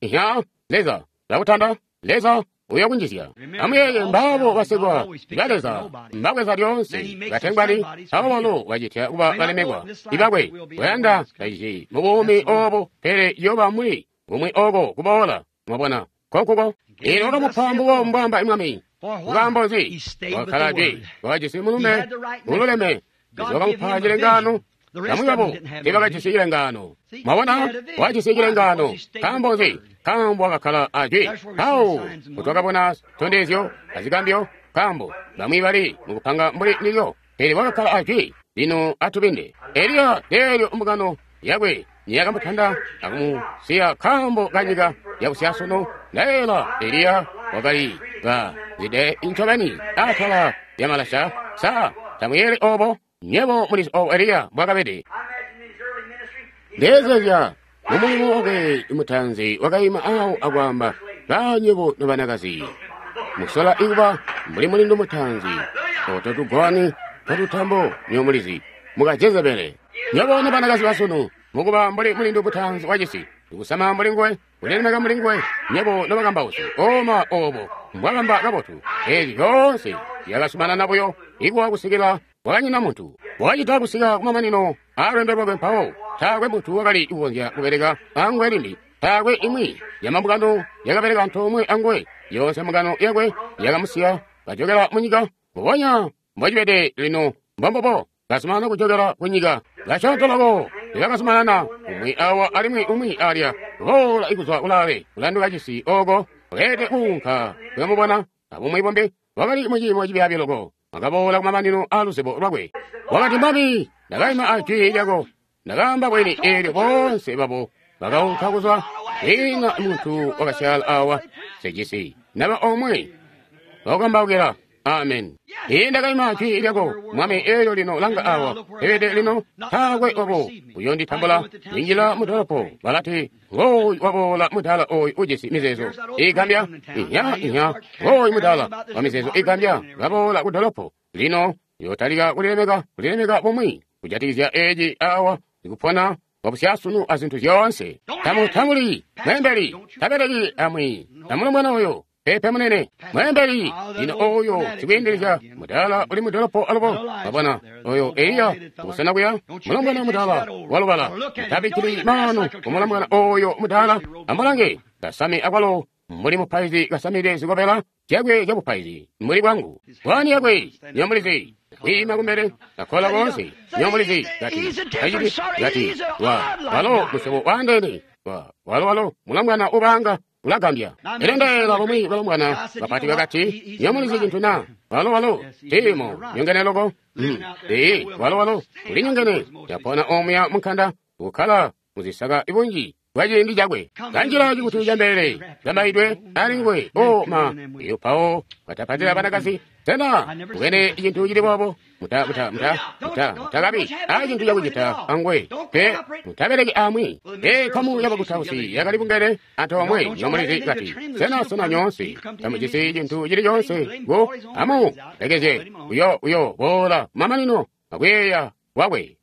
Ya, Leza lakutanda, Leza uyokunjizya. Amuyeeye mbaabo basekwa ba Leza mbabweza lyoonse batengwali, abo balo bacitya kuba balemekwa ibakwe. Bayanda bacici mu buumi obo, pele yoba muli bumwi oko kuboola. Mwabona, konkuko. Ino wakamupa mbubo mbwaamba Mwami. Nkaambo nzi? Wakkala jwi, wakajisi mulume ululeme. Leza wakamupa cilengaano. Bamwi babo teebakajisi cilengaano. Mwabona, wajisi cilengaano. Nkaambo nzi? Nkaambo wakakkala ajwi. Awo kutwakabona zitondezyo azigambyo, nkaambo bamwi bali mukupanga mbuli ndilyo, pele wakakkala ajwi. Lino atubinde. Eliya leelyo mbungano yakwe niyakamutanda akumusiya nkaambo kanyika yakusyaasunu. Ndayeela Eliya wakali kazide ncobeni atala lyamalasha. Sa tamuyeeli obo? Nyebo mulizi obo Eliya mbwakabede. Ndeezezya mumulimu wakwe mutanzi wakaima awo akwaamba, banyebo nobanakazi, musola ikuba mbuli mulindu mutanzi, oto tugwani totutambo nyo mulizi, muka Jezebele. Nyebo nobanakazi basunu, mukuba mbuli mulindu mutanzi wacisi, ikusama mbuli nguwe, kulilemeka mbuli nguwe, nyebo nobakambausi, oma obo mbwakamba kabotu. Ezi zyoonse zyakasumanana buyo ikuwa kusikila wakanyina muntu. Wakacita kusika kumamanino aalwendo lwakwe mpawo taakwe muntu wakali kukonzya kubeleka anguwe limbi. Taakwe imwi yamambungano yakabeleka antoomwe anguwe. Yoonse mbungano yakwe yakamusiya kajokela munyika. Mbubonya mbocibede lino, mbombubo kazumanana kujokela kunyika. Kasyoonto loko lyakazumanana, umwi awa alimwi umwi alya, kuboola ikuzwa kulaale kulanduka cisi oko uleete kuunka kuyamubona. Abumwi bumbi wakali muciimo cibyaabi loko, wakaboola kumamanino aaluzibo lwakwe. Wakati, Mwami, ndakaima ajwi lyako, ndakaamba bwini. Eelyo boonse babo bakaunka kuzwa. Kwiina muntu wakasyaala awa, sejisi naba omwe wakukambaukila. Amen. Ii ndakaima jwi lyako, Mwami, eelyo lino langa awa pebede lino taakwe wabo uyonditambula. Ninjila mudolopo balati, ngooyu waboola mudala oyu ujisi mizeezo igambya. Inya, inya, ngooyu mudala wa mizeezo igambya kaboola kudolopo. Lino yotalika kulilemeka, kulilemeka bumwi kujatikizya eci awa ikupona wabusyasunu azintu zyoonse. Tamutambuli mwembeli, tabeleki amwi namulumwana oyo. Pepe munene, mwembeli lino oyo sikwiindilizya mudala uli mudolopo alubo. Wabona oyo Eliya kusena kuya mulombwana mudala walubala. Mutabikkili maanu kumulombwana oyo mudala. Amulange kasame akwalo mbuli mupaizi kasamide zikobela zyakwe zyabupaizi mbuli bwangu. Bwani yakwe nyomulizi kwiima kumbele akola koonse nyomulizi gati kaciti gati wa walo musyobo waandeene wa walo walo mulombwana ubanga ulagambya. Elyo ndaela bamwi balombwana bapati bakati, nyomulizi cintu na walo walo timo nyongene loko. Ee, walo walo uli nyongene yapona omuya munkanda kukkala muzisaka ibunji bwa ciindi cakwe. Kanjila cikutu ca mbelele zambaidwe ali nguwe. O ma, iyo pawo watapatila banakazi. Sena mubwene cintu cili boobo? Mutakabi a cintu cakucita anguwe, pe mutabeleki amwi. Nkamu yabakutausi yakali bungene antoomwe nomulizi kati, sena nyoonse tamujisi cintu cili coonse ku amu lekezye uyo boola mamanino akuyeeya kwakwe.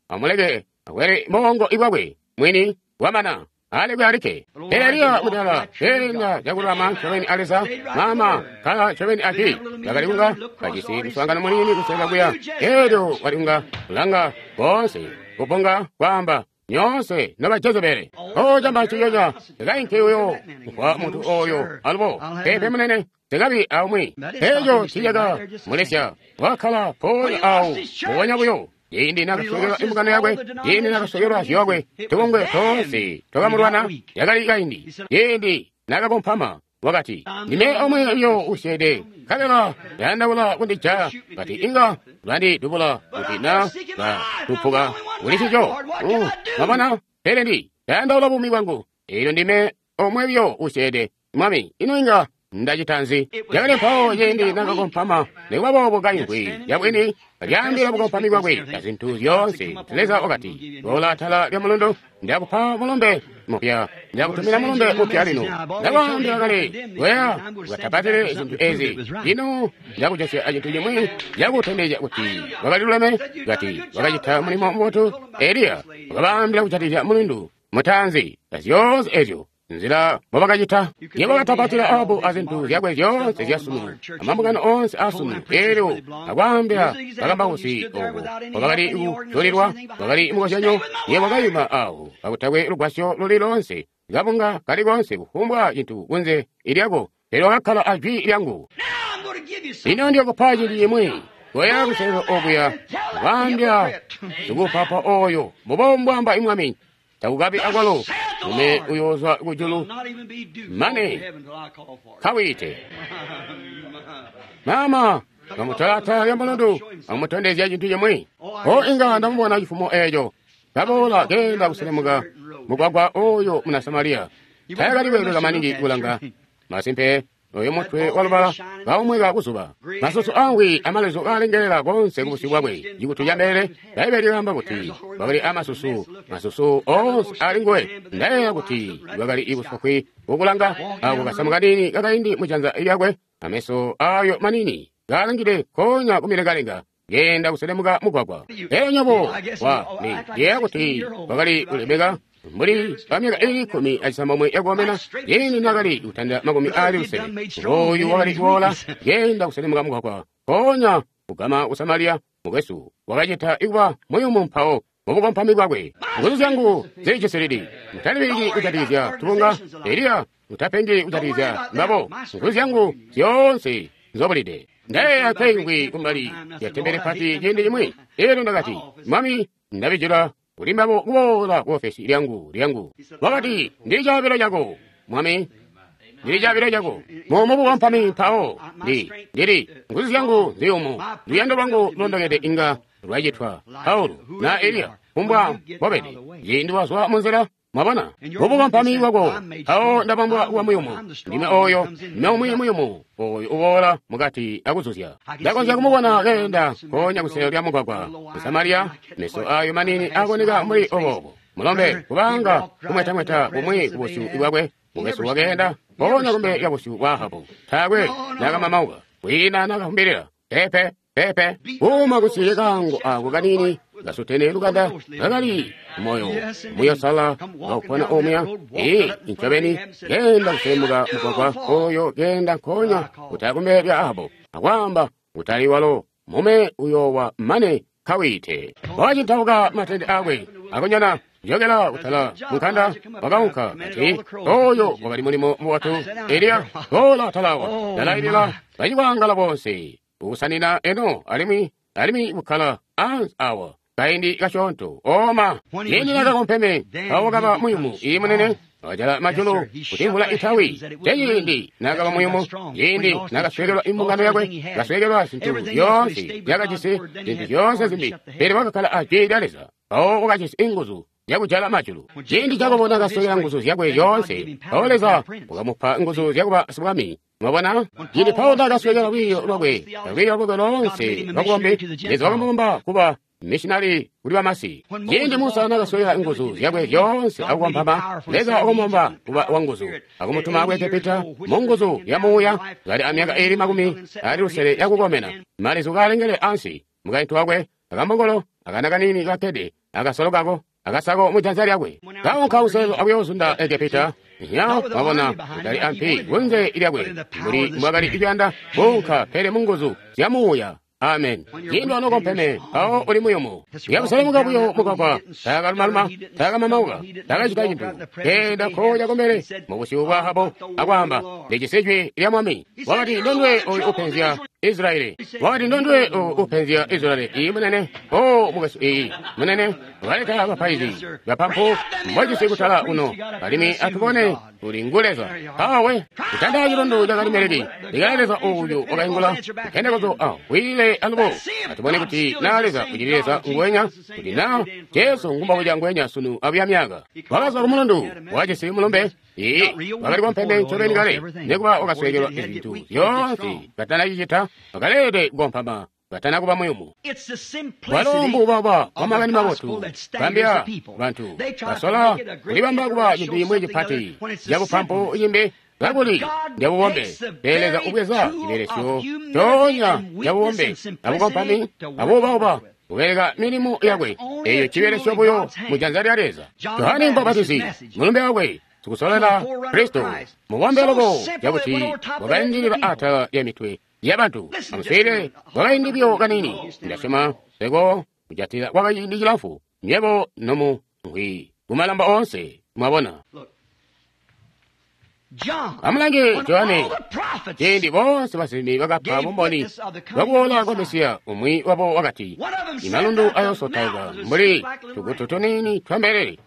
Amuleke akwele mbongo ibwakwe mwini wamana alekwe alike. Pele Eliya mutala keenda cakululama ncobeni a Leza, mama kala ncobeni aci bakali kunga bajisi muswaangano muniini kuseka kuya. Elyo wali kunga kulanga koonse kupunga kwaamba nyoonse noba Jezebele. O camba ciyoca tekainke uyo kwa muntu oyo alubo pepe munene tekabi aumwi. Eco ticaka mulesya wakkala ponya awo mubonya buyo. Ciindi nakaswekelwa imbungano yakwe, ciindi nakaswekelwa zyokwe, tubungwe toonse twakamulwana, yakali kaindi. Ciindi nakakompama wakati, ndime omwe uyo usyeede, nkabela yandaula kundijaya, kati inga bandidubula kuti na batupuka kuli ncico. Mwabona, pele ndi yandaula buumi bwangu, eelyo ndime omwe uyo usyeede. Mwami, ino inga ndacita nzi? Yakali mpawo ciindi nakakompama, nikuba boobo kaimvwi yabwini lyaambila bukompami bwakwe na zintu zyoonse. Leza wakati, boola atala lya mulundu, ndakupa mulumbe mupya, ndakutumina mulumbe mupya lino. Ndakwaambila kale, weya ukatapatile zintu ezi. Lino ndakujosya acintu cimwi cakutondezya kuti wakaliluleme, kati wakacita mulimo mubotu. Eliya wakabaambila kujatikizya mulundu mutaanzi na zyoonse ezyo nzila mbobakacita. Yebo wakatapatila Ahabu azintu zyakwe zyoonse zyasunu, amambungano oonse asunu. Elyo akwaambila bakambausi obo mbobakali kuzulilwa, bakali mukozyanyo. Yebo wakayima awo kakutakwe lugwasyo luli loonse, kabunga kali koonse, kufumbwa cintu kunze ilyako, pele wakakkala ajwi lyangu. Lino ndiyokupa cintu cimwi. Koya kuselelo okuya kwaambila sikupapa oyo, mbubo mbwamba imwami, takukabi akwalo mume uyozwa kujulu mane kawite. Mama bamutola atala lya mulundu amutondezya cintu cimwi. O inga ndamubona cifumo eeco kaboola keenda kuselemuka mugwagwa oyo muna Samariya. Tayakali kweebeka maningi kulanga masimpe oyo mutwe walubala kaumweka kuzuba, masusu angwi amalezu kalengelela konse kubusyu bwakwe. Cikutu ca mbelele, Bbaibele lyaamba kuti wakali amasusu, masusu oonse ali nguwe. Ndayeeya kuti wakali ibusofwi kukulanga ako kasamu kanini kakaindi mujanza lyakwe, ameso ayo manini kalangile konya kumilengalenga, keenda kuselemuka mugwagwa. Elyo nyobo wa ndiyeeya kuti wakali kulemeka mbuli pamyaka ili 16 yakukomena, yini nakali kutanda 26. Oyu wakali kubola yenda kuselemuka mugwagwa konya kugama ku Samariya. Mukwesu wakacita ikuba muyumu mpawo mubukompami bwakwe. Nguzu zyangu zilijisilidi. Mutalibiliki kujatikizya tubunga. Eliya, mutapengi kujatikizya mbabo. Nguzu zyangu zyoonse nzobulide. Ndayeeya kaingwi kumbali ya tembele pati ciindi cimwi. Elyo ndakati, Mwami, ndabijila kuli mbabo kuboola ku ofesi lyangu. Wakati, ndili caabilo cako, Mwami, ndili caabilo cako. Mumubukompami mpawo ndili nguzu zyangu nziyumu, luyando lwangu lulondokede inga lwacitwa. Paulo na Eliya kumbwa mbobede ciindi wazwa munzila. Mwabona mubukompami bwako mpawo ndabambwa kuba muyumu. Ndime oyo, ndime umwi muyumu oyo uboola mukati akuzuzya. Ndakonzya kumubona keenda konya kuselo lya mugwagwa mu Samariya, meso ayo manini akoneka mbuli obobo. Mulombe kubanga kumwetamweta kumwi kubusyu bwakwe. Mukwesu wakeenda ponya kumbele lya busyu bwa Ahabu. Taakwe nakamamauka, kwiina nakafumbilila. Pepe pepe kuma kusiye kango ako kanini kasutene lukanda kakali moyo muyosala kaupona omya. Ee ncobeni kenda kuselemuka mugwagwa oyo, kenda nkonya kutali lya Ahabu akwamba kutali walo mume uyowa mane kawite. Wacintauka matende akwe akonyana jokela kutala munkanda wakaunka kati oyo wakali mulimo muwatu. Eliya bola atalawa ndalailila bacikwangala bonse ukusanina eno alimwi kukkala ansi awa kaindi kasyoonto. Oma yini nakakompeme awo kaba muyumu iyi munene wajala majulu kuti mvula itawi. Teyindi nakaba muyumu, yindi nakaswekelwa imbungano yakwe, kaswekelwa zintu zyoonse zyakajisi, zintu zyoonse zimbi, pele wakakkala ajwi lya Leza. Awo wakajisi inguzu zyakujala majulu. Ciindi Jakobo nakaswekela nguzu zyakwe zyoonse, mpawo Leza wakamupa nguzu zyakuba sibwami. Mwabona? Ciindi Paulo nakaswekela lwiiyo lwakwe, lwiiyo lwakwe loonse lwabukombi, Leza wakamubamba kuba missionari kuli bamasi. Ciindi Musa nakaswekela nguzu zyakwe zyoonse akukompama, Leza wakamubamba kuba wanguzu, akumutuma ku Egepita mu nguzu ya muuya, kali amyaka iili 60 yakukomena, malizu kaalengele ansi, mukaintu wakwe, akambongolo, akana kaniini kakkede, akasolo kako, akasako mujanza lyakwe. Kaunka kuselelo akuyoozunda Egepita. Ya, mwabona, kutali ampi kunze lyakwe, mbuli mbwakali kuyanda kuunka, pele mu nguzu zya muuya. Amen. Ciindi wanokompeme, mpawo uli muyumu. Yakuselemuka buyo mugwagwa, taakalumaluma, taakamamauka, taakacita cintu. Keenda koja kumbele mubusyu bwa Ahabu akwaamba, ndijisi jwi lya Mwami. Wakati, ndondwe oyu upenzya Israeli. Wakati, ndondwe oyu upenzya Israeli. Iyi munene, o mukwesu, iyi munene, waleta bapaizi bapampu mbojisi kutala uno, alimwi atubone uli ngu Leza. Awe kutanda chilundu cha Karimeleki, likale Leza uyu wakaingula kuphendekozo awile alubo. Atubone kuti na Leza uchili Leza ngwenya, kuti na Jesu ngumbakuja ngwenya sunu abuya myaka. Wakazwa ku mulundu wajisi mulumbe, iyi wakali kompembe ncobeni kale, nekuba wakaswekelwa izintu zyoonse katanacicita, wakalede kukompama katana kuba muyumu. Walo mbuubauba bwa makani mabotu bambya bantu basola kulibamba kuba cintu cimwi cipati cabupampu cimbi kakuli ndyabukombe. Pele Leza ubweza cibelesyo coonya cabubombe abukompami abuubauba kubeleka milimo yakwe. Eeyo cibelesyo buyo mujanza lya Leza. Johane Mubapatizi mulumbe wakwe sikusolela Kristo mubombe loko cakuti wakaindilila atala lya mitwe yabantu. Amuswile kwakaindi buyo kanini, ndasyoma seko kujatila kwakaindi cilamfu, nywebo nomu ngwi kumalamba onse. Mwabona? Amulange Johane, ciindi bonse basinsimi bakapa bumboni bwakuboola kwa Mesiya, umwi wabo wakati, imalundu ayoosotauka mbuli tugutu tuniini twa mbelele.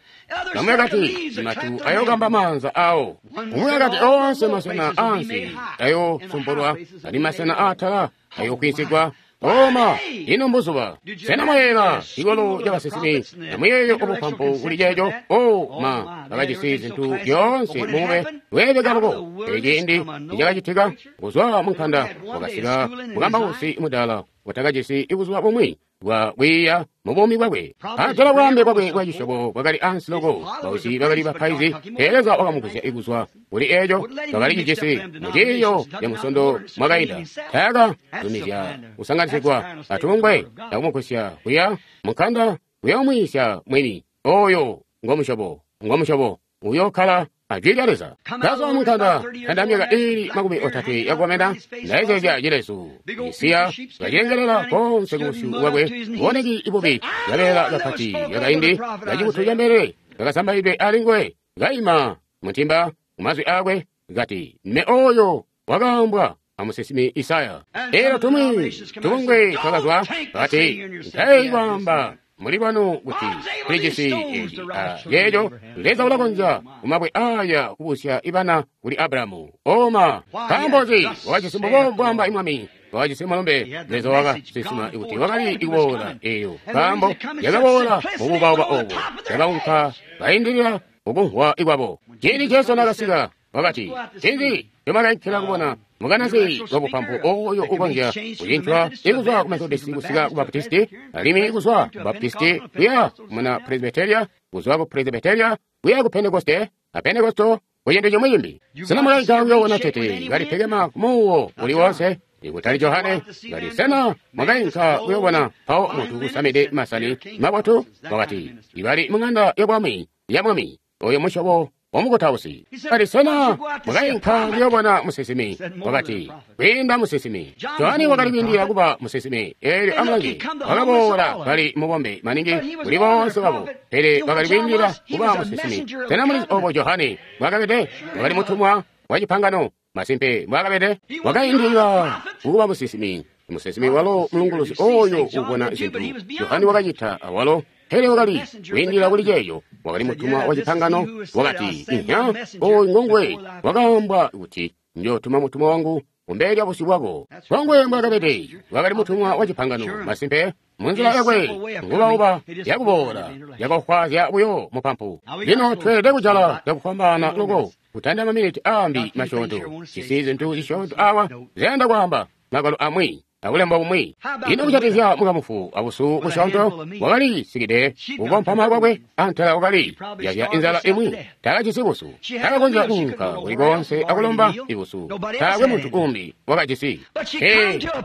Bamwi bakati, imatu ayookamba maanza awo. Umwi wakati, oonse masena aansi ayoosumpulwa, ali masena aatala ayookwiinsigwa. Oma, ino mbuzuba. Sena mwayeela cikolo ca basinsimi amuyeeyo obupampu kuli ceeco? O ma, bakajisi zintu zyoonse mube lweebeka loko. Pele ciindi nicakacitika, kuzwa munkanda wakasika mukambausi mudaala watakajisi buzuba bumwi bwa kwiiya mu buumi bwakwe. Atala bwaambe bwakwe bwa cisyobo bwakali ansi loko, bausi bakali bapaizi, pele Leza wakamugwisya kuzwa kuli eeco bakali cijisi mu ciiyo ca musondo mwakainda. Taaka zumizya kusanganisigwa atungwe akumugwisya kuya munkanda kuyoomwiisya mwini. Oyo ngomusyobo, ngomusyobo uyokkala ajwi lya Leza. Kazwa munkanda kanda myaka iili 30 yakukomena, ndayezeezya cilezu isiya kacengelela konse kubusyu bwakwe, boneki ibubi kabeela kapati kakaindi kacikutu ca mbelele kakasambaidwe alinguwe, kaima muntimba kumazwi aakwe kati, "Me oyo wakaambwa amusinsimi Isaya." Elo tumwi tubungwe twakazwa kati, "Ntayi kwaamba muli bwanu kuti tulijisi eeci yeeco. Leza ulakonzya kumabwe aya kubusya ibana kuli Abrahamu." Oma, nkaambo nzi? Wakajisi mbubo mbwaamba imwami. Wakajisi mulumbe. Leza wakasinsima kuti wakali kuboola eeyo, nkaambo yakaboola mubuubauba obo, yakaunka kaindilila kukumvwa ikwabo. Ciindi Jesu nakasika wakati, "Ncinzi ncomwakainkila kubona? Mukanazi wabupampu oyo ukonzya kucincwa ikuzwa ku Methodist kusika ku Baptisti, alimwi kuzwa ku Baptisti kuya muna Presbyteria, kuzwa ku Presbyteria kuya ku Pentekoste, a Pentekosto ku cintu cimwi cimbi. Sena mwakainka kuyoobona tete kalipekema kumuuwo uli wonse? Ikutali Johane. Kati, sena mwakainka kuyoobona mpawo muntu kusamide masani mabotu? Wakati, ibali mung'anda yabwami ya mwami, oyo musyobo wamukutausi. Kati, sena mwakainka kuyoobona musinsimi? Wakati, kwiinda musinsimi. Johane wakali kwiindila kuba musinsimi. Eelyo amulange, wakaboola kali mubombe maningi kuli boonse babo, pele wakali kwiindila kuba musinsimi. Sena mulizi obo Johane mbwaakabede? Wakali mutumwa wa cipangano. Masimpe mbwaakabede, wakaindilila kuba musinsimi. Musinsimi walo mulunguluzi oyo ubona zintu. Johane wakacita awalo, pele wakali kwiindila kuli ceeco. Wakali mutumwa wa cipangano. Wakati, "Inya, oyu ngonguwe wakaambwa kuti, njootuma mutumwa wangu kumbele lya busyu bwako." Ngonguwe mbwaakabede, wakali mutumwa wa cipangano. Masimpe Munzila yakwe ngubauba yakuboola yakofwaazya buyo mupampu. Lino tweelede kujala cakufwambaana loko kutanda maminiti aambi masyoonto. Jisi zintu zisyoonto awa ziyanda kwaamba magwalo amwi akulemba bumwi. Ino kujatikizya mukamufu abusu busyoonto wakali sikide kukompama kwakwe antela wakali yazya inzala imwi. Taakajisi busu, takakonzya kuunka kuli koonse akulomba ibusu. Taakwe muntu umbi wakajisi.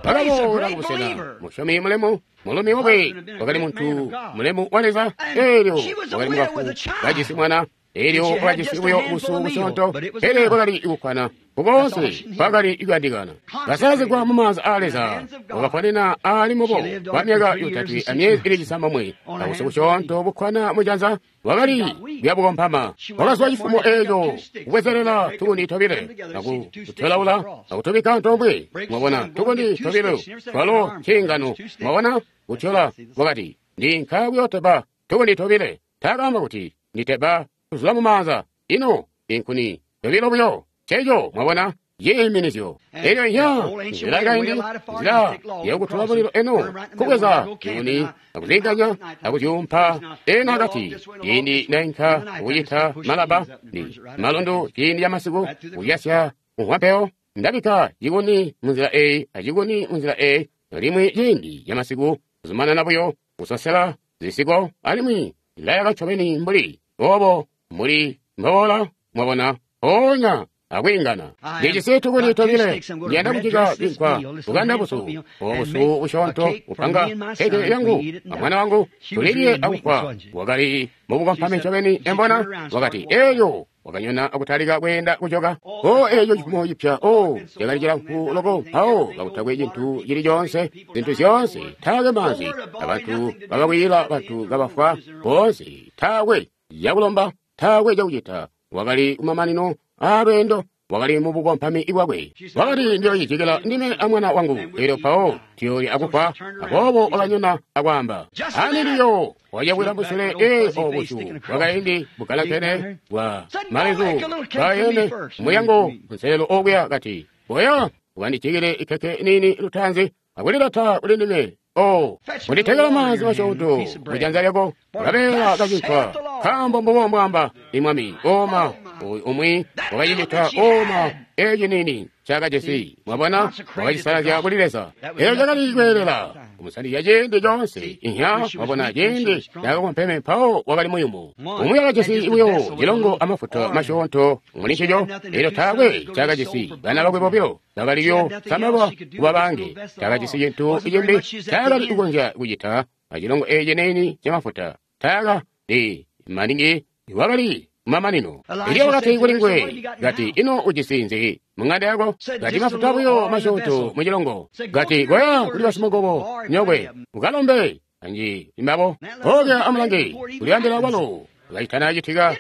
Wakaboola kubusena musyomi mulemu. Mulumi wakwe wakali muntu mulemu wa Leza, eelyo wakali mukafu kajisi mwana, eelyo wakajisi buyo busu busyoonto, pele bwakali kukkwana kukoonse kwakali kuyandikana. Kasalazigwa mumaanza aa Leza, wakaponena aali mubo kwa myaka 3 amyezi ili 9, kabusu busyoonto bukkwana mujanza wakali kuyabukompama. Wakazwa cifumo eeco kubwezelela tukundi tobile akutyolaula akutubikka antoomwe. Mwabona tukundi tobile twalo ciingano. Mwabona kutyola wakati ndinka kuyoteba tukundi tobile. Taakaamba kuti nditeba kuzula mumaanza. Ino inkuni tobilo buyo ceeco. Mwabona yiiminizyo elyo ya nzila yakaindi, nzila yakutula mulilo eno kubweza nkuni akuzinganya akuzyuumpa ena akati ciindi nainka kucita malaba ni malundu ciindi camasiku kuyasya kumwa ndabika cikuni munzila eyi acikuni munzila eyi limwi ciindi camasiku kuzumanana buyo kusosela zisiko alimwi layaka ncobeni mbuli obo mbuli mbola mwabona ponya akwiingana. Ndijisi tukuni tobile ndiyanda kucika cinkwa bukanda busu obusu busyoonto kupanga keke yangu amwana wangu tulilye akufwa. Wakali mubukompami ncobeni embona wakati eyo wakanyona akutalika kweenda kujoka. O eyo cifumo cipya o cakali cilamfu loko mpawo kakutakwe cintu cili coonse zintu zyoonse taakwe maanzi abantu bakakwiyila bantu kabafwa boonse taakwe cakulomba taakwe cakucita. Wakali kumamanino alweendo wakali mubukompami bwakwe. Wakati ndiyocijikila ndime amwana wangu elyo mpawo tiyolya akufwa. Aboobo wakanyona akwaamba aniliyo wajakwila musule obusu bwakaindi bugalakene bwa malezu bwayene muyango nselelo okuya kati boya ukandijikile ikhekhe nini lutanzi akulilata kuli ndime o unditekela maanzi masyoonto mujanza lyako kabeela kacinkwa nkaambo mbubo mbwamba imwami oma umwi wakacicita oma eci nini cakajisi. Mwabona wakacisalazya kuli Leza. Eco cakali kweelela kumusandizya ciindi coonse inya. Mwabona ciindi cakakompeme mpawo wakali muyumu. Umwi wakajisi buyo cilongo amafuta masyoonto muli ncico elyo taakwe cakajisi. Bana bakwe bobilo bakaliyo samalwa kuba bange. Takajisi cintu cimbi taakali kukonzya kucita acilongo eci nini camafuta. Taaka li maningi wakali mamanino. Elyo wakati kuli nguwe kati ino ujisi nzi mung'anda yako? Kati mafuta buyo masyoonto mucilongo. Kati koya kuli basimukobo nyokwe ukalombe anji imbabo okya amulange kulibambila kwalo kacitana citika.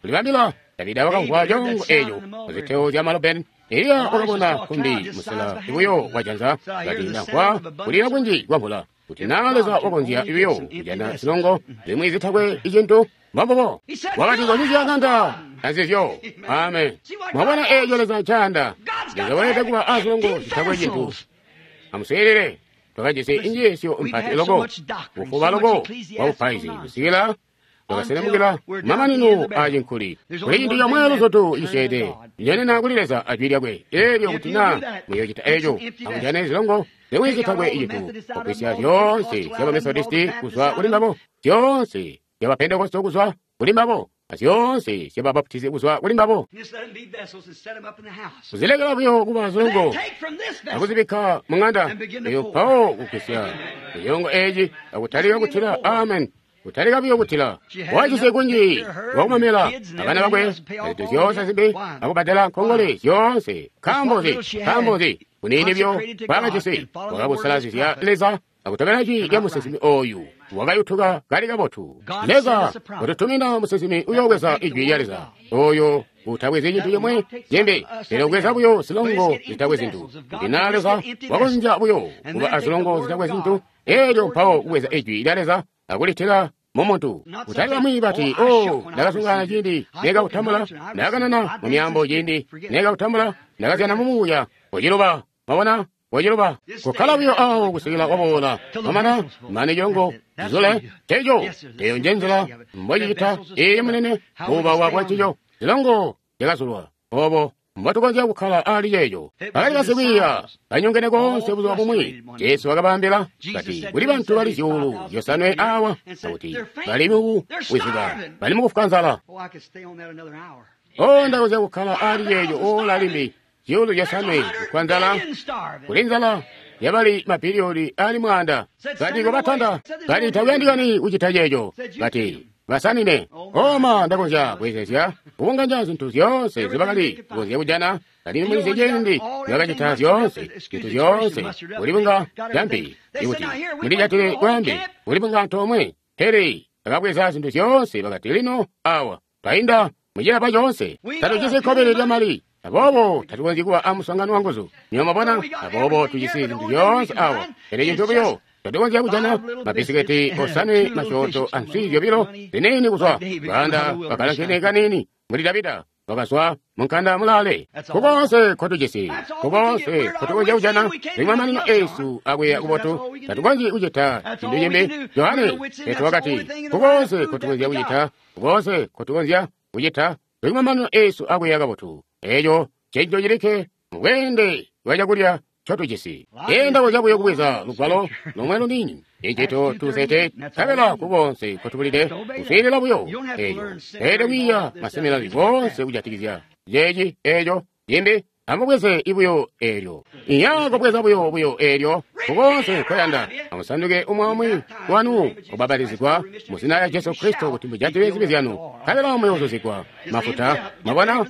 Kulibambila Davida wakamvwa congo eco muziteo zya malobeni. Eliya wakabona kumbi musela buyo wajanza. Kati ndamvwa kulila kunji kwa mvula kuti naa Leza wakonzya buyo kujana zilongo zimwi zitakwe icintu. Mbombubo wakati konyuzya ŋanda anzizyo. Amen. Mwabona eeco Leza ncayanda. Leza weelede kuba azilongo zitakwe cintu. Amuswiilile, twakajisi injiisyo mpati loko bufuba loko bwa bupaizi kusikila twakaselemukila mamanino acinkuli. Kuli cintu comwe luzotu cisyeede njenena kuli Leza ajwi lyakwe eelyo kuti naa muyocita eeco amujane zilongo zimwi zitakwe icintu kugwisya zyoonse zyaba Methodisti kuzwa kuli mbabo, zyoonse zyaba Pentekoste kuzwa kuli mbabo, azyoonse zyaba Baptisti kuzwa kuli mbabo. Kuzilekela buyo kuba zilongo akuzibikka mung'anda eyo mpawo kugwisya cilongo eci akutalika kutila. Amen. Kutalika buyo kutila. Wajisi kunji wakumamela abana bakwe azintu zyoonse zimbi akubadala nkongole zyoonse. Nkaambo nzi kunini byo bwakajisi wakabusalazizya Leza akutobela jwi lya musinsimi oyu wakayutuka kali kabotu. Leza watutumina musinsimi uyoobweza ijwi lya Leza oyo utabwezi cintu cimwe cimbi pele ubweza buyo zilongo zitakwe zintu. Kuti naa Leza wakonzya buyo kuba azilongo zitakwe zintu eelyo mpawo kubweza ijwi lya Leza akulitila mumuntu. Kutali bamwi bati o ndakasungana ciindi nekautambula, ndakanana mu myaambo ciindi nekautambula, ndakazyana mumuuya kuciluba. Mwabona Waciluba. Kukkala buyo awo kusikila waboola. Mwamana, mane congo zizule. Teco, eyo nje nzila mbocicita. Iyi munene, buubawa bwancico. Zilongo zyakazulwa. Obo mbwatukonzya kukkala ali ceeco. Bakali basikwiiya banyongene koonse buzuba bumwi. Jesu wakabaambila kati kuli bantu bali 5,000 awa, akuti bali mukuwizuka, bali mukufwa nzala. O, ndakonzya kukkala ali ceeco ola limbi. 5,000 kufwa nzala, kuli nzala yabali mabiliyoni ali 100. Kati kobatanda, kati takuyandikani kucita ceeco. Kati basanine. Oma ndakonzya kuyezezya kubunganya zintu zyoonse zibakali kukonzya kujana. Kali mulizi ciindi bakacita zyoonse zintu zyoonse kulibunga jambi ikuti mulijatile kwambi kulibunga antoomwe. Pele bakabweza zintu zyoonse bakati lino awa twainda mucilapa coonse, tatujisi kkobili lyamali, aboobo tatukonzyi kuba amuswaangano wanguzu. Nywebo mwabona, aboobo tujisi zintu zyoonse awa, pele cintu buyo tatukonzya kujana mabisiketi 5 masyoonto answi 2 ziniini kuzwa banda bakalankene kanini muli Davida wakazwa munkanda mulale. Kukonse kotujisi, kukonse kotukonzya kujana limwamanino esu akuya kubotu, tatukonzyi kucita cintu cimbi. Yohane Petro wakati kukonse kotukonzya kucita, kukonse kotukonzya kucita limwamanino esu akuya kabotu. Eco cenco cilikke mubweende bwa cakulya ncotujisi. Enda buyo kubweza lugwalo lomwe luniini icito tusete kabela kukonse kotubulide kuswiilila buyo eco. Pele kwiiya maseminari konse kujatikizya ceeci eco cimbi, amubweze ibuyo eelyo. Iya kubweza buyo buyo eelyo kukonse koyanda. Amusanduke umwe wanu kubabbatizigwa mu zina lya Jesu Kristo kuti mujatile zibi zyanu, kabela muyoozuzigwa mafuta. Mwabona,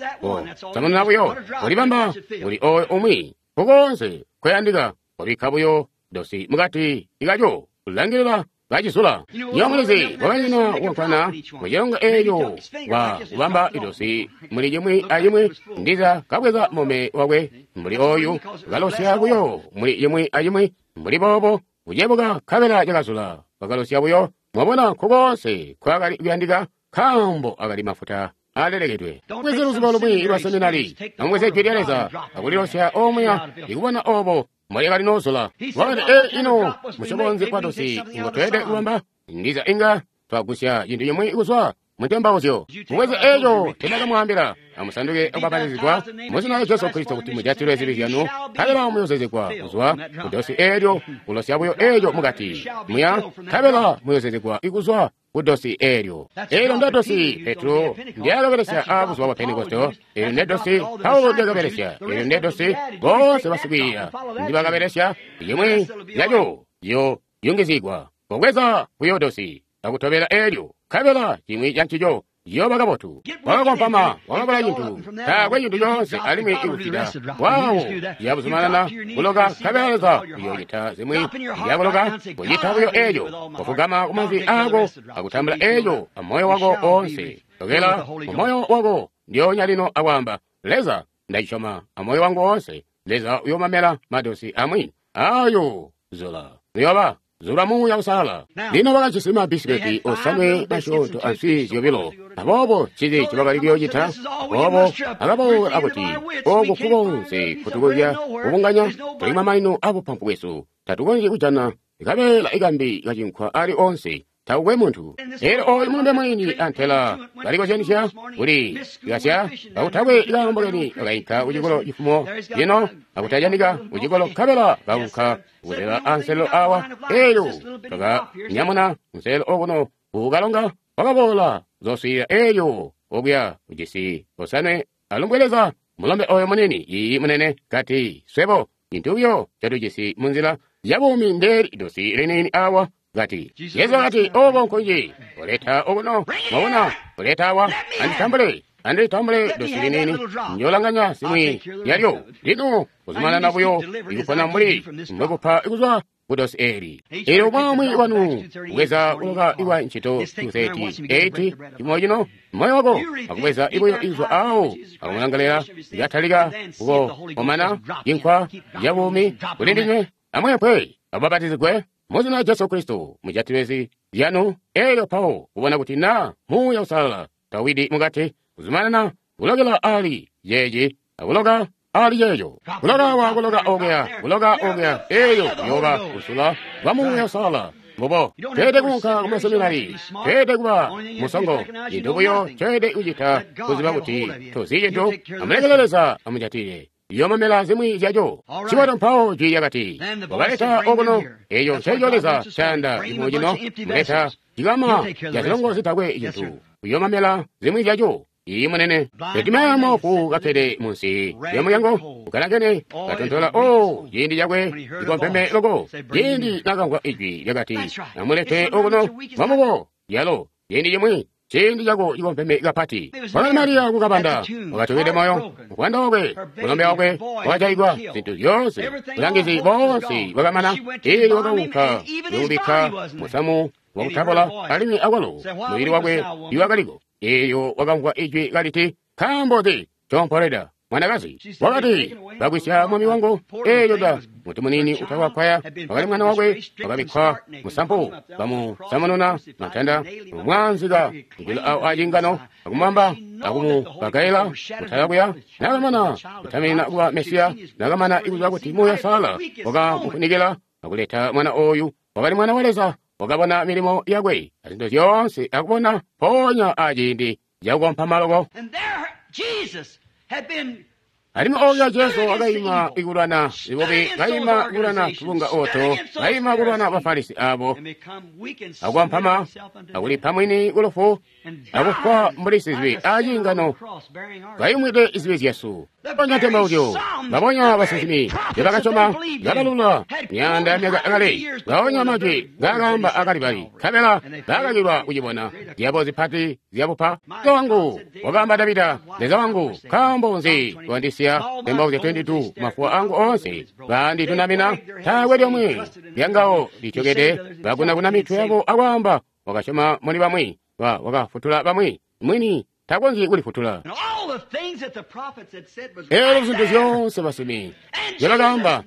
samununa buyo kulibamba kuli oyo umwi. Kukonse koyandika kubikka buyo dosi mukati ikaco kulangilila kacizula. Nywebo mulizi kwakanyina kukankana mucilongo eeco kwa kubamba idosi muli cimwi acimwi. Ndiza kabweza mume wakwe mbuli oyu kalosya buyo muli cimwi acimwi mbuli boobo kucebuka kabela cakazula bakalosya buyo. Mwabona, kukonse kwakali kuyandika nkaambo akali mafuta alelekedwe. Bweze luzubo lumwi lwa seminari, amubweze jwi lya Leza akulilosya omuya ikubona obo mwalekali nozula. Wakati, e ino musyobo kwa dosi ngotweelede kubamba? Ndiza inga twagusya cintu cimwi kuzwa mutembauzyo. Mubweze eco tendakamwaambila. Amusanduke akubapatizigwa mu zina lya Jesu Kristo kuti mujatilwe zibi zyanu, nkabela muyozezegwa kuzwa kudosi eelyo, kulosya buyo eeco mukati muya, nkabela muyozezegwa ikuzwa kudosi eelyo. Eelyo ndedosi Petro ndyakabelesya aabuzuba bwa Pentekoste. Eelyo ndedosi Paulo ndyakabelesya. Eelyo ndedosi boonse basikwiiya ndibakabelesya. Imwi yaco yo yungizigwa. Kobweza buyo dosi akutobela eelyo, nkabela cimwi cancico ciyooba kabotu. Wakakompama, wakabula cintu, taakwe cintu coonse alimwi ikucita waawo yabuzumanana kuloka, nkabela Leza uyoocita zimwi zyakuloka. Kucita buyo eeco, kufugama kumazi aako akutambula eeco amoyo wako oonse. Lokela mumoyo wako ndyoonya lino akwaamba, Leza, ndacisyoma amoyo wangu oonse. Leza uyoomamela madosi amwi ayo zula uyoba zula Muuya Uusalala. Lino bakajisi mabisiketi 5 masyoonto answi 2. Aboobo cili ncibakali kuyoocita. Aboobo akaboola akuti oku kukonse kutukonzya kubunganya tuli mamanino abupampu bwesu, tatukonzyi kujana kabeela ikambi kacinkwa ali onse, takukwe muntu. Elyo oyu mulumbe mwini antela balikozyanisya kuli kasya kakutakwe kaambo keni kakainka kucikolo cifumo lino akutajanika kucikolo nkabela kaunka kuzela anselelo awa. Elyo kakanyamuna nselelo okuno kukalonga wakaboola zoswiilila elyo okuya kujisi 5 alumbwe Leza mulombe oyo munini iyi munene kati swebo cintu buyo catujisi munzila yabuumi ndeeli idosi liniini awa. Kati Yesu wakati obo nkunji kuleta okuno, mwabona, kuleta awa, anditambule anditambule dosi liniini, njolanganya zimwi yalyo. Lino kuzumanana buyo ikupona mbuli mbwekupa kuzwa kudosi eli. Elyo mwamwi wanu kubweza kuloka iwa ncito 238 chimwe chino moyo wako akubweza ibuyo izwa awo akumulangalira ikatalika kukomana cinkwa cabuumi kuli ndinywe. Amwepwe ababatizigwe mu zina lya Jesu Kristo mujatilwe zibi zyanu. Elyo pawo kubona kuti na Muuya Uusalala tawidi mukati kuzumanana kulokela ali yeeci akuloka ali ceeco. Kuloka wa kuloka okuya, kuloka okuya, eyo yoba kusula kwa Muuya Uusalala. Mbubo, tweelede kuunka ku maseminari, tweelede kuba musongo, cintu buyo tweelede kucita kuziba kuti tozyi cintu, amulekele Leza amujatile. Yomamela zimwi zyaco. Ciboto mpawo jwi lyakati, wakaleta okuno, eco nceco Leza cayanda cifumo cino, muleta cikama ca zilongo zitakwe cintu. Uyomamela zimwi zyaco. Iyi munene. Bartimayo moofu kakkede munsi lya mulyango, ukalangene, katontola, oh, ciindi cakwe cikompeme loko. Ciindi nakamvwa ijwi lyakati, amulete okuno, mwamubo, lyalo, ciindi cimwi, ciindi cako cikompeme kapati. Wakali Mariya kukabanda, wakatokede moyo, muvwanda wakwe, mulombe wakwe, wakajaigwa, zintu zyoonse, bulangizi boonse bwakamana, eelyo wakaunka kuyobikka musamu wakutabola, alimwi akwalo mubili wakwe tiiwakaliko. Eelyo wakamvwa ijwi kaliti, nkaambo nzi ncompoleda, mwanakazi? Wakati, bagwisya mwami wangu. Eelyo da muti muniini utawakwaya wakali mwana wakwe, wakabikkwa musampu, bamusamununa mantanda, mwaanzika kujulu awo acingano, akumubamba akumupakaila kutala kuya. Nakamana kutaminina kuba Mesiya, nakamana ikuziba kuti Muuya Uusalala wakamufunikila akuleta mwana ooyu, wakali mwana wa Leza. Wakabona milimo yakwe azintu zyoonse, akubona mpoonya aciindi cakukompama loko. Alimwi ooyo Jesu wakaima ikulwana zibubi, kaima kulwana tubunga oto, kaima kulwana Bafarisi abo, akukompama, akulipa mwini kulufu, akufwa mbuli sizibi aciingano, kayumwide zibi zyesu. Babonya ntembauzyo, babonya basinsimi, nzebakasyoma, ngabalula myaanda yamyaka akale, babonya majwi ngaakaamba akalibali, nkabela baakakilwa kucibona zyabo zipati zyabupa. Leza wangu, wakaamba Davida, Leza wangu, nkaambo nzi wandisiya? Ntembauzyo 22, mafuwa angu oonse banditunamina, taakwe lyomwe lyangawo lityokede. Bakunakuna mitwe yabo akwaamba, wakasyoma muli bamwi, wakafutula bamwi, mwini takonzyi kulifutula. Eelyo zintu zyoonse basimi nzyebakaamba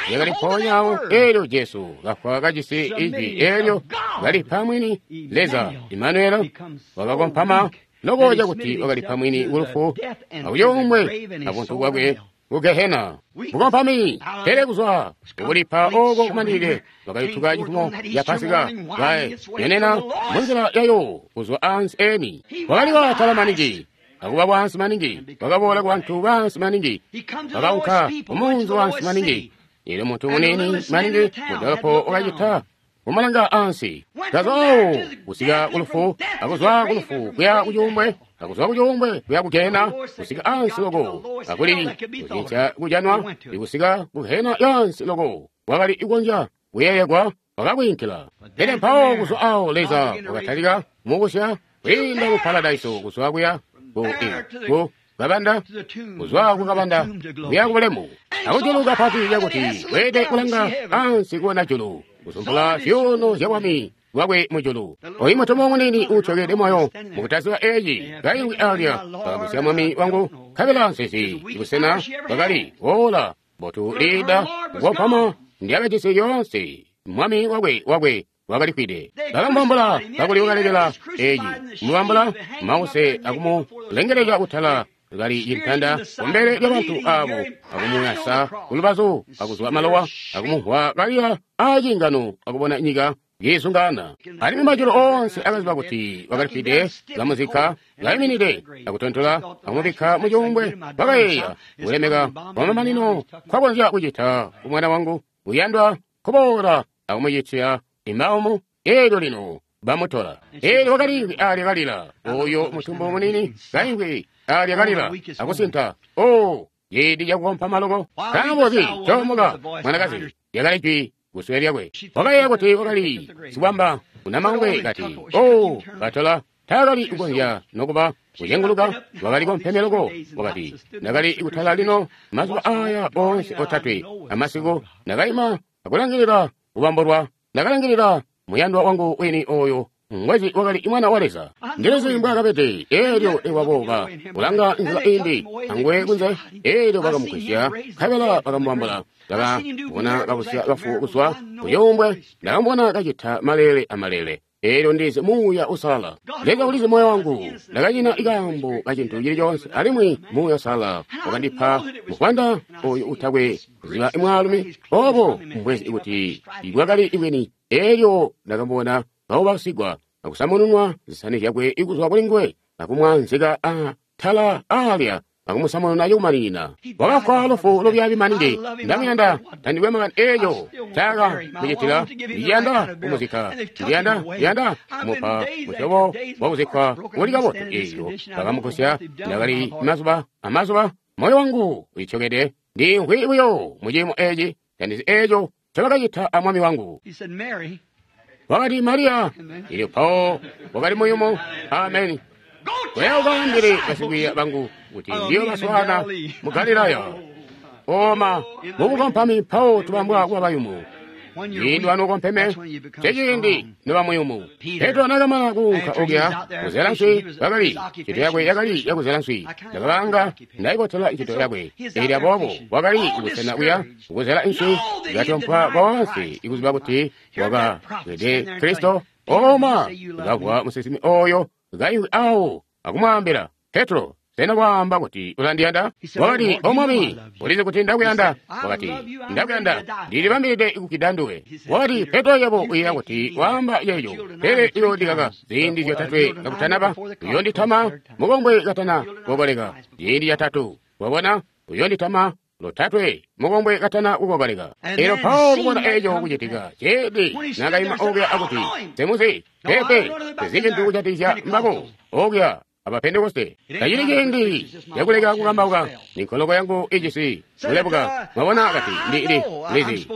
zyakali mpoonya awo. Eelyo Jesu kafwa kajisi ijwi eelyo kalipa mwini Leza, Imanueli, wakakompama loko cakuti wakalipa mwini kulufu akucuumbwe abuntu bwakwe ku Gehena. Bukompami, pele kuzwa kukulipa oko kumanilile, wakayutuka cifumo ya Pasika, kayenena munzila yayo kuzwa ansi eni. Wakali watala maningi, akuba wansi maningi, wakaboola ku bantu bansi maningi, wakaunka kumunzi wansi maningi. Eelyo muntu muniini maningi mudolopo wakacita kumalanga ansi, kazwa kusika kulufu, akuzwa kulufu kuya kucuumbwe, akuzwa kucuumbwe kuya ku Gehena, kusika ansi loko, akuli kucinca kujanwa, ikusika ku Gehena yansi loko, wakali ikonzya kuyeeyegwa, wakakwiinkila. Pele mpawo kuzwa awo Leza wakatalika kumubusya kwiinda ku paradaiso, kuzwa kuya ku kabanda, kuzwa ku kabanda kuya ku bulemu, akujulu kapati cakuti weelede kulanga ansi kubona julu, kusumpula zyuuno zya bwami bwakwe mujulu. Oyu mutumwa muniini uutyokede moyo mukutaziba eeci, kaimvwi alya, wakagusya mwami wangu, nkabela nsizi busena bwakali boola mbotu liida kukompama ndyakajisi lyoonse. Mwami wakwe wakalifwide. Bakamubambula kakuli wakalekela eeci, kumubambula mause akumulengeleka kutala kali cintanda kumbele lyabantu abo, akumuyasa kulubazu, akuzwa malowa, akumumvwa kalila aciingano, akubona nyika kiizungaana. Alimwi majulu oonse akaziba kuti wakalifwide, bamuzikka kaiminide, akutontola, akumubikka mucuumbwe. Bakayeeya kulemeka kwamamanino nkwakonzya kucita kumwana wangu uyandwa kuboola akumucitya imaumu. Eelyo lino bamutola. Eelyo wakaliimvwi alya kalila, oyo mutumbu muniini kaimvwi alya kalila akusinta. Oh, ciindi cakukompama loko. Nkaambo nzi coomoka, mwanakazi? Lyakali jwi kusule lyakwe. Wakayeeya kuti wakali sibwamba unamangwe, kati, oh, batola. Taakali kukonzya nokuba kucenguluka, wakali kompeme loko. Wakati, ndakali kutala lino mazuba aya oonse otatwe amasiku, ndakaima akulangilila kubambolwa, ndakalangilila muyandwa wangu wini oyo ngwezi wakali mwana wa Leza. Ndilizi mbwaakabede. Eelyo iwaboka kulanga nzila imbi anguwe kunze, eelyo bakamugwisya, nkabela bakamubambula. Ndakabona kabusya bafu kuzwa kucuumbwe, ndakamubona kacita maleele amalele. Eelyo ndizi Muuya Uusalala. Leza ulizi moyo wangu. Ndakanyina ikaambo ka cintu cili coonse, alimwi Muuya Uusalala wakandipa muvwanda oyu utakwe kuziba mwaalumi. Obo mbwezi kuti bwakali bwini. Eelyo ndakamubona kaubasigwa akusamununwa zisani zyakwe kuzwa kuli nguwe, akumwaanzika atala aalya, akumusamununa cakumaninina. Wakafwa lufu lubyaabi maningi. Ndamuyanda, tandikwe makani eeco ncaaka mucitila. Ndiyanda kumuzikka, ndiyanda kumupa musyobo wakuzikkwa uli kabotu. Eelyo bakamugusya. Ndakali mazuba amazuba, moyo wangu ulityokede, ndiimvwi buyo muciimo eeci, tandizi eeco ncobakacita amwami wangu. Wakati Mariya, ilyo mpawo wakali muyumu. Ameni. Koya ukaambile basikwiiya bangu kuti ndiyo baswaana mu Galilaya. Oma mubukompami mpawo tubambwa kuba bayumu. Ciindi wanokompeme ceciindi noba muyumu. Petro nakamana kuunka okuya kuzela nswi, bakali ncito yakwe yakali yakuzela nswi. Ndakabanga ndaibotela ncito yakwe. Eelyo aboobo wakali kubusena kuya kuzela nswi, ikatompwa koonse ikuziba kuti wakabwede Kristo. Oma ndakavwa musinsimi oyo kaimvwi awo akumwaambila, Petro, sena waamba kuti ulandiyanda? Wakati, O Mwami, ulizi kuti ndakuyanda. Wakati, ndakuyanda, ndilibambilide kufwida nduwe. Wakati, Petro, yebo uyeeya kuti waamba ceeco, pele uyoondikaka ziindi zyotatwe kakutanaba. Uyoonditama mukombwe katana kukokoleka ciindi catatu. Wabona, uyoonditama lotatwe mukombwe katana kukokoleka. Eelyo mpawo kubona eeco kucitika, ceedi nakaima okuya akuti, Nsemuzi, peepe, tezi cintu kujatikizya mbabo okuya aba Pentekoste. Tacili ciindi cakuleka kukambauka. Ninkoloko yangu ijisi kulebuka. Mwabona, kati ndi lizi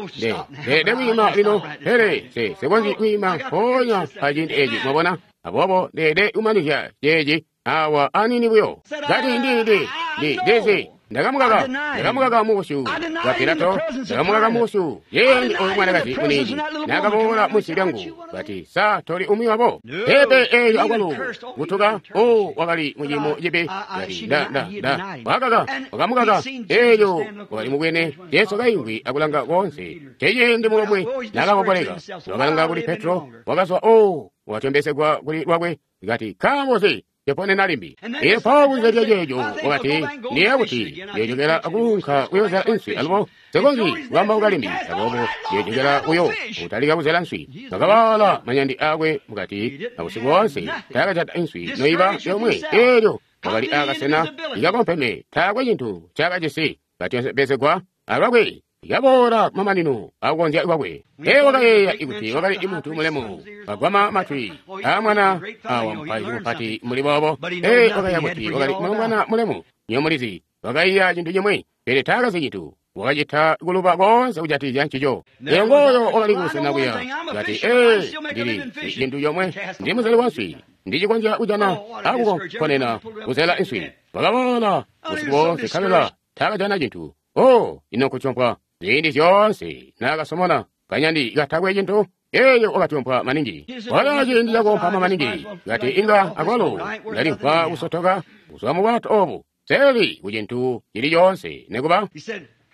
ndeelede kwiima lino, pele nsikonzyi kwiima mpoonya aciindi eeci. Mwabona, aboobo ndeelede kumanizya ceeci awa aniini buyo. Kati ndizi ndakamukaka mubusyu bwa Pilato, ndakamukaka mubusyu ciindi oyu mwanakazi muniini nakaboola munsi lyangu, kati, sa toli umwi wabo? Peepe, eelyo akwalo kutuka, o wakali muciimo cibi. Kati wakaka, wakamukaka. Eelyo wakali mubwene Jesu kaimvwi akulanga koonse. Ceciindi mukombwe nakakokoleka, wakalanga kuli Petro, wakazwa o watombesegwa kuli lwakwe, kati, nkaambo nzi teponena limbi? Eelyo mpawo kunze lya ceeco wakati, ndiyeeya kuti ndiyojokela kuunka kuyozela nswi alubo nsikonzyi kukambauka limbi, aboobo ndiyojokela kuyo kutalika kuzela nswi. Wakawaala manyandi aakwe mukati, abusiku boonse taakajata nswi noiba yomwe. Eelyo wakali aakasena ikakompeme, taakwe cintu ncaakajisi, katyopesegwa alwakwe. Yaboola kumamanino akukonzya kwakwe. Ee, wakayeeya kuti wakali muntu mulemu, kagwama matwi aamwana awa mupaizi mupati mbuli boobo. Ee, wakayeeya kuti wakali mulombwana mulemu. Nywebo mulizi, wakaiya cintu cimwi, pele taakazi cintu. Wakacita kuluba koonse kujatikizya ncico. Elyo ngooyo wakali kubusena kuya, kati, ee, ndili cintu comwe, ndi muzeli wa nswi, ndicikonzya kujana akukonena kuzela nswi. Wakaboola busiku boonse nkabela taakajana cintu. Oh, ino nkutyompwa! Ziindi zyoonse naakasomona kanyandi katakwe cintu, eeyo wakatyompwa maningi. Wala ciindi cakukompama maningi, kati inga akwalo ndalimvwa kusotoka kuzwa mu bwato obu, seli ku cintu cili coonse nekuba.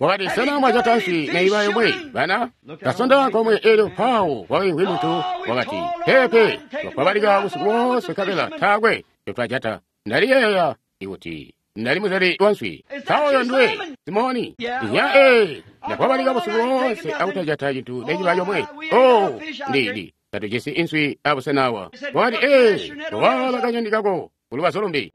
Wakati, sena mwajata nswi neiba yomwe, bana? Kasonda komwe, eelyo mpawo kwakaimvwi muntu, wakati, peepe, twakwabalika busiku boonse nkabela taakwe ncotwajata. Ndaliyeeya kuti ndali muzeli wa nswi. Mpawo nduwe Simoni? Ya, ee, ndakwabalika busiku boonse akutajata cintu neciba comwe. Oh, ndi tatujisi inswi abusena awa. Wakati, ee, waala kanyandi kako kulubazu lumbi.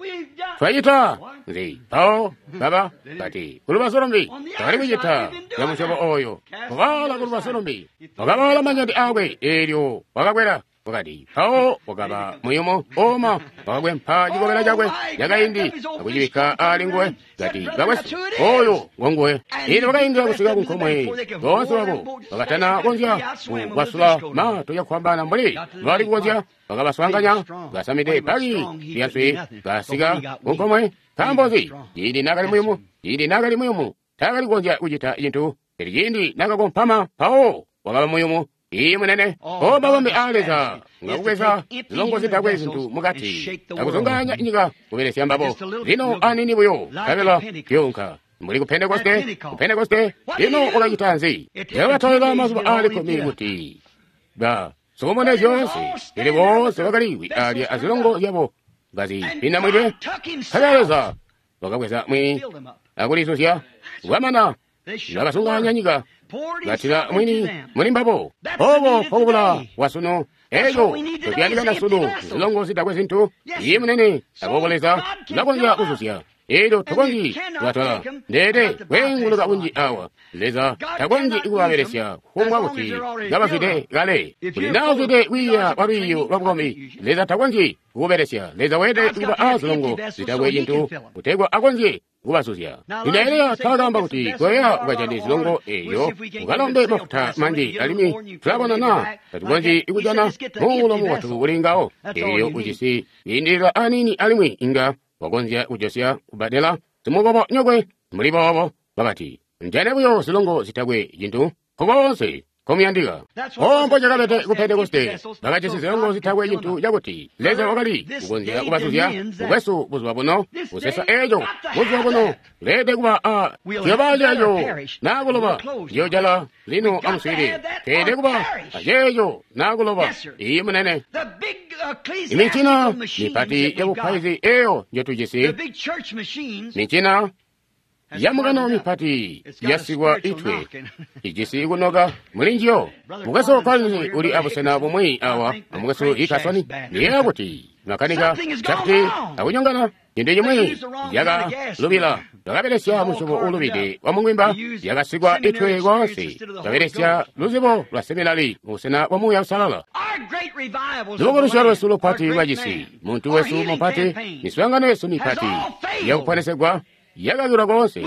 Twacita nzi? Mpawo baba kati kulubazu lumbi twakali kucita ya musyobo oyo. Waala kulubazu lumbi, wakawaala manyandi aakwe, eelyo wakakwela. Wakati, mpawo wakaba muyumu oma, wakakwempa cikobela cakwe cakaindi akucibikka ali nguwe. Kati, bakwesu, oyo ngonguwe. Eelyo wakaindila kusika kunkomwe, boonse babo bakatana konzya kukwasula mato cakufwambaana mbuli bali kukonzya. Bakabaswaanganya kasamide bbaki lya nswi, kasika kunkomwe. Nkaambo nzi? Ciindi naakali muyumu, ciindi naakali muyumu, taakali kukonzya kucita cintu. Pele ciindi naakakompama, mpawo wakaba muyumu. Iye munene, o mabambe a Leza ngakubweza zilongo zitakwe zintu mukati akuzungaanya nyika kubelesya mbabo. Lino anini buyo nkabela tuyunka mbuli ku Pentekoste, ku Pentekoste. Lino wakacita nzi? Yakatolela mazuba aali 10 kuti ba Sokomone zyoonse, pele boonse bakaliwi alya azilongo zyabo kazipindamwidwe. Nkabela Leza wakabweza mwini akulizuzya, bwamana bakasunganya nyika, katila mwini muli mbabo. Obo nkokubula kwasunu. Eco tociyandikana sunu zilongo zitakwe zintu. Iye munene, aboobo Leza ulakonzya kuzuzya. Elyo tokonzyi kubatwala ndeede kweenguluka kunji awa. Leza takonzyi kubabelesya kufumbwa kuti kabazwide kale. Kuti naazwide kwiiya kwa lwiiyo lwa bukombi, Leza takonzyi kukubelesya. Leza weelede kuba azilongo zitakwe cintu kutegwa akonzye kubazuzya. Lino Eliya taakaamba kuti koya ukajane zilongo eeyo ukalombe mafuta manji, alimwi tulabona naa tatukonzyi kujana muulo mubotu kuli ngawo. Eeyo ujisi kwiindilila aniini alimwi inga wakonzya kujosya kubbadela simukobo nyokwe. Mbuli boobo bakati, njane buyo zilongo zitakwe cintu nkokoonse nkomuyandika. Ombo cakabede ku Pentekoste, bakajisi zilongo zitakwe cintu cakuti Leza wakali kukonzya kubazuzya. Mukwesu, buzuba buno busesa eeco, buzuba buno leede kuba a ciyoba ceeco naa kuloba. Ndiyojala lino amuswiilile. Teede kuba aceeco naa kuloba. Iiyi munene. Imincina mipati yabupaizi eeyo njotujisi, mincina yamukano mipati yasikwa itwe ijisi kunoka muli njiyo. Mukwesu Collins uli abusena bumwi awa, amukwesu Hickerson. Ndiyeeya kuti makanika cakuti akunyongana cintu cimwi yakalubila. Bakabelesya musyobo uulubide wa mungwimba, yakasikwa itwe koonse. Babelesya luzibo lwa seminari mubusena bwa Muuya Uusalala. Lubukulusyo lwesu lupati lwacisi, muntu wesu mupati, miswaangano yesu mipati yakuponesegwa yakazula koonse.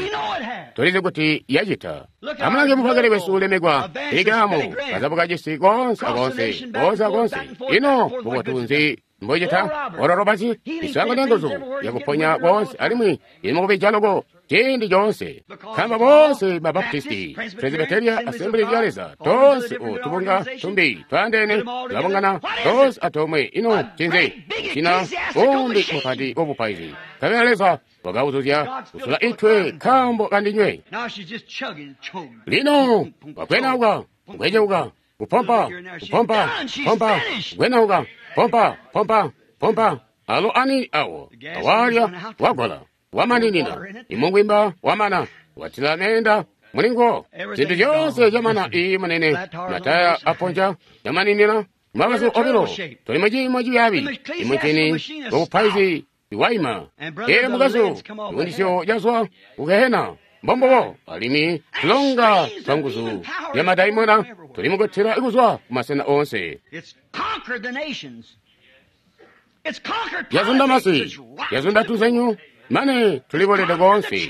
Tulizi kuti yacita. Amulange mupakele wesu ulemekwa ikamu kazabuka cisi koonse akoonse, koonse akoonse. Ino bubotu nzi mbocita? Ororobaci miswaangano yanguzu yakuponya koonse, alimwi imukubija loko ciindi coonse. Nkaambo boonse ba Baptisti, Presbyteria, Assembly ya Leza, toonse tubunga tumbi twaandeene tulabungana toonse atomwe. Ino ncinzi? Cina umbi mupati wabupaizi. Nkabela Leza wakauzuzya kusula itwe nkaambo kandinywe. Lino wakwenauka, kweceuka, kupompa, kupompa, pompa, kwenauka, pompa, pompa, pompa. Alo ani awo awalya wagola wamaninina imungwimba wamana watila meenda mulingo zintu zyoonse zyamana. Iyi munene, mataya aponja yamaninina mabazu obilo. Tuli muciimo cibyaabi. Imuncini wabupaizi iwaima. Ele mukazu ikundisyo cazwa kugehena. Mbombobo alimwi tulonga twa nguzu ya madaimona tuli mukuthira kuzwa kumasena oonse. Yazunda masi, yazunda tuzenyu, mane tulibolede koonse.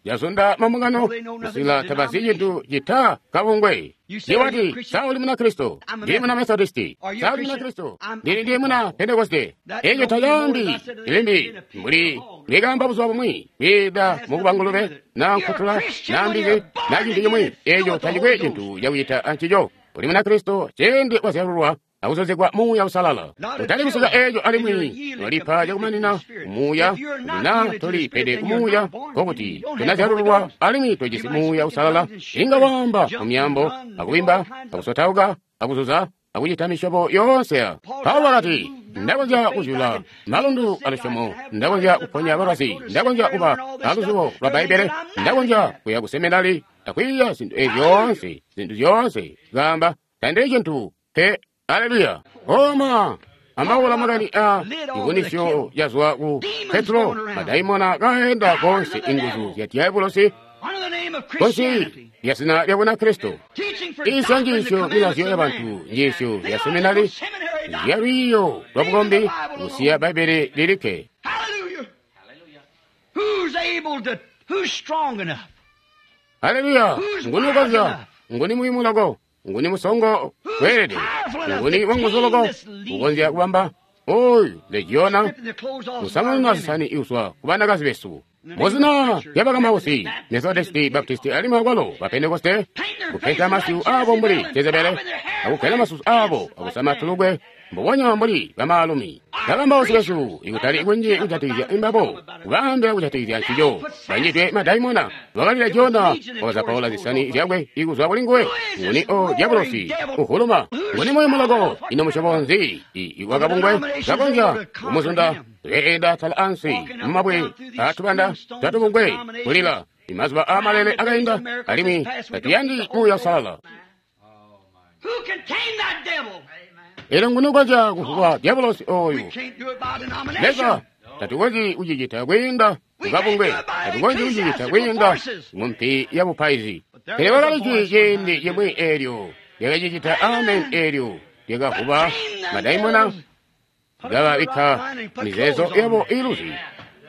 Yazunda mambungano kusila tabazi cintu cita kabungwe. Iwati sa uli muna Kristo, ndili muna Methodisti, sa uli muna Kristo, ndili ndiye muna Pentekoste. Eco tacaambi ilimbi mbuli likamba buzuba bumwi kwiida mukuba ngulube na nkutula na mbizi na cintu cimwi. Eco tacikwe cintu cakucita ancico. Uli muna Kristo ciindi wazyalulwa akuzozegwa Muuya Uusalala. Kutali kusika eco alimwi twalipa cakumanina Muuya. Kuti naa tolipede ku Muuya, nkokuti tunazyalululwa alimwi tojisi Muuya Uusalala. Inga waamba mu myaambo, akubimba, akusotauka, akuzuza, akucita misyobo yoonse ya. Paulo wakati, ndakonzya kuzyula malundu alusyomo, ndakonzya kuponya balwazi, ndakonzya kuba aluzibo lwa Bbaibbele, ndakonzya kuya ku seminari akwiiya zintu ezi zyoonse, zintu zyoonse. Kaamba, tandili cintu pe. Aleluya! Oma ambaula makani a ikunisyo yazwa ku Petro, madaimona kaenda konse inguzu zya diabulosi konse lya zina lya Bunakristo. Isya njiisyo milazyo ya bantu, njiisyo ya seminari ya lwiiyo lwa bukombi, kusiya Bbaibbele lilikke. Aleluya! Nguni ukonzya? Nguni muyumu loko? Nguni musongo weelede? Nguni wanguzu loko ukonzya kubamba oyu legiona kusamununa zisani iuswa ku banakazi besu muzina lya bakamausi, Methodisti, Baptisti, alimwi akwalo ba Pentekoste, kupenta masyu aabo mbuli Jezebele, akukwela masusu aabo akusama tulugwe mbubonya mbuli bamaalumi. Bakambausi besu ikutali kunji kujatikizya imbabo, kubaambila kujatikizya ncico. Banjidwe madaimona, bakalila Jona, wakazapaula zisani zyakwe ikuzwa kuli nguwe. Nguni o diabolosi uhuluma? Nguni muyumu loko? Ino musyobo nzi wakabungwe kakonzya kumuzunda? Leenda tala ansi mumabwe atubanda twatubungwe kulila. Imazuba aamalele akainda, alimwi tatuyandi Muuya Uusalala. Elyo nguni ukonzya kuvuba diabolosi oyu? Leza, tatukonzyi kucicita kwiinda mukabungwe, tatukonzyi kucicita kwiinda mumpi ya bupaizi. Pele kwakali jwi ciindi cimwi eelyo lyakacicita, amen, eelyo lyakavuba madaimona, kababikka mizeezo yabo iiluzi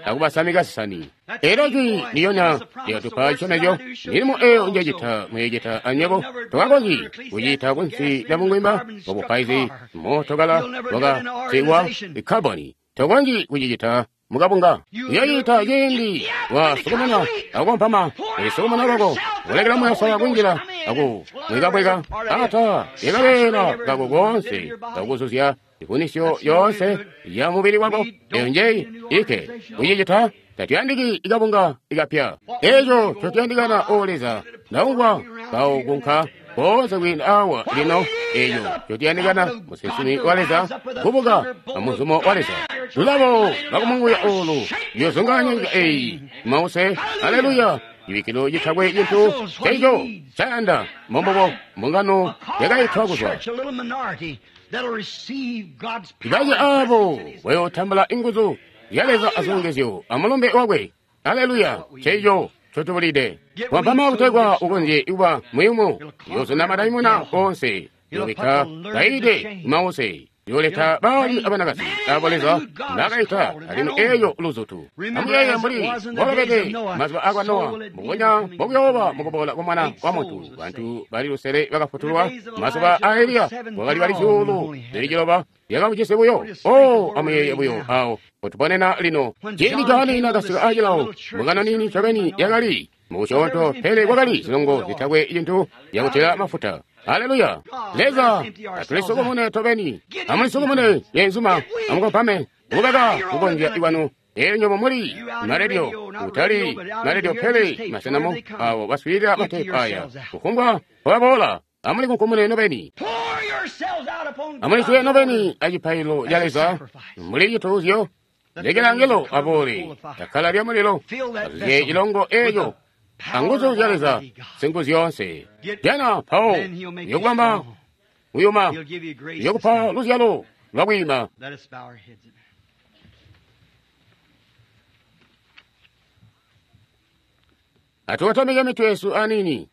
akubasamika zisani. Elyo jwi ndilyonya lyakatupa cisyomezyo, milimo eyo njecita muyocita anywebo. Tokakonzyi kucita kunsi lya bungwimba bwabupaizi, mootokala wakasigwa ikaboni. Tokonzyi kucicita mukabunga. Uyoyita ciindi wasukumana akukompama, ulisukumana lwako, kulekela Muuya Uusalala kunjila aku mwekabweka ata yakabeela kako koonse akuzuzya ifunisyo yoonse ya mubili wako. Eyo njeyi ike kucicita. Tatuyandiki ikabunga ikapya. Eco ncotuyandikana, o Leza, ndaumvwa kaukunka koonse kwiinda awa lino. Eco ncotuyandikana, musinsimi wa Leza kubuka amuzumo wa Leza. Lulabo lwakumunguya olu luyozunganya nyika eyi mause. Aleluya! Cibikkilo citakwe cintu ceco cayanda mbombubo mbungano yakaitwa kuzwa. Ibace aabo bayotambula inguzu zya Leza azilongezyo amulumbe wakwe. Aleluya! Ceco ncotubulide. Wampama kutegwa ukonzye kuba muyumu, uyozunda madaimona oonse, uyobikka kaide mause, uyoleta baalumi abanakazi abo Leza mbakaita, alimwi eyo luzutu. Amuyeeye mbuli mbwakabede mazuba akwa Nowa, mbubonya mbokuyooba mukuboola kwa Mwana wa Muntu. Bantu bali lusele bakafutulwa. Mazuba a Eliya kwakali bali 900 lyakabujisi buyo. O, amuyeeye buyo awo potuponena lino. Ciindi Johane naakasika acilawo, mbungano niini ncobeni yakali mubusyoonto, pele kwakali zilongo zitakwe cintu zyakutila mafuta. Aleluya! Leza, atulisukumune tobeni. Amulisukumune yeenzuma, amukompame, mukubeka kukonzya kwanu. Elyo nywebo muli maredio, kutali maredio pele masenamo awo baswiilila mateepu aya. Kufumbwa mpobaboola, amulikunkumune nobeni. Amuliswe nobeni acipaililo ca Leza mbuli cituuzyo. Lekela angelo aboole akkala lya mulilo azuzye cilongo eco anguzu zya Leza singuzyoonse. Jana mpawo uyokubamba kuyuma, uyokupa luzyalo lwakwiima. Atukotamike mitwe yesu aniini.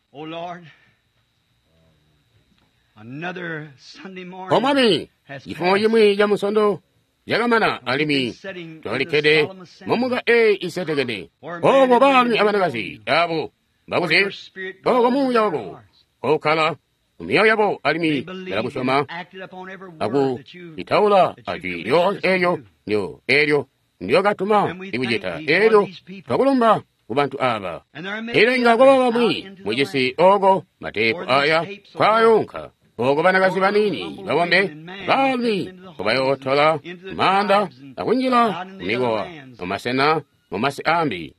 O Mwami, cifumo cimwi ca Musondo cakamana, alimwi twakalikkede mumuka eyi isetekene. Oko baalumi abanakazi abo bakuzi, oko Muuya wako koukkala mumyoyo yabo, alimwi balakusyoma aku itaula ajwi lyoonse eelyo eelyo ndyokatuma ikucita. Eelyo twakulumba kubantu aba. Elyo inga kwaba bamwi mucisi oko mateepu aya kwaayunka, oko banakazi baniini babombe baalumi nkobayootola maanda akunjila mumikowa mumasena mumasi ambi.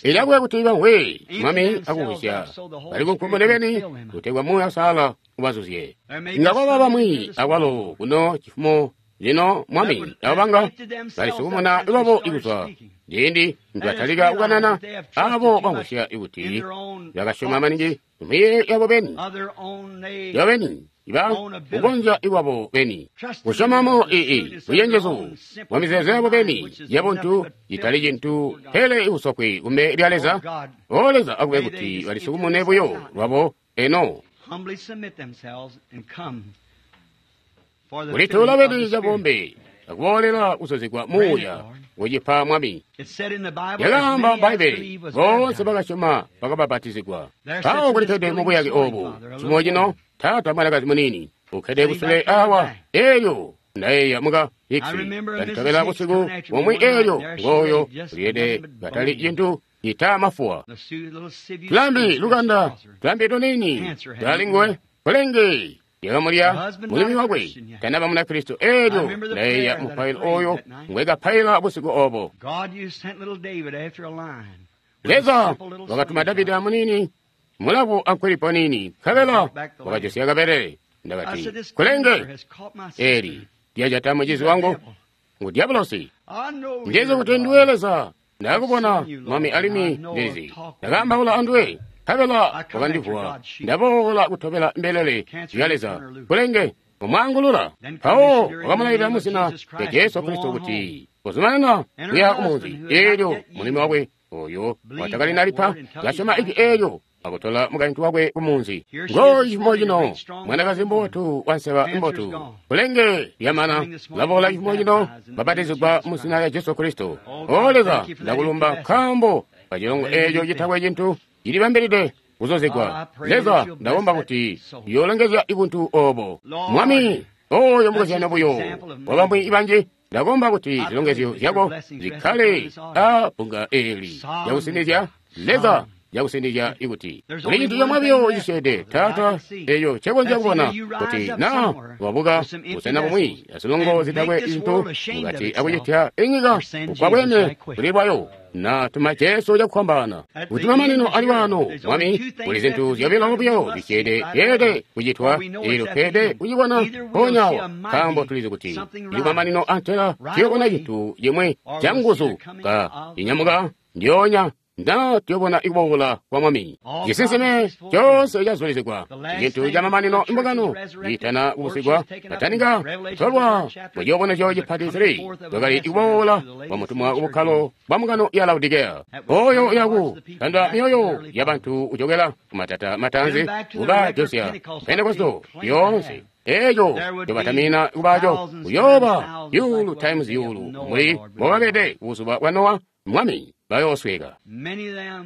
Ilakwe kuti bamvwe, Mwami, akuvwisya bali kunkumune beni kutegwa Muuya Uusalala ubazuzye. Inga kwaba bamwi akwalo kuno cifumo lino, Mwami, abo banga balisukumuna lwabo ikuzwa ciindi nitwatalika kukanana, abo bamvwisya ikuti bakasyoma maningi miyeeyo yabo beni, yabo beni iba kukonzya ikwabo beni kusyomamo ii bucenjezu bwa mizeezo yabo beni yabuntu citali cintu pele ibusokwe kumbele lya Leza. O Leza, akube kuti balisukumune buyo lwabo eno kulituula beni cabombe akuboolela kuzuzigwa Muuya kucipa Mwami. Yakaamba Bbaibbele, boonse bakasyoma bakabapatizigwa. Mpawo kulikkede mubuyake obu cimo cino, taata mwanakazi muniini ukkede kusule awa. Elyo ndayeeya muka Hicks kanditobela busiku bumwi, elyo ngooyo uliyede katali cintu cita mafuwa. Tulambi lukanda, tulambi tuniini twali nguwe, kulenge lyakamulya mulumi wakwe tanaba Munakristo. Eelyo ndayeeya mupailo oyo ngwekapaila busiku obo. Leza wakatuma Davida munini mulavu ankwilipo nini, nkabela wakajosya kabelele. Ndakati, kulenge eli lyajata mucizi wangu ngu Diabolosi. Ndizi kuti ndiwe Leza, ndakubona Mwami alimwi ndizi ndakaambaula anduwe, nkabela wakandivuwa. Ndaboola kutobela mbelele zya Leza. Kulenge umwaangulula. Mpawo wakamulailila muzina lya Jesu Kristo kuti kuzumanana kuya kumunzi. Eelyo mulimi wakwe oyo watakalinalipa kasyoma ijwi eelyo akutola mukaintu wakwe kumunzi. Ngoyu cifumo cino mwanakazi mbotu wanseba mbotu, kulenge lyamana laboola cifumo cino babatizigwa muzina lya Jesu Kristo. O Leza, ndakulumba nkaambo kacilongo eeco citakwe cintu cilibambilide kuzozegwa. Leza, ndakomba kuti uyoolongezya ibuntu obo. Mwami, oyo mukozyano buyo wabamwi banji. Ndakomba kuti zilongezyo zyako zikkale a bbunga eeli lyakusinizya. Leza, yakusindikya ikuti kuli cintu comwe buyo cisyeede, Taata, eeco ncekonzya kubona kuti naa wabuka busena bumwi azilongo zitakwe zintu mukati akucitya inyika kukwabwene kuli lwayo, na tuma Jesu cakufwambaana kuti mamanino ali waano. Mwami, kuli zintu zyobilo buyo zisyeede zyeelede kucitwa, eelyo tweelede kucibona mpoonyawo, nkaambo tulizi kuti ili mamanino antela tuyobona cintu cimwe canguzu ka cinyamuka ndyoonya nda tuyobona ikuboola kwa Mwami. Cisinsime coonse cazulizigwa. Cintu camamanino imbungano iitana kubusigwa kataninga kutolwa muciyobonezyo cipati 3 kwakali ikuboola kwa mutumwa kubukkalo bwa mbungano ya Laodikeya, oyo uyaku tanda myoyo ya bantu kuchokera kumatata matanzi kuba Josiya Pentekosto yoonse. Eeco ncobatamina kubaco kuyooba yulu times yulu mbuli mbobabede buzuba bwa Nowa. Mwami, bayoosweka.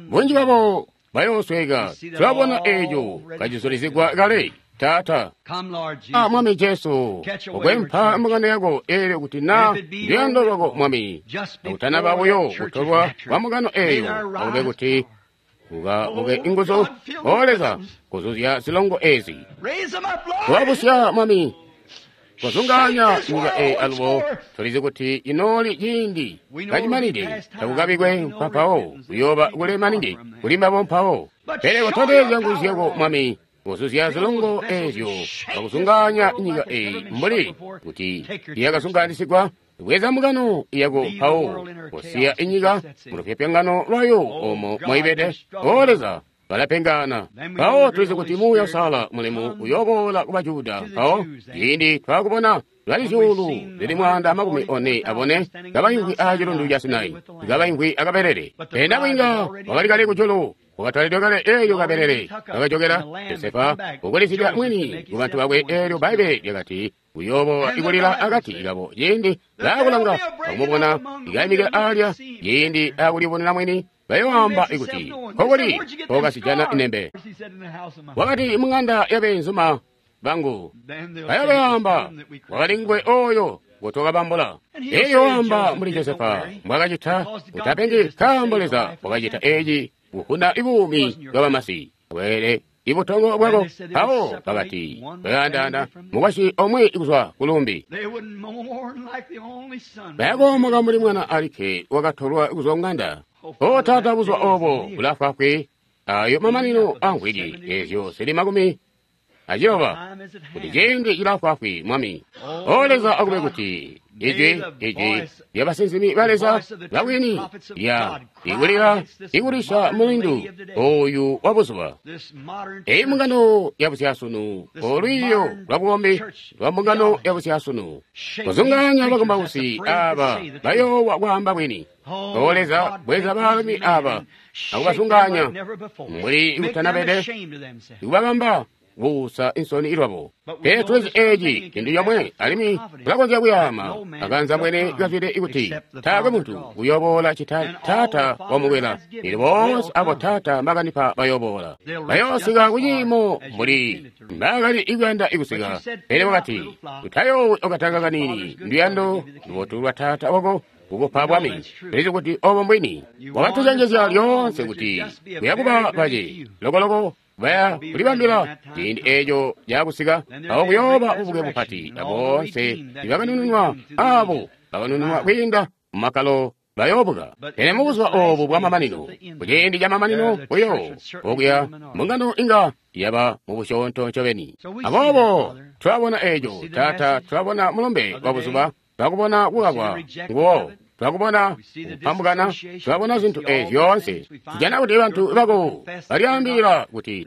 Bunji bwabo bayoosweka. Tulabona eeco kacizulizigwa kale, Taata. Mwami Jesu, ukwempha mbungano yako eelyo kuti na luyando lwako, Mwami, akutanaba buyo kutolwa kwa mbungano eeyo, akube kuti ukabuke inguzu, O Leza, kuzuzya zilongo ezi. Wabusya, Mwami, kuzunganya nyika eyi alubo tulizi kuti inooli ciindi kacimanide takukabikwe mpampawo kuyooba kule maningi kuli mbabo mpawo. Pele kutondezya nguzu zyako, Mwami, kuzuzya zilongo ezyo akuzunganya nyika eyi mbuli kuti yakazunganisigwa. Bweza mbungano yako mpawo kusiya inyika mulupyopyongano lwayo omo moibede. O Leza, balapengana. Mpawo tulizi kuti Muuya Uusalala mulemu uyoboola ku Bajuda. Mpawo ciindi twakubona lwali zyuulu zili 144 kabaimvwi aa cilundu ca Sinai, kabaimvwi akabelele. Pena bwinga wakali kale kujulu, wakatwalidwe kale eelyo kabelele kakajokera. Josefa ukulizidwa mwini kubantu bakwe. Eelyo Bbaibbele lyakati uyoobola ikulila akati kabo ciindi baakulanga akumubona ikaimikila alya, ciindi akulibonera mwini bayoamba ikuti kokuli kokasijana inembe. Wakati mung'anda yabeenzuma bangu. Bayobayamba wakali nguwe oyo ngotwakabambula. Eeyo wamba mbuli Josefa mbwakacita, utapengi nkaambo Leza wakacita eeci kuvuna ibuumi bwa bamasi bweele ibutongo bwako. Mpawo bakati bayaandaana mukwasyi omwe kuzwa kulumbi, bayakoomoka mbuli mwana alikke wakatolwa kuzwa kung'anda. O Taata, buzuba obo bulaafwaafwi, ayo mamanino a mvwiki ezyo zili 60 kuti ciindi cilaafwaafwi, Mwami. O Leza, akube kuti ijwi ijwi lya basinsimi ba Leza babwini lya ikulila ikulisha mulindu oyu wa buzuba. Eyi mbungano ya busyasunu, olwiiyo lwa bukombi lwa mbungano ya busyasunu, kuzunganya bakumbausi aba bayoowa kwaamba bwini. O Leza, bweza baalumi aba akubazunganya mbuli ikutanabede, ikubabamba kuusa insoni ilwabo. Pele tulizi eeci cintu comwe, alimwi tulakonzya kuyaama akanza mwene kazwide ikuti taakwe muntu uyoboola cita Taata wamukwela. Eelyo boonse abo Taata mbakanipa bayoboola, bayoosika kuciimo mbuli mbaakali ikuyanda ikusika. Pele wakati, utayoowi okatanga kaniini, nduyando lubotu lwa Taata wako kukupa bwami. Tulizi kuti obo mbwini. Wakatucenjezya lyoonse kuti kuyakuba bace lokoloko baya kulibambila ciindi eeco cakusika, awo kuyooba bubuke bupati, aboonse ibakanununwa abo bakanununwa kwiinda mumakkalo bayoobuka. Pele mubuzuba oobu bwamamanino, kuciindi camamanino buyo okuya, mbungano inga yaba mubusyoonto ncobeni. Aboobo twabona eeco, Taata, twabona mulumbe wa buzuba, twakubona kukakwa nguwo, twakubona kupambukana, twabona zintu eezi zyoonse. Tujana kuti bantu bako balyaambilila kuti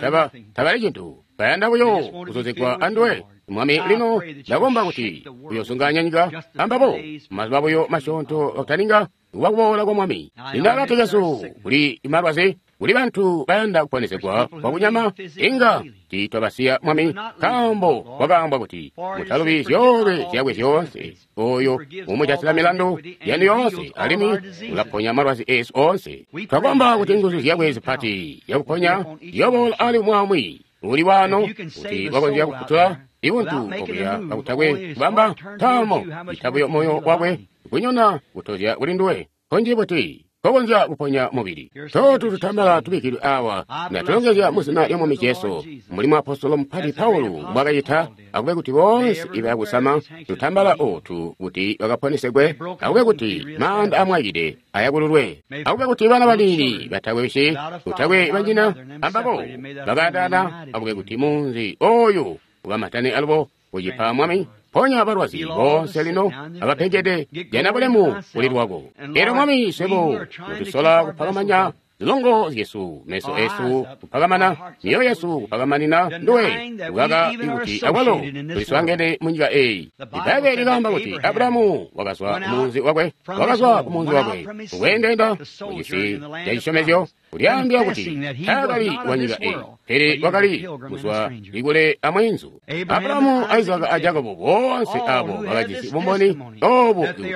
tabali cintu, bayanda buyo kuzuzigwa anduwe. Mwami, lino ndakomba kuti uyozungaanya nyika ambabo mazuba buyo masyoonto akutaninga kuboola kwa Mwami. Lino akati kesu kuli malwazi, kuli bantu bayanda kuponesegwa kwakunyama, inga tiitwabasiya Mwami, nkaambo kwakaambwa kuti mutalubi zyoolwe zyakwe zyoonse, oyo umujatisila milandu yanu yoonse, alimwi ulaponya malwazi eesu oonse. Twakomba kuti nguzu zyakwe zipati yakuponya ziyoboola ali umwi uli wano kuti wakonzya kufutula ibuntu okuya kakutakwe kubamba ntaamo itabuyo moyo wakwe kunyona kutozya kuli nduwe konji buti kokonzya kuponya mubili. Totu tutambala tubikkidwe awa ndatulongezya muzina lya Mwami Jesu, mbuli muapostolo mupati Paulo mbwakacita, akube kuti boonse ibakusama tutambala otu kuti bakaponesegwe, akube kuti maanda amwayide ayakululwe, akube kuti bana baniini batakwe wisi, kutakwe banyina ambabo bakaandaana, akube kuti munzi oyu ukamatane alubo kucipa Mwami. Ponya balwazi boonse lino abapengede, jana bulemu kuli lwako. Elyo Mwami, swebo tusola kupakamanya zilongo zyesu, meso esu kupakamana, mioyo yesu kupakamanina nduwe, kukaka kuti akwalo tuliswaangene munyika eyi. Ibbaibele likaamba kuti Abulahamu wakazwa kumunzi wakwe, wakazwa kumunzi wakwe kukweendeenda mucisi ca cisyomezyo, kulyaambila kuti taakali wa nyika eyi, pele wakali kuzwa ikule amweenzu. Abulahamu, Isaka a Jakobo boonse abo bakajisi bumboni obu kuti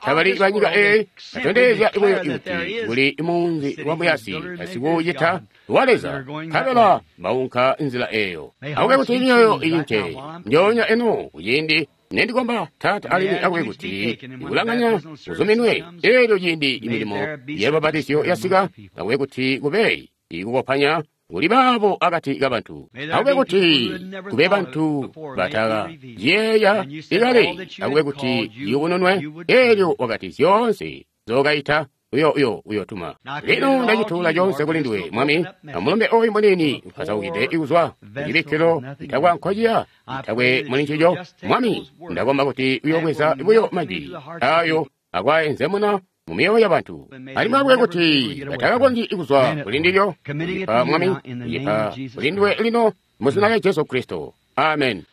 tabali ba nyika eyi, batondezya buyo kuti kuli munzi wa muyasi asikucita wa Leza, nkabela baunka nzila eyo. Akube kuti myoyo iyince njoonya eno kuciindi nendikomba Taata, alimwi akube kuti ikulanganya kuzuminwe eelyo ciindi imilimo yalubabatizyo yasika, akube kuti kube ikukopanya kuli baabo akati kabantu, akube kuti kube bantu batakayeeya ikale, akube kuti yubununwe eelyo wakati zyoonse zokayita uyotuma. Lino ndacituula coonse kuli nduwe Mwami, amulumbe oyu muniini upasaukide ikuzwa kucibikkilo itakwa nkociya itakwe muli ncico. Mwami, ndakomba kuti uyobweza buyo majwi ayo akwaenzemuna mu myoyo yabantu, alimwi akube kuti batakakonzyi kuzwa kuli ndilyo. Ipa Mwami, ipa kuli nduwe lino muzina lya Jesu Kristo. Amen.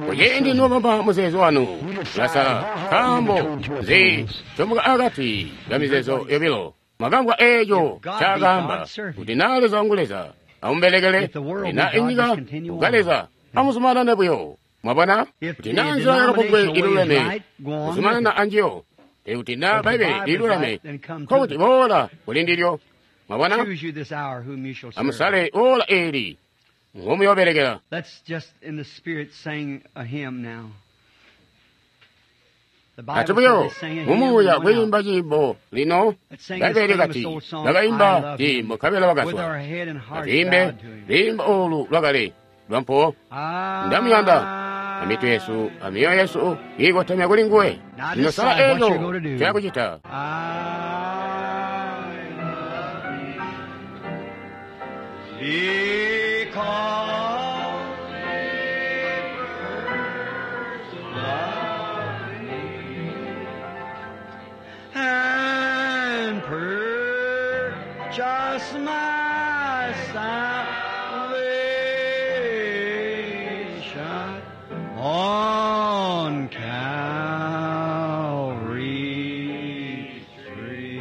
Kuciindi nobamba muzeezo wanu ulasala, nkaambo nzi comuka akati kamizeezo yobilo. Mwakambwa eeco ncaakaamba kuti naa Leza wangu Leza amubelekele, kuti naa inyika uka Leza amuzumanane buyo. Mwabona kuti naa nzila yakabungwe iluleme kuzumanana anjiyo, pele kuti naa Bbaibbele liluleme nkokuti boola kuli ndilyo. Mwabona, amusale ola eeli ngomuyobelekela. Let's just in the spirit sing a hymn now. The Ati Bible buyo says they sang a hymn mumuuya and went kwiimba out. ciimbo lino Let's sing this Bbaibbele famous kati old song, I bakaimba love him, ciimbo nkabela with our bakazwa. head and hearts Atiimbe bowed to him. lwiimbo olu lwakale lwampo ndamuyanda Amitu yesu amioyo yesu kiikotamya kuli nguwe. Lino sala eeco ncoyakucita. Because he first loved me and purchased my salvation on Calvary's tree.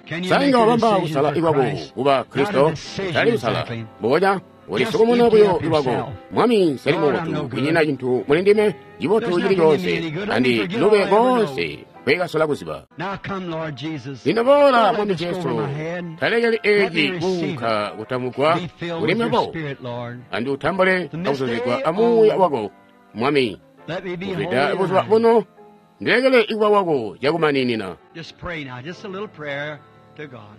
Can you make Sainga a wabamba decision kusala for ikwako Christ? kuba Not a Kristo decision tali kusala exactly. mbonya Just ulisukumuna empty buyo up lwako. yourself. Mwami nseli Lord, I'm mubotu no good. kunyina cintu muli ndime cibotu There's cili nothing in me coonse any good. Let me andi forget lube all I ever know. koonse kwekasola kuziba. Now come, Lord Jesus. Lino boola Don't let Mwami this go Jesu over my head. talekeli Let me eeci receive kuunka kutamugwa Be filled kuli with your mebo Spirit, Lord. andi utambule The akuzuzigwa mystery amuuya on- wako Mwami. Let me be Kuzwida holy. buzuba and buno ndilekele ikuba wako cakumaninina. Just pray now, just a little prayer to God.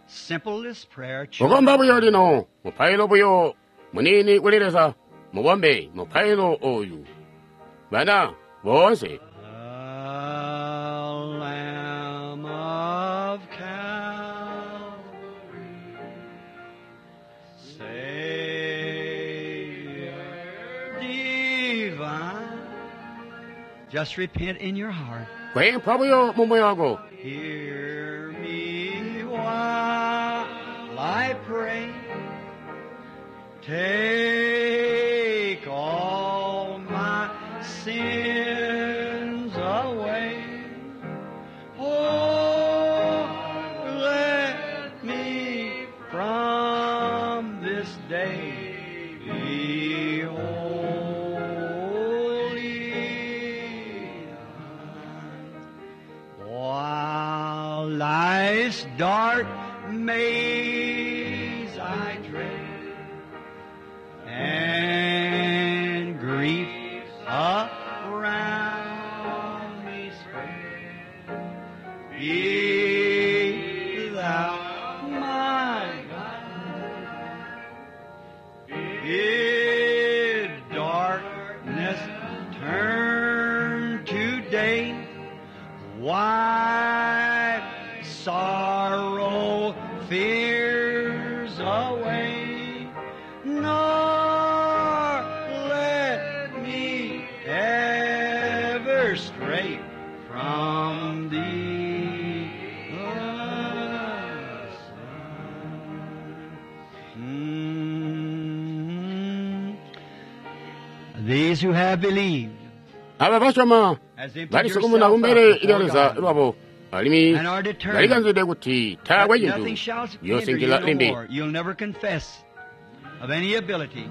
Simple this prayer. Kukomba children. buyo lino mupailo buyo muniini kuli Leza mubombe mupailo oyu bana boonse. The Lamb of Calvary, Savior divine. Just repent in your heart. Kwempha buyo mu moyo wako. Hear me while I pray. Take all my sins away. Oh, let me from this day be holy. While life's dark maze I tread, and grief around me spread, be thou my guide. Bid darkness turn to day. Wipe sorrow, fears away, nor let me ever stray from thee. These who have believed Aba basyoma has emptied balisukumuna yourself kumbele up lya before Leza God lwabo alimwi and are determined balikanzide kuti taakwe that cintu nothing shall hinder you yoosinkila no limbi. more. You'll never confess of any ability.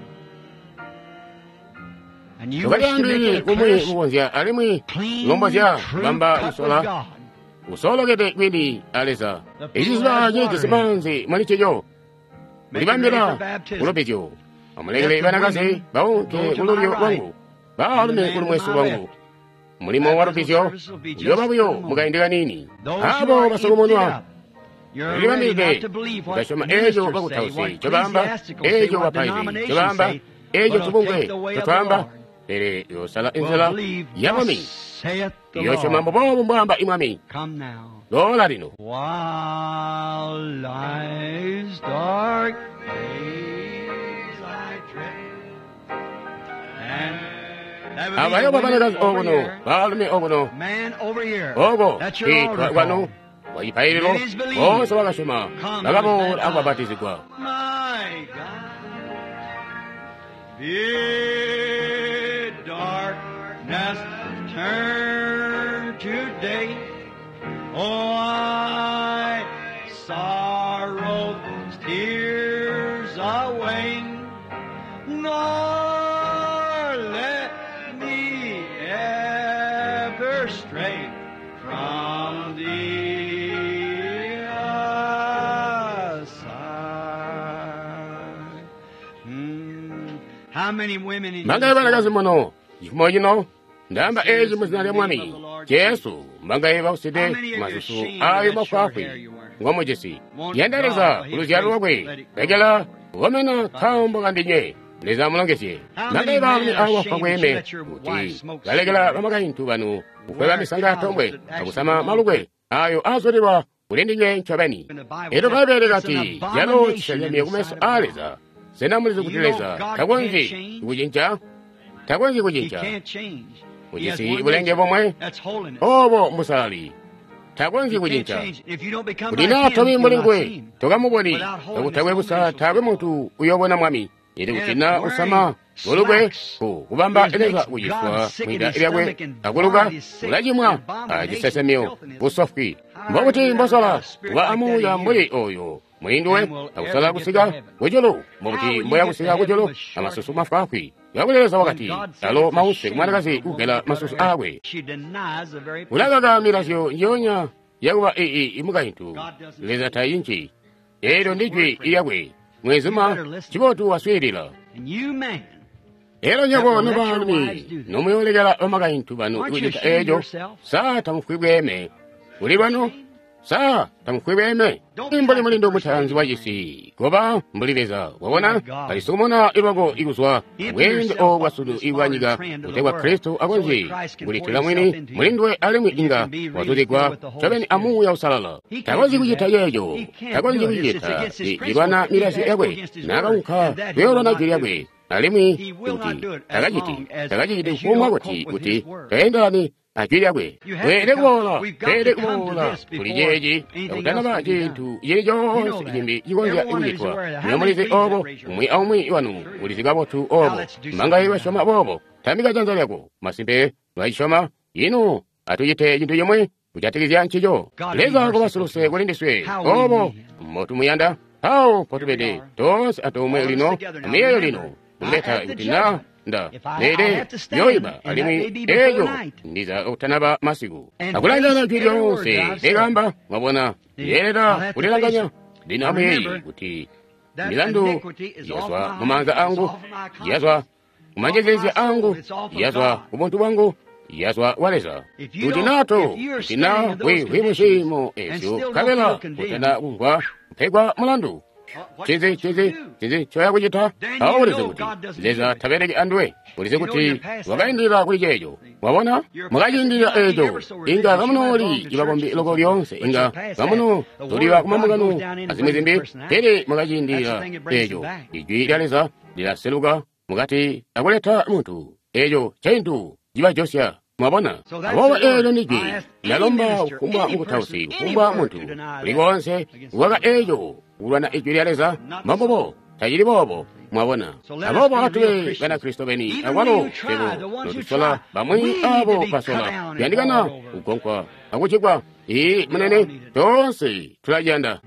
And you wish to make Tokalyaambili it a kumwi clear, kukonzya alimwi clean, lombozya true bamba cut with kusola God. usolokede kwini a Leza. The pool Iciziba has water cijisi in it. maanzi muli ncico Make it ready kulibambila for baptism. kulubizyo. Amulekele Let the banakazi women baunke go to my kululyo right, lwangu and the baalumi man to kulumwesi my lwangu. left. Mulimo wa Baptism lubizyo service will be just uyooba in buyo a moment. mukaindi kaniini. Those who Abo are emptied basukumunwa up, you're ready lilibambide not to believe what kutasyoma eeco ministers say, bakutausi what ncobaamba ecclesiasticals say, eeco what bapaizi denominations ncobaamba say, eeco but will tubungwe take the way of the ncotwaamba Lord. pele yoosala Will inzila believe, ya Mwami thus saith the yoosyoma Lord. mbuboobu mbwaamba imwami Come now. loola lino. While life's dark days I tread, and that would be the Abayo women babanakazi over okuno here, baalumi okuno man over here. oko That's your kwitwa altar kwanu call. kwa cipaililo Ladies believe. boonse bakasyoma Come, bakaboola those akubabatizigwa. My God, bid darkness turn to day. Oh, I sorrow tears away, nor let me ever stray from thee aside. How many women in Mangaye this banakazi morning muno chifumo chino ndayamba say eci this mu in zina the lya name of Mwami the Lord Jesu. Mbangaye bauside masusu ayo mafwaafwi ngomujisi. Yanda Leza kuluzyalo lwakwe, lekela kukomena nkaambo kandinywe. Leza amulongezye. Mbangaye baalumi abo bafwa bweeme kuti balekela bamakaintu banu kukweba misanga yatombwe akusama malukwe ayo azulilwa kuli ndinywe ncobeni. Elyo Bbaibbele kati calo cisesemye kumeso aa Leza. Sena mulizi kuti Leza takonzyi kucinca? Takonzyi kucinca. Ujisi bulenge bomwe, obo mbusalali. Takonzyi kucinca. Kuti naa tobi mbuli nguwe, tokamuboni. Kakutakwe kusala taakwe muntu uyoobona Mwami. Elyo kuti naa usama bulukwe ku kubamba Leza kuciswa mwida lyakwe akuluka, ulacimwa acisesemyo busofwi. Mbokuti mbosola kuba amuuya mbuli oyo mulinduwe akusala kusika kujulu, mbokuti mboya kusika kujulu amasusu mafwaafwi. Kakuli Leza wakati, alo mause kumwanakazi kugela masusu aakwe. Ulakaka milazyo njionya yakuba imukaintu. Leza tayinci. Elyo ndijwi lyakwe. Mwezuma cibotu waswiilila. Elyo nywebo nobaalumi nomuyoolekela bamakaintu banu kucita eeco, sa tamufwi bweeme kuli lwanu? Sa tamufwi bweeme? Mbuli mulindu mutaanzi wacisi, koba mbuli Leza. Wabona, kalisumuna lwako ikuzwa bweende obo bwasunu ibwa nyika, kutegwa Kristo akonzye kulitila mwini mulinduwe alimwi inga wazuzigwa ncobeni amuuya usalala. Takonzyi kucita ceeco, takonzyi kucita ilwana milazyo yakwe, naakaunka kuyoolwana jwi lyakwe. Alimwi kuti takaciti kufumbwa kuti taendelani ajwi lyakwe. Tweelede kuboola, tweelede kuboola kuli ceeci kakutanaba cintu cili coonse cimbi cikonzya kucitwa. Lino mulizi obo, umwi aumwi wanu ulizi kabotu obo. Mbangaye basyoma boobo? Tambika janza lyako. Masimpe lwacisyoma. Ino atucite cintu cimwe kujatikizya ncico. Leza koba kuli ndiswe obo mbotumuyanda. Awo mpotubede toonse antoomwe lino, amiyeeyo lino, kuleta kuti na nda lele yoiba alimwi eeco ndiza kutanaba masiku. Akulanganya jwi lyoonse likamba, mwabona, yeeleda kulilanganya. Lino amuyeeye kuti milandu yazwa mumaanza angu, yazwa kumanjezeezya angu, yazwa kubuntu bwangu, yazwa wa Leza. Kuti nato, kuti na bwihwi muciimo ezyo, nkabela kutana kumvwa kupegwa mulandu. Cinzi ncoya kucita? Awo ulizi kuti Leza tabeleki anduwe. Ulizi kuti wakaindilila kuli ceeco. Wabona, mwakaciindilila eeco. Inga kamunooli ibakombi loko lyoonse, inga kamuno tuliwa kumambungano azimwi zimbi, pele mwakaciindilila eeco. Ijwi lya Leza lilaseluka mukati akuleta muntu. Eeco ncintu cibajosya. Mwabona, aboobo eelyo ndijwi ndalomba kufumbwa mukutausi, kufumbwa muntu kuli koonse kukaka eeco kulwana ijwi lya Leza. Mbombubo, tacili boobo. Mwabona, aboobo atube Banakristo beni akwalo swebo notusola bamwi abo basola kuyandikana kugonkwa akucikwa. Ii munene, toonse tulaciyanda.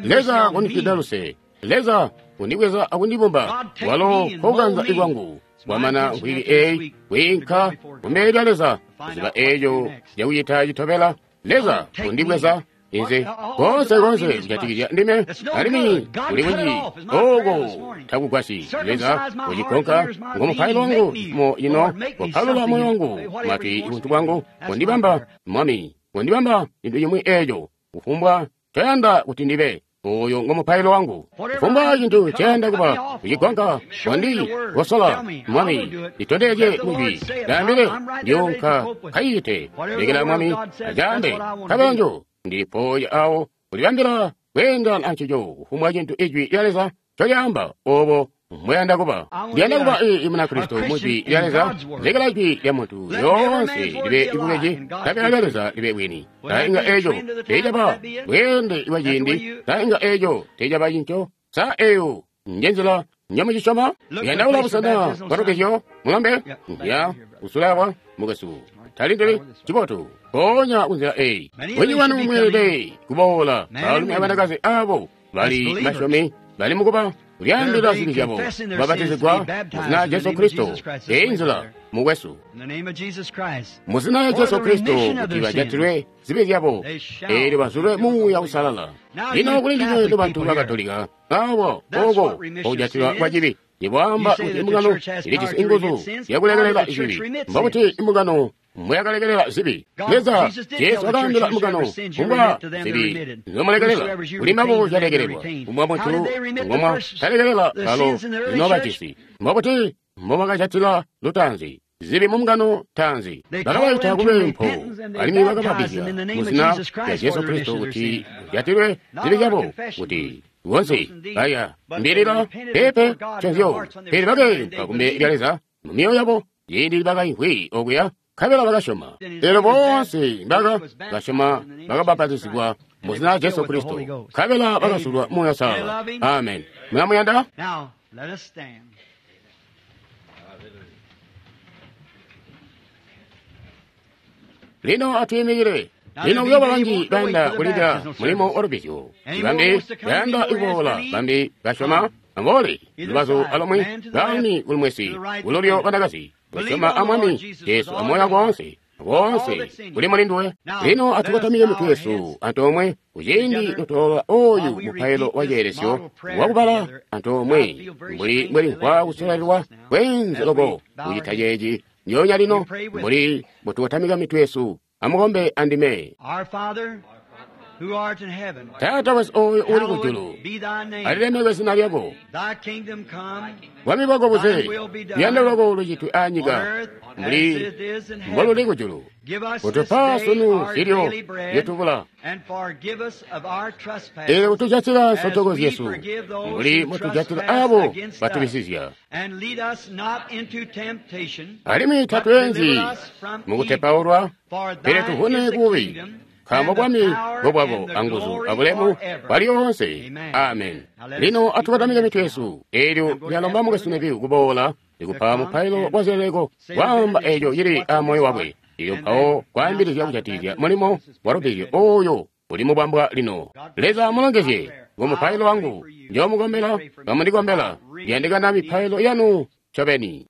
Leza kundifwida luse. Leza kundibweza akundibumba walo kokanza ikwangu. Kwamana nkwili eyi kwiinka kumbele lya Leza kuziba eeco cakucita citobela. Leza kundibweza inze konse kujatikizya ndime alimwi kuli kunji oko takugwasyi. Leza kucikonka ngomupailo wangu mo ino kopalula moyo wangu matwi buntu bwangu kundibamba Mwami, kundibamba cintu cimwi eeco kufumbwa ncoyanda kuti ndibe. Oyo ngomupailo wangu. Kufumbwa cintu nceyanda kuba kucigonka kondi kosola Mwami, litondezye mujwi ndaambile ndiyonka kayite. Lekela Mwami acaambe kabenjo ndilipoya awo kulibambila kweendana ancico kufumbwa cintu ijwi lya Leza ncolyaamba obo mweyanda kuba. Ndiyanda kuba Munakristo mujwi lya Leza. Lekela ijwi lya muntu lyoonse libe ibubeji, nkabela lya Leza libe bwini. Sa inga eeco teecaba bweende bwa ciindi? Sa inga eeco teecaba cinco? Sa eeyo njenzila njamucisyoma? Yandaula busena bwatugezyo mulombe ya kusulawa mukwesu talindili cibotu mpoonya kunzila eyi. Bunji bwanu mweelede kuboola baalumi abanakazi abo bali basyomi bali mukuba kulyaambila zibi zyabo babatizigwa muzina Jesu Kristo. Eyi nzila mukwesu, muzina lya Jesu Kristo, kuti bajatilwe zibi zyabo eelyo bazulwe Muuya Usalala. Lino kuli ndinywe nobantu ba Katolika abo oko okujatilwa kwa cibi ibwaamba kuti imbungano ilijisi inguzu yakulekelela cibi. Mbokuti imbungano mbweyakalekelela zibi. Leza, Jesu wakaambila mbungano, kumbwa zibi nzomulekelela, kuli mbabo zyalekelelwa, kumbwa muntu ngomwa talekelela balo zinobajisi. Mbobuti mbobakajatila lutaanzi zibi mu mbungano taanzi? Bakabaita kubeempo, alimwi bakababbizya mu zina lya Jesu Kristo kuti kujatilwe zibi zyabo, kuti bonse baya mbilila pepe nconzyo, pele bakeempa kumbele lya Leza mu myoyo yabo ciindi bakaimvwi okuya, nkabela bakasyoma. Elyo boonse baka basyoma bakabapatizigwa mu zina lya Jesu Kristo, nkabela bakazulwa Muuya Uusalala. Amen. Mulamuyanda? Now, let us stand. Lino atwiimikile. Lino kuyooba banji bayanda kulindila mulimo wa lubbizyo, bambi bayanda kuboola, bambi basyoma amuboole lubazu alomwe, baalumi kulumwesi, kululyo banakazi, kusyoma a Mwami Jesu amoyo wako woonse, koonse kuli muli nduwe. Lino atukotamike mitwe yesu antoomwe kuciindi notoola oyu mupailo wa ceelesyo wakubala antoomwe, mbuli mbwelimvwa kusololelwa kweenze loko kucita ceeci ndyoonya lino, mbuli mbutukotamika mitwe yesu. Amukombe andime. Our Father, who art in heaven, Taata wesu ooyo uli kujulu, hallowed be thy name. alilemekwe zina lyako. Thy kingdom come, Bwami bwako buze, luyando lwako lucitwe anyika on earth as mbuli it is in mboluli heaven. kujulu. Give us this Kutupa day sunu our zilyo daily bread, zyotubula, and forgive us of our trespasses, eelyo kutujatila as nsotoko we zyesu forgive those mbuli who mutujatila trespass abo against us. batubisizya. And lead us not into temptation, Alimwi but tatweenzi deliver us from mu evil. kutepaulwa, For pele thine tuvune is the kubi, kingdom, nkaambo and the bwami power, bwobwako and the anguzu glory abulemu forever. bwalyoonse. Amen. Amen. Now let us Lino keep atukotamike our mitwe heads yesu, eelyo I'm going to lyalomba ask mukwesu Brother Neville kuboola ndikupa to come mupailo and wa zileleko, say the kwaamba eeco benedictions, cili what's in a moyo his wakwe, heart, ilyo and mpawo then kwaambilizya announce the kujatikizya baptism mulimo of this wa lubbizyo ministry. oyo uli mubambwa lino. God bless Leza you. My amulongezye prayer. ngo mupailo I'll pray wangu, for you. njoomukombela, You pray for me. bamundikombela, I really ndiyandikana need mipailo your yanu ncobeni.